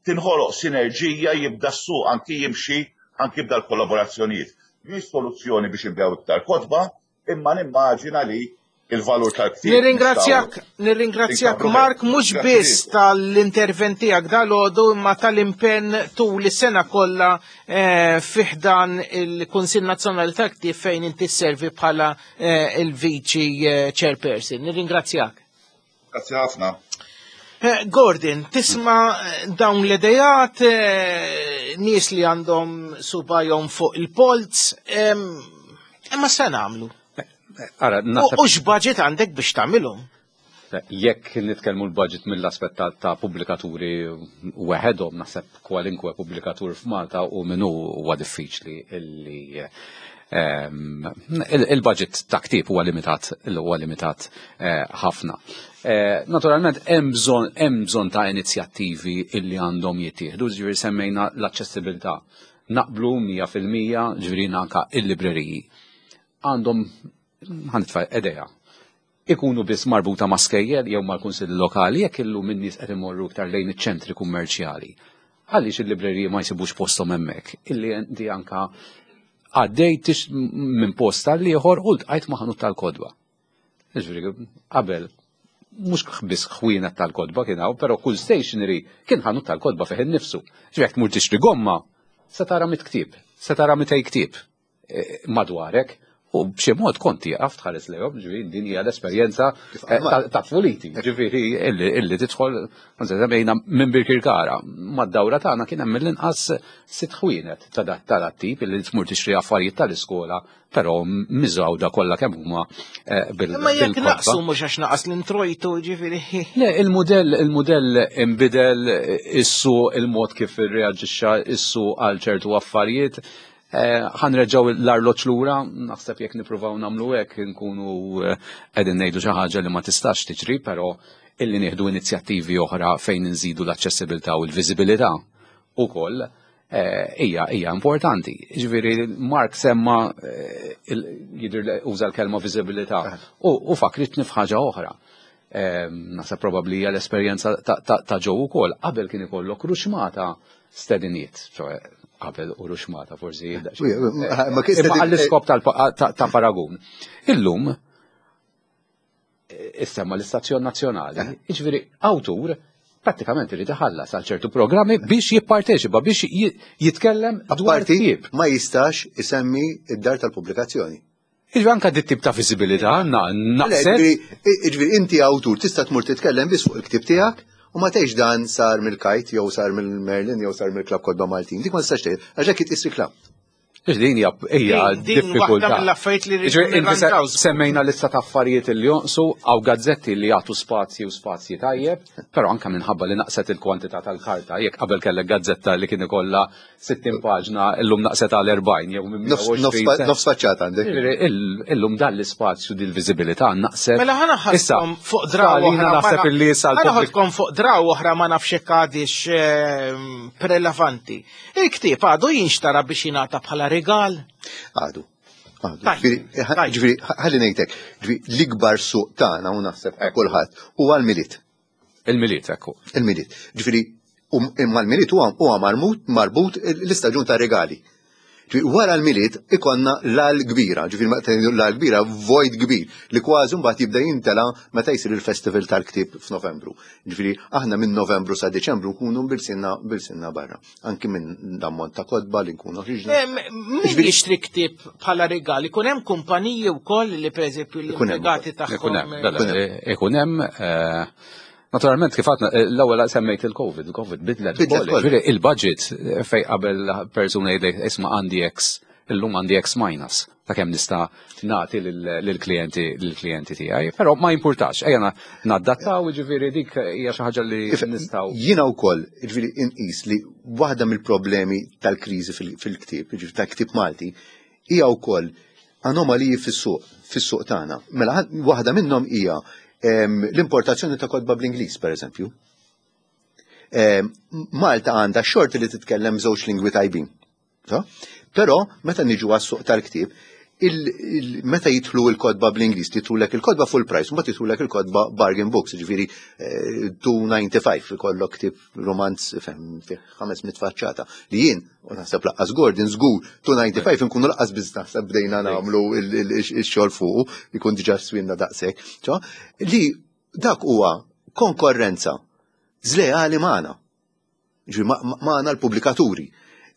tinħoloq sinerġija, jibda s-suq anki jimxi anki jibda l-kollaborazzjonijiet. Mhix soluzzjoni biex inbigħu iktar kotba, imma nimmaġina li il-valur tal-ktieb. Nirringrazzjak, nirringrazzjak Inkabru Mark, mhux Grazzi biss lilkom. tal-intervent tiegħek dalgħodu imma tal-impenn tul is-sena kollha eh, fi ħdan il-Kunsill Nazzjonali tal-Ktieb fejn inti sservi bħala eh, il-Viċi eh, Chairperson. Nirringrazzjak. Grazzi ħafna. Eh, Gordon, tisma eh, dawn l-idejat, eh, nies li għandhom subajhom fuq il-polz, em, imma se nagħmlu? Ara, U naħseb u x'budget għandek biex tagħmilhom? Jekk nitkellmu l-budget mill-aspett ta', ta' pubblikaturi weħedhom, naħseb kwalinkwe pubblikatur f'Malta u minnu huwa diffiċli illi ehm, il-budget ta' ktieb huwa limitat, huwa limitat eh, ħafna. Eh, naturalment hemm bżonn hemm bżonn ta' inizjattivi illi għandhom jittieħdu, ġifieri semmejna l-aċċessibilità. Naqblu mija fil-mija, ġifieri anka il-libreriji għandhom, ħa nitfa' idea, ikunu biss marbuta ma' skejjel jew mal-kunsilli lokali jekk illum in-nies qed imorru iktar lejn iċ-ċentri kummerċjali. Għaliex il-libreriji ma jsibux posthom hemmhekk? Illi inti anka għaddej minn post għal ieħor u ltqajt ma' ħanut tal-kotba. Ġifieri qabel mhux biss ħwienet tal-kotba kien hawn, però kull stationery kien ħanut tal-kotba fih innifsu. Ġifieri jekk tmur tixtri gomma, se tara mitt ktieb, se tara mitej ktieb eh, madwarek. U b'xi mod kont tieqaf tħares lejhom, ġifieri din hija l-esperjenza eh, ta' tfuliti, ġifieri illi tidħol, semmejna minn Birkirkara, mad-dawra tagħna kien hemm mill-inqas sitt ħwienet ta' dat tip illi tmur tixtri affarijiet tal-iskola, però miżgħuda kollha kemm huma eh, bil Imma jekk naqsu mhux għax naqas l-introjtu, ġifieri. Le, il-modell il-modell imbidel issu il-mod kif irreaġixxa issu għal ċertu affarijiet. Eh, ħa nreġġgħu l-arloġġ lura, naħseb jekk nippruvaw nagħmlu hekk nkunu eh, qegħdin ngħidu xi ħaġa li ma tistax tiġri, però illi nieħdu inizjattivi oħra fejn nżidu l-aċċessibilità u l-viżibilità ukoll eh, hija hija importanti. Ġifieri Mark semma jidher uża l-kelma viżibilità u fakritni f'ħaġa oħra. Naħseb probabbli hija l-esperjenza ta' Joe ukoll. Qabel kien ikollok ruxmata stediniet, qabel u ruxmata forsi. Ma kien Imma għall-iskop ta' paragun. Illum, issemma l-Istazzjon Nazzjonali, jiġifieri awtur prattikament irid iħallas għal ċertu programmi biex jipparteċipa, biex jitkellem dwar Apparti ktieb. ma jistax isemmi id-dar tal-pubblikazzjoni. Jiġifieri anka dit tip ta' viżibilità għandna naqset. Ġifieri inti awtur tista' tmur titkellem biss fuq il-ktieb tiegħek u ma tgħidx dan sar mill-Kite jew sar mill-Merlin jew sar mill-Klabb Kotba Maltin. Dik ma tistax tgħid, għax hekk itqis reklam. Din hija hija Din- din waħda diffikultà. mill-affarijiet li rridu Ġifieri, inti se- nirranġaw. Semmejna lista ta' affarijiet li jonqsu għaw gazzetti li jagħtu spazji u spazji tajjeb, però anka minħabba li naqset il-kwantità tal-karta, jekk qabel kellek gazzetta li kien ikollha sittin paġna, illum naqset għal erbgħin jew minn Nofs mija u għoxrin. nofs faċċata għandek. Ġifieri, ill- Illum dan l-ispazju dil-viżibilità naqset. Mela ħa Issa, ħadkom fuq draw għalina oħra. ma naħseb na- illi issa ħa l-pubbliku ħadkom fuq draw oħra, ma nafx hekk għadix ehm, prelevanti. Il-ktieb għadu jinxtara biex jingħata bħala rigal? Għadu. Għadu. Tajb, Ġifieri, tajb. ġifieri, ħalli ngħidlek, ġifieri l-ikbar suq tagħna u naħseb kulħadd huwa l-Milied. Il-Milied, ekku. Il-Milied. Ġifieri, um- imma l-Milied huwa huwa marmut marbut l-istaġun ta' regali. Ġifieri, wara l-Milied ikonna l kbira, ġifieri meta l kbira, void kbir, li kważi mbagħad jibda jintela meta jsir il-festival tal-ktieb f'Novembru. Ġifieri, aħna minn Novembru sa Deċembru nkunu bilsinna bilsinna barra. Anki minn l-ammont ta' kotba li nkunu ħriġna. Em, Min jixtri ktieb bħala rigal? Ikun hemm kumpaniji wkoll li pereżempju Ikun hemm l-impjegati Ikun tagħhom. hemm, bella, ikun hemm, eh, naturalment kif għadna, eh, l-ewwel semmejt il-Covid, il-Covid bidlet Bidlet ukoll. kollox. Ġifieri il-budget eh, fej qabel persuna jgħidlek isma' għandi X, illum għandi X minus ta' kemm nista' nagħti lill-klijenti lill-klijenti tiegħi, però ma jimpurtax, ejja na- nadattaw, ġifieri dik hija xi ħaġa li nistgħu. Jiena wkoll, ġifieri inqis li waħda mill-problemi tal-kriżi fil- fil-ktieb, ġifieri tal-ktieb Malti, hija wkoll anomaliji fis-suq, fis-suq tagħna. Mela waħda minnhom hija em, l-importazzjoni ta' kotba bl-Ingliż, pereżempju. Em, Malta għandha xorti li titkellem żewġ lingwi tajbin. So? Però meta niġu għas-suq tal-ktieb, il, il, meta jidħlu il-kotba bl-Ingliż, jidħlulek il-kotba full price, mbagħad jidħlulek il-kotba bargain books, ġifieri eh, two ninety-five ikollok ktieb romanz fem fih ħames mitt faċċata. Li jien, u naħseb lanqas Gordon żgur, two ninety-five nkunu lanqas biss naħseb bdejna nagħmlu il-xogħol fuqu, ikun diġà swinna daqshekk. So, li dak huwa konkorrenza żleali magħna. Ġifieri ma- ma- magħna l-pubblikaturi.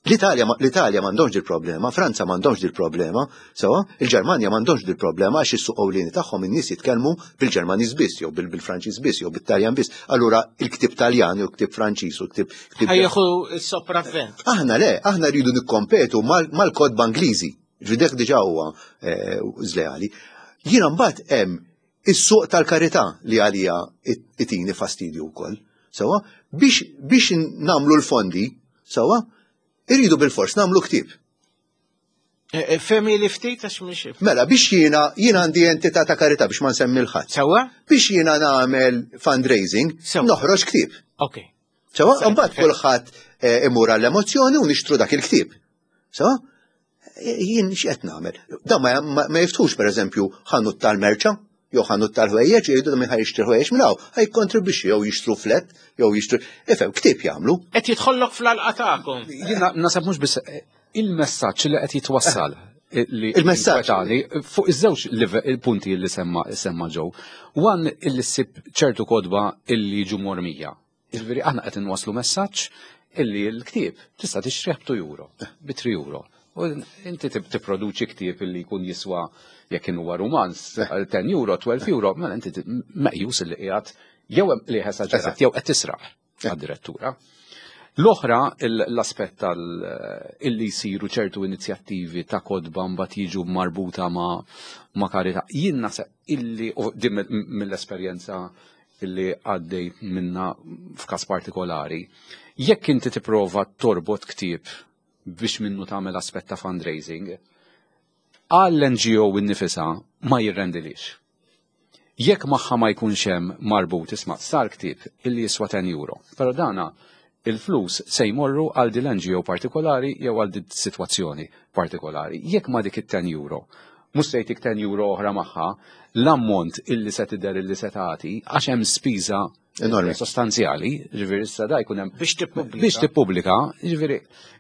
L-Italja l-Italja m'għandhomx dil problema, Franza m'għandhomx dil problema, sewa, il-Ġermanja m'għandhomx dil problema għax is-suq ewlieni tagħhom in-nies jitkellmu bil-Ġermaniż biss jew bil- bil-Franċiż biss jew bit-Taljan biss. Allura il-ktieb Taljan jew ktieb Franċiż u ktieb ktieb Ħa jieħu s-sopravvent. Aħna le, aħna rridu nikkompetu mal- mal-kotba Ingliżi. Ġifieri dik diġà huwa eh, żleali. Jiena mbagħad hemm Is-suq tal-karità li għalija itini fastidju wkoll. Sewwa, biex biex nagħmlu l-fondi, sewwa, irridu bil-fors nagħmlu ktieb. E, e, Femi li ftit għax mhix. Mela, biex jiena jiena għandi entità ta' karità biex ma nsemmi 'l ħadd. Sewwa? Biex jiena nagħmel fundraising, noħroġ ktieb. Ok. Sewwa, mbagħad kulħadd eh, imur għall-emozzjoni u nixtru dak il-ktieb. Sewwa? Jien x'qed nagħmel? Da ma, ma, ma jiftħux pereżempju ħanut tal-merċa, jew ħanut tal-ħwejjeġ, jgħidu min ħa jixtri ħwejjeġ minn hawn, ħa jikkontribwixxi jew jixtru flat, jew jixtru. Ifhem, ktieb jagħmlu. Qed jidħollok fl-għalqa tagħkom. Jiena nasab mhux biss eh, il-messaġġ li qed jitwassal li Il-messaġġ. inkwetani fuq iż-żewġ live- il-punti li semma semma Joe. One illi ssib ċertu kotba illi jiġu mormija. Jiġifieri aħna qed inwasslu messaġġ illi l-ktieb tista' tixtrih b'two euro, bi three euro. U inti tip- tipproduċi ktieb illi jkun jiswa jekk huwa rumanz ten euro, twelve euro, mela inti ti- meqjus illi qiegħed jew hemm li esaġerat jew qed tisraq għad-direttura. L-oħra, il- l-aspett tal illi jsiru ċertu inizjattivi ta' kotba mbagħad jiġu marbuta ma' ma' karità. Jien naħseb illi u din mill- mill-esperjenza illi għaddej minna f'każ partikolari, jekk inti tipprova torbot ktieb biex minnu tagħmel aspett ta' fundraising, għall-N G O innifisha ma jirrendilix. Jekk magħha ma jkunx hemm marbut isma' sar ktieb illi jiswa ten euro, però dana il-flus se jmorru għal din l-N G O partikolari jew għal din situazzjoni partikolari. Jekk ma dik it-ten euro, mhux se jtik ten euro oħra magħha, l-ammont illi se tidher illi se tagħti għax hemm spiża Enormi. sostanzjali, ġifieri issa da jkun hemm Biex tippubblika. Biex tippubblika, ġifieri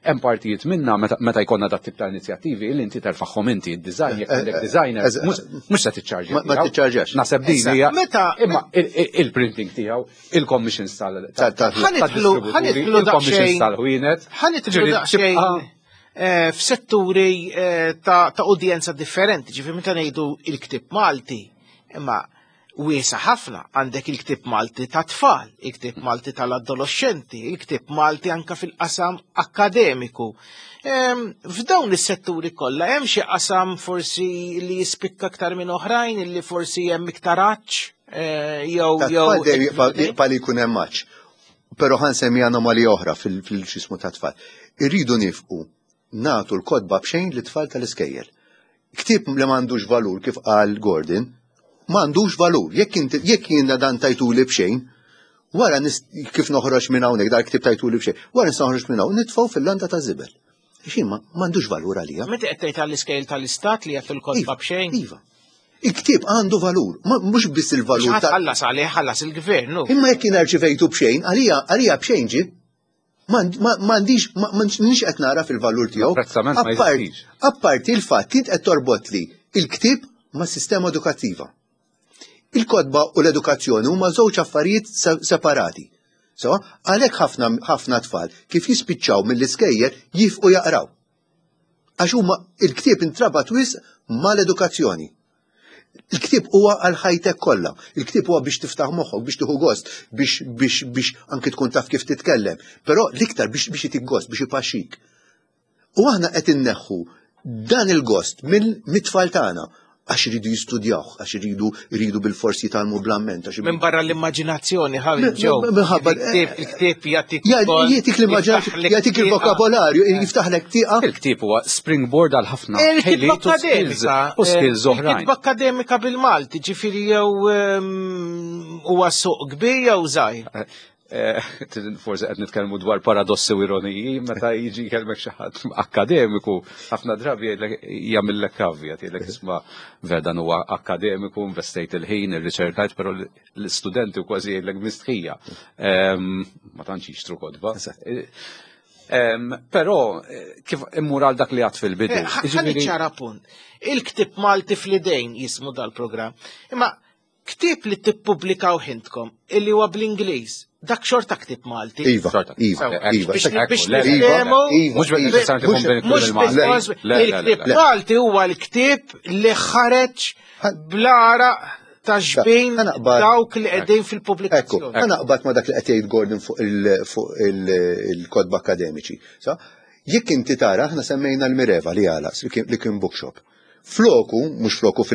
hemm partijiet minna meta meta jkollna dat tip ta' inizjattivi illi inti terfagħhom inti id-design jekk għandek designer, eż- mhux mhux se tiċċarġja. Ma- ma tiegħu. tiċċarġax. Naħseb din Issa, hija meta- imma il- il- il-printing tiegħu, il-commissions tal Tal- tal- Ħa nidħlu- ħa nidħlu il-commissions daqsxejn- tal-ħwienet. Ħa nidħlu Ġifieri, daqsxejn tibqa' eh, f'setturi eh, ta' ta' udjenza differenti, ġifieri meta ngħidu il-ktieb Malti, imma wiesa ħafna għandek il-ktieb Malti ta' tfal, il-ktieb Malti tal-adolescenti, il-ktieb Malti anka fil-qasam akademiku. Em, F'dawn is-setturi kollha hemm xi qasam forsi li jispikka aktar minn oħrajn, illi forsi hemm iktar għatx, eh, jew Ta' jew tfal dejjem jibqa' jibqa' li jkun hemm match. Però ħa nsemmi anomalija oħra fil-xismu ta' tfal. Irridu nifqu nagħtu l-kotba b'xejn lit-tfal tal-iskejjel. Ktieb li m'għandux valur kif qal Gordon, m'għandux valur. Jekk inti jekk jiena dan tajtuli b'xejn, wara nis- kif noħroġ minn hawnhekk dal ktieb tajtuli b'xejn, wara nista' noħroġ minn hawn nitfgħu fil-landa ta' żibel. Xejn ma m'għandux valur għalija. Meta qed tgħid għall-iskejjel tal-istat li jagħtu l-kotba Iva, b'xejn? Iva. Il-ktieb għandu valur, ma- mhux biss il-valur X'ħadd ta' ħallas għalih ħallas il-gvern, nu. Imma jekk jien rċivejtu b'xejn, għalija għalija b'xejn ġi. M'għandix m'għandix qed nara fil-valur tiegħu. Apprezzament ma Apparti- jeżistix. Apparti il-fatt int qed torbot li il-ktieb ma' sistema edukattiva. Il-kotba u l-edukazzjoni huma żewġ affarijiet se- separati. So, għalhekk ħafna ħafna tfal kif jispiċċaw mill-iskejjel jifqu jaqraw. Għax huma il-ktieb intrabat wisq mal-edukazzjoni. Il-ktieb huwa għal ħajtek kollha. Il-ktieb huwa biex tiftaħ moħħok, biex tieħu gost, biex biex biex anki tkun taf kif titkellem. Però l-iktar biex biex itik gost, biex ipaxxik. U aħna qed inneħħu dan il-gost mill-tfal tagħna għax iridu jistudjaw, għax iridu iridu bil-forsi jitgħallmu bl-amment. għax Minn barra l-immaġinazzjoni, ħabi Min- ġew. min- minħabba- Il-ktieb il-ktieb jagħtik Ja, ukoll- Jagħtik l-immaġinazzjoni, jiftaħlek jagħtik tieqa. il-vokabolarju, jiftaħlek tieqa. Il-ktieb huwa springboard għal ħafna Il-kitba ħiliet u skills akademika. u skills eh, oħrajn. Il-kitba akademika bil-Malti, ġifieri jew ehm, huwa suq kbir jew żgħir. Eh, Forsi qed nitkellmu dwar paradossi u ironiji, meta jiġi jkellmek xi ħadd akademiku, ħafna drabi jgħidlek jagħmillek caveat, jgħidlek isma' vera dan huwa akademiku, investejt il-ħin, irriċerkajt, però l-istudenti kważi jgħidlek mistħija. Ehm, Ma tantx jixtru kotba. Eh, ehm, Però eh, kif immur għal dak li għad fil-bidu. Eh, ħa Jiġifieri- niċċara punt. Il-ktieb Malti fl-idejn jismu dal-programm. Imma ktieb li tippubblikaw intkom illi huwa bl-Ingliż, dak xorta ktieb Malti. Iva, Xorta. iva, Sewa. iva. Biex biex Le, Iva, niftehmu, iva, Mhux iva. neċessarjament ikun Mhux- Mhux bil-Malti. bil-fors, Le, le, le, il-ktieb le. Malti huwa l-ktieb li ħareġ bl-għaraq ta' xbin Ħa naqbad- dawk li qegħdin Ekku, fil-pubblikazzjoni. ħa naqbad ma dak li qed jgħid Gordon fuq il- fuq il- il-kotba akademiċi. Sa, jekk inti tara, aħna semmejna l-Mireva li għala, li kien- li kien bookshop. Floku, mhux floku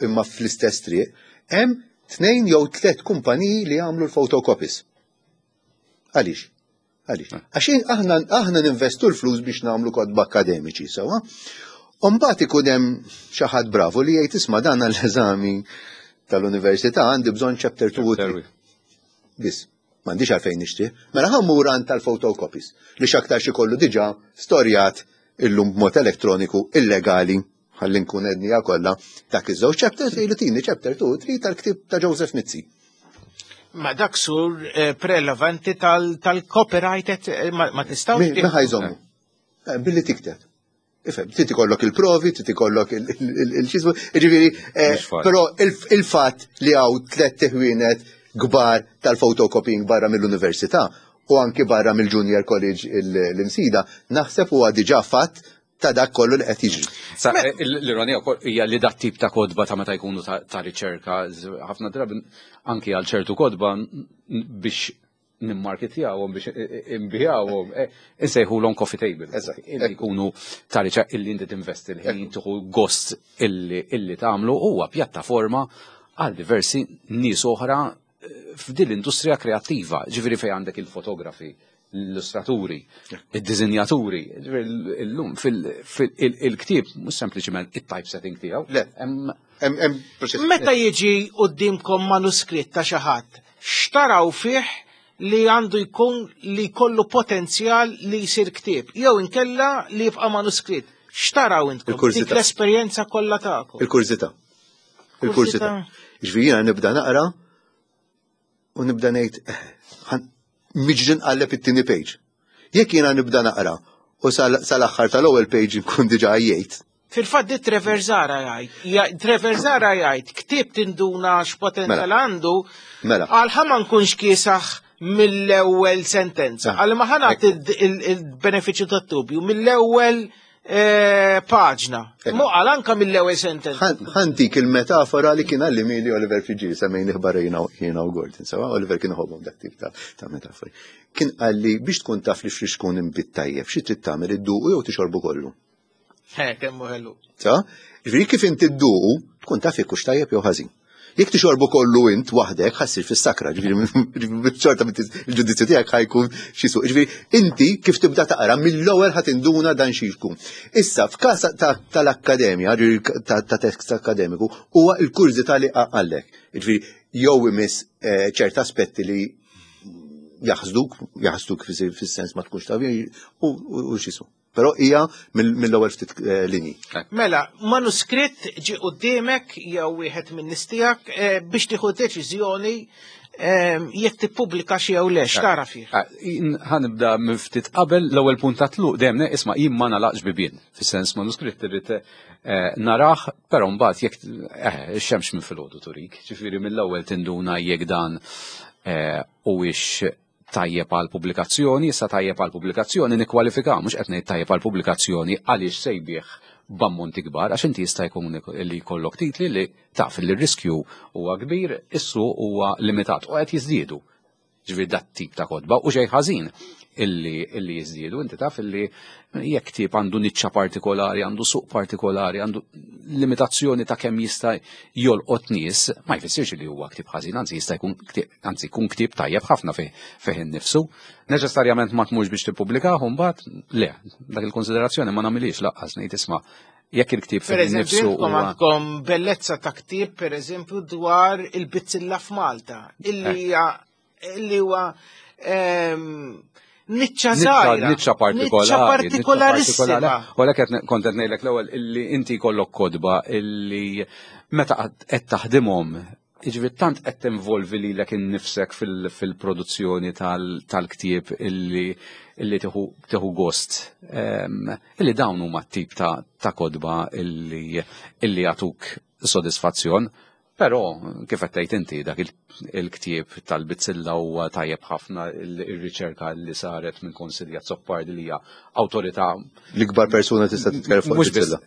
imma fl-istess triq, hemm tnejn jew tliet kumpaniji li jagħmlu l-photocopies. Għaliex? Għaliex? Għax aħna aħna ninvestu l-flus biex nagħmlu kotba akademiċi, sewwa. U mbagħad ikun hemm xi ħadd bravu li jgħid isma' dan l-eżami tal-università għandi bżonn chapter two u three. Biss, m'għandix għalfejn nixtri. Mela ħa mmur għand tal-photocopies li x'aktar xi kollu diġà storjat illum b'mod elettroniku illegali ħalli nkun ednija kollha dak iż-żewġ chapters jgħidu tini chapter two u three tal-ktieb ta' Joseph Mizzi. Ma dak sur eh, prelevanti tal-copyright eh, ma tistgħux. Min ħa jżommu? Eh, billi tikteb. Ifhem, trid ikollok il-provi, trid ikollok il-xismu, ġifieri, però il-fatt li hawn tliet ħwienet kbar tal-photocopying barra mill-università u anki barra mill-Junior College l-Imsida, naħseb huwa diġà fatt ta' dak kollu li qed jiġri. L-ironija hija li dat tip ta' kotba ta' meta jkunu ta' riċerka, ħafna drabi anki għal ċertu kotba biex nimmarketjawhom biex imbijawhom, insejħulhom coffee table. Illi jkunu ta' riċerka illi inti tinvesti l-ħin tieħu gost illi tagħmlu huwa pjattaforma għal diversi nies oħra f'din l-industrija kreattiva, ġifieri fejn għandek il-fotografi, l-illustraturi, id-dizinjaturi, illum fil-ktieb mhux sempliċement it-typesetting tiegħu. Le, Meta jiġi qudiemkom manuskritt ta' xi ħadd, x'taraw fih li għandu jkun li jkollu potenzjal li jsir ktieb, jew inkella li jibqa' manuskritt. X'taraw intkom? Dik l-esperjenza kollha tagħkom. Il-kurżità. Il-kurżità. Ġifieri jiena nibda naqra u nibda ngħid miġri nqalleb it-tieni page. Jekk jiena nibda naqra u sal-aħħar tal-ewwel page nkun diġà għajjejt. Fil-fatt di Trevor Zahra jgħid, Trevor Zahra jgħid, ktieb tinduna x'potenzjal Mela. għandu, Mela. għal ħa ma nkunx kiesaħ mill-ewwel sentenza. Ah. Għal ma ħa nagħti il-benefiċċju tat-dubju mill-ewwel eh, paġna. Mu għal anka mill-ewwel sentenza. Ħa ntik il-metafora li kien għallimhieli Oliver Friggieri semmejni ħbarra jiena u Gordon, sewwa Oliver kien iħobbhom dak tip ta' ta' metafori. Kien qalli biex tkun taf li x'tkun inbid tajjeb, xi trid tagħmel idduqu jew tixorbu kollu. Eh, kemm hu ħelu. Sa? Ġifieri kif inti dduqu, tkun taf jekk hux tajjeb jew ħażin. Jekk tixorbu kollu int waħdek ħa ssir fis-sakra, ġifieri xorta il-ġudizzju tiegħek ħa jkun xi suq. Ġifieri inti kif tibda taqra mill-ewwel ħa tinduna dan xi jkun. Issa f'każ tal-akkademja, ġifieri ta' tekst akademiku, huwa l-kurżità li għallek. Ġifieri jew imiss eh, ċert aspetti li jaħsduk, jaħsduk fis-sens ma tkunx taf u x'ismu. Però hija mill-ewwel ftit eh, linji. Mela, manuskritt ġi quddiemek jew wieħed minn nies tiegħek eh, biex tieħu deċiżjoni eh, jekk tippubblika xi jew le, x'tara fih? Ħa nibda minn ftit qabel l-ewwel punt ta' tluq dejjem isma' jien ma nagħlaqx bibien. Fis-sens manuskritt irrid narah, però mbagħad jekk ix-xemx minn filgħodu turik, ġifieri mill-ewwel tinduna jekk dan huwiex tajjeb għal pubblikazzjoni, issa tajjeb għal pubblikazzjoni nikkwalifika, mhux qed ngħid tajjeb għal pubblikazzjoni għaliex se jbigħ b'ammonti kbar, għax inti jista' jkun li jkollok titli li taf li r-riskju huwa kbir, is-suq huwa limitat u qed jiżdiedu. Ġifieri dat tip ta' kotba u xejn ħażin illi illi jiżdiedu, inti taf illi jekk tip għandu niċċa partikolari, għandu suq partikolari, għandu limitazzjoni ta' kemm jista' jolqot nies, ma jfissirx li huwa ktieb ħażin, anzi jista' jkun anzi jkun ktieb tajjeb ħafna fih fih innifsu. Neċessarjament ma tmurx biex tippubblikah mbagħad le, dak il-konsiderazzjoni ma nagħmilix laqqas ngħid isma' jekk il-ktieb fih Per eżempju, innifsu intkom huwa għandkom bellezza ta' ktieb, per eżempju, dwar il-bizzilla f'Malta, illi hija illi huwa ehm, niċċa żgħira. Niċċa partikolari. Niċċa partikolarissima. U għalhekk qed kont qed ngħidlek l-ewwel illi inti jkollok kotba illi meta qed taħdimhom Jiġifieri tant qed tinvolvi lilek innifsek fil-produzzjoni tal-ktieb illi illi tieħu gost. Ehm, illi dawn huma t-tip ta' kotba illi illi jagħtuk sodisfazzjon. Però kif qed tgħid inti dak il-ktieb tal-bizzilla huwa tajjeb ħafna ir-riċerka li saret minn Consilia Azzopardi li hija awtorità. L-ikbar persuna tista' titkellem fuq il-bizzilla.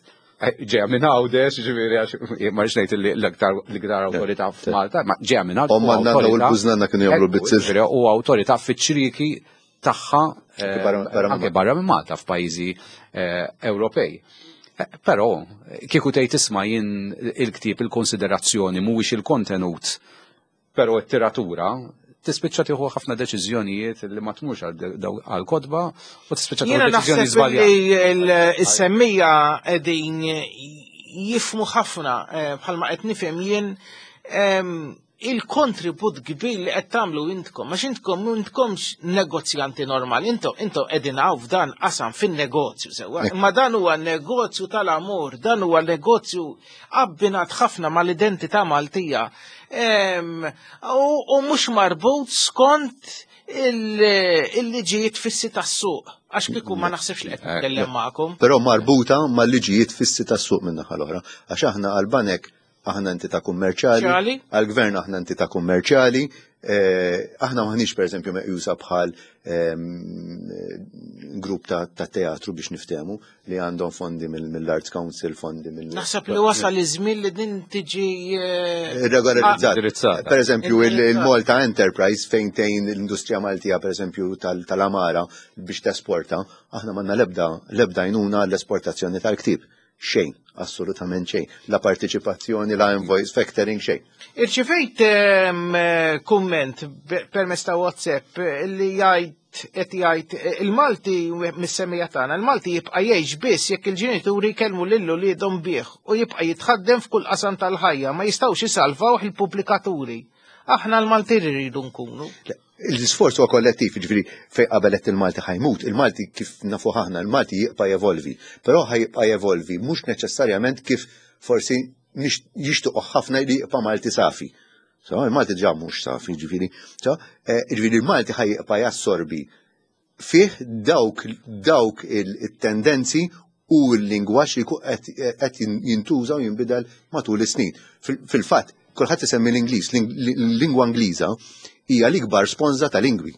Ġeja minn Għawdex, ġifieri għax ma rridx ngħid li l-iktar l-iktar awtorità f'Malta, ma ġeja minn Għawdex. Omma nanna u l-bużnanna kienu jagħmlu bizzilla. U awtorità fiċ-ċrieki tagħha anke barra minn Malta f'pajjiżi Ewropej. Eh, Però kieku tgħid isma' jien il-ktieb il-konsiderazzjoni mhuwiex il-kontenut, però t-tiratura tispiċċa tieħu ħafna deċiżjonijiet li ma tmurx għal kotba u tispiċċa tieħu Jiena deċiżjoni naħseb żbaljata. li l-semmija qegħdin jifmu ħafna eh, bħalma qed nifhem jien em, il-kontribut kbir li qed tagħmlu intkom, għax intkom intkomx negozjanti normali, intom intom qegħdin hawn f'dan qasam fin-negozju sewwa, imma dan huwa negozju tal-amur, dan huwa negozju abbinat ħafna mal-identità Maltija. Em, U u mhux marbut skont il- il-liġijiet fissi tas-suq. Għax kieku ma naħsibx li qed nitkellem magħkom. Però marbuta mal-liġijiet fissi tas-suq minn naħa l-oħra. Għax aħna għal-banek aħna entità kummerċjali, Ċali? għal-gvern aħna entità kummerċjali, eh, aħna maħniex per eżempju meqjusa bħal ehm, grupp ta' ta' teatru biex niftehmu li għandhom fondi mill- mill-Arts Council, fondi mill- Naħseb li wasal iż-żmien li din tiġi eh, Regolarizzat. Per eżempju, il- Indirizzat. il-Malta Enterprise fejn tgħin l-industrija Maltija, per eżempju, tal- tal-Amara biex tesporta, aħna m'għandna lebda lebda għajnuna l-esportazzjoni tal-ktib. Xejn, assolutament xejn. La partiċipazzjoni, la invoice factoring, xejn. Irċivejt ehm, eh, kumment be- permezz ta' WhatsApp eh, li jgħid qed jgħid eh, il-Malti mis-semmija tagħna, il-Malti jibqa' jgħix biss jekk il-ġenituri jkellmu lil uliedhom bih u jibqa' jitħaddem f'kull qasam tal-ħajja, ma jistgħux isalvawh il-pubblikaturi. Aħna l-Malti rridu nkunu. L-isforz huwa kollettiv, ġifieri fej qabelet il-Malti ħa jmut, il-Malti kif nafu aħna, il-Malti jibqa' jevolvi, però ħa jibqa' jevolvi mhux neċessarjament kif forsi nix- jixtuqu ħafna li jibqa' Malti safi. So, il-Malti ġa mhux safi, ġifieri. So, eh, ġifieri il-Malti ħa jibqa' jassorbi fih dawk dawk il-tendenzi u l-lingwaġġ li qed qed jintuża u jinbidel matul is-snin. Fil- Fil-fatt, kulħadd isemmi l-Ingliż, l-lingwa Ingliża hija l-ikbar sponża ta' lingwi.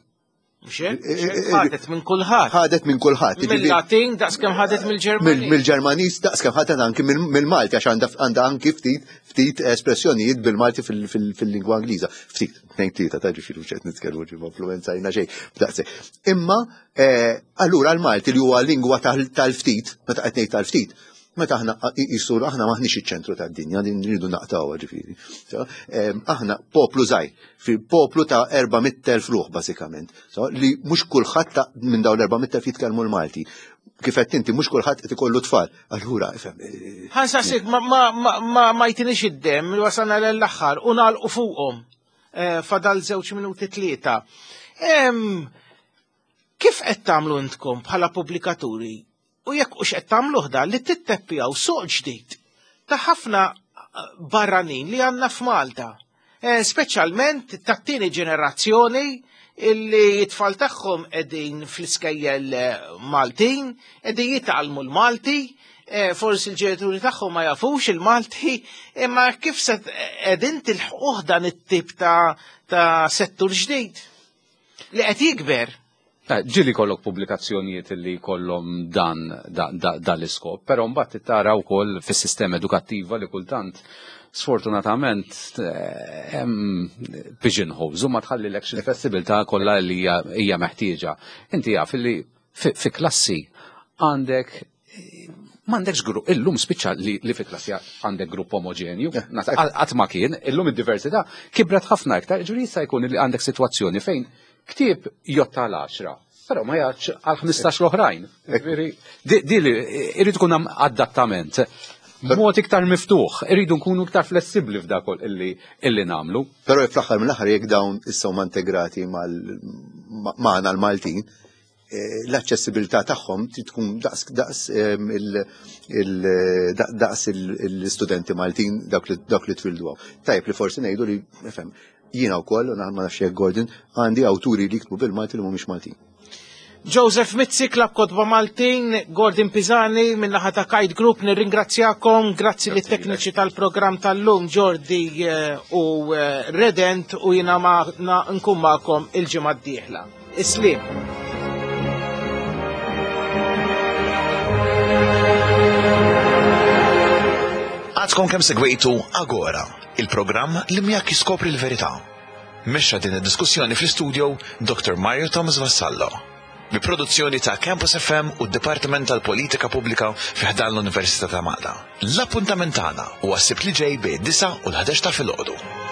Mhux hekk? Mhux hekk? Ħadet minn kulħadd. Ħadet minn kulħadd. Jiġifieri- Mill-Latin daqskemm ħadet mill-Ġermaniż. Mill-Ġermaniż daqskemm ħadet anki mill-Malti għax għandha għandha anki ftit ftit espressjonijiet bil-Malti fil- fil- fil-lingwa Ingliża. Ftit, tnejn tlieta ta' ġifieri mhux qed nitkellmu ġifieri influenzajna xejn. B'daqshekk. Imma eh, allura l-Malti li huwa lingwa tal- tal-ftit, meta qed ngħid tal-ftit, meta aħna jisur aħna maħniex iċ-ċentru tad-dinja, din rridu naqtgħuha ġifieri. So, em, Aħna poplu żgħir, fil-poplu ta' erba' mitt elf ruħ bażikament. So, li mhux kulħadd ta' minn dawn l-erba' mitt elf jitkellmu l-Malti. Kif qed inti mhux kulħadd qed ikollu tfal. Allura, ifhem, eh, Ħa nsaqsik ma, ma, ma, ma, ma jtinix id-dem li wasalna l-aħħar u nagħlqu fuqhom. Eh, Fadal żewġ minuti tlieta. Em, Kif qed tagħmlu intkom bħala pubblikaturi u jekk hux qed tagħmluh dan li titteppjaw suq ġdid ta' ħafna eh, barranin li għandna f'Malta. Eh, Speċjalment tat-tieni ġenerazzjoni illi t-tfal tagħhom qegħdin fl-iskejjel eh, Maltin, qegħdin jitgħallmu l-Malti, eh, forsi l-ġenituri tagħhom ma jafux il-Malti, imma kif se qegħdin tilħquh dan it-tip ta' ta' settur ġdid li qed jikber. Eh, Ġieli kollok pubblikazzjonijiet li kollhom dan da, da, dan l-iskop, però mbagħad tara wkoll fis-sistema edukattiva li kultant sfortunatament eh, hemm pigeonholes u ma tħallilekx il-flessibilità kollha li hija hija meħtieġa. Inti jaf li fi, fi klassi għandek m'għandekx grupp, illum spiċċa li, li fi klassi għandek grupp omogenju, qatt ma kien, illum id-diversità kibret ħafna iktar, ġifieri jista' jkun li għandek sitwazzjoni fejn ktieb jotta l-għaxra, però ma jgħax għal ħmistax l-oħrajn. Ġifieri, Di di li irid ikun hemm adattament. Mod iktar miftuħ, irridu nkunu iktar flessibbli f'dak illi illi nagħmlu. Però fl-aħħar mill-aħħar jekk dawn issa huma integrati mal ma- magħna l-Maltin, eh, l-aċċessibilità tagħhom trid tkun daqs daqs em, il- il- daq- daqs il- l-istudenti Maltin dawk li dawk li twildu hawn. Tajjeb li forsi ngħidu li nifhem jiena wkoll u ma nafx jekk Gordon għandi awturi li jiktbu bil-Malti li mhumiex Maltin. Joseph Mizzi, Klabb Kotba Maltin, Gordon Pisani, min-naħa ta' Kite Group, nirringrazzjakom, grazzi li tekniċi tal-programm tal-lum, Jordi eh, u eh, Redent, u jiena ma na- nkun magħkom il-ġimgħa d-dieħla. Is-sliem. Għadkom kemm segwejtu Agora, il-programm li miegħek jiskopri l-verità. Mexxa din id-diskussjoni fl-istudio Doctor Mario Thomas Vassallo. Bi produzzjoni ta' Campus F M u d-Dipartiment tal-Politika Pubblika fi ħdan l-Università ta' Malta. L-appuntament tagħna huwa s-Sibt li ġej bejn disgħa u l-ħdax ta' filgħodu.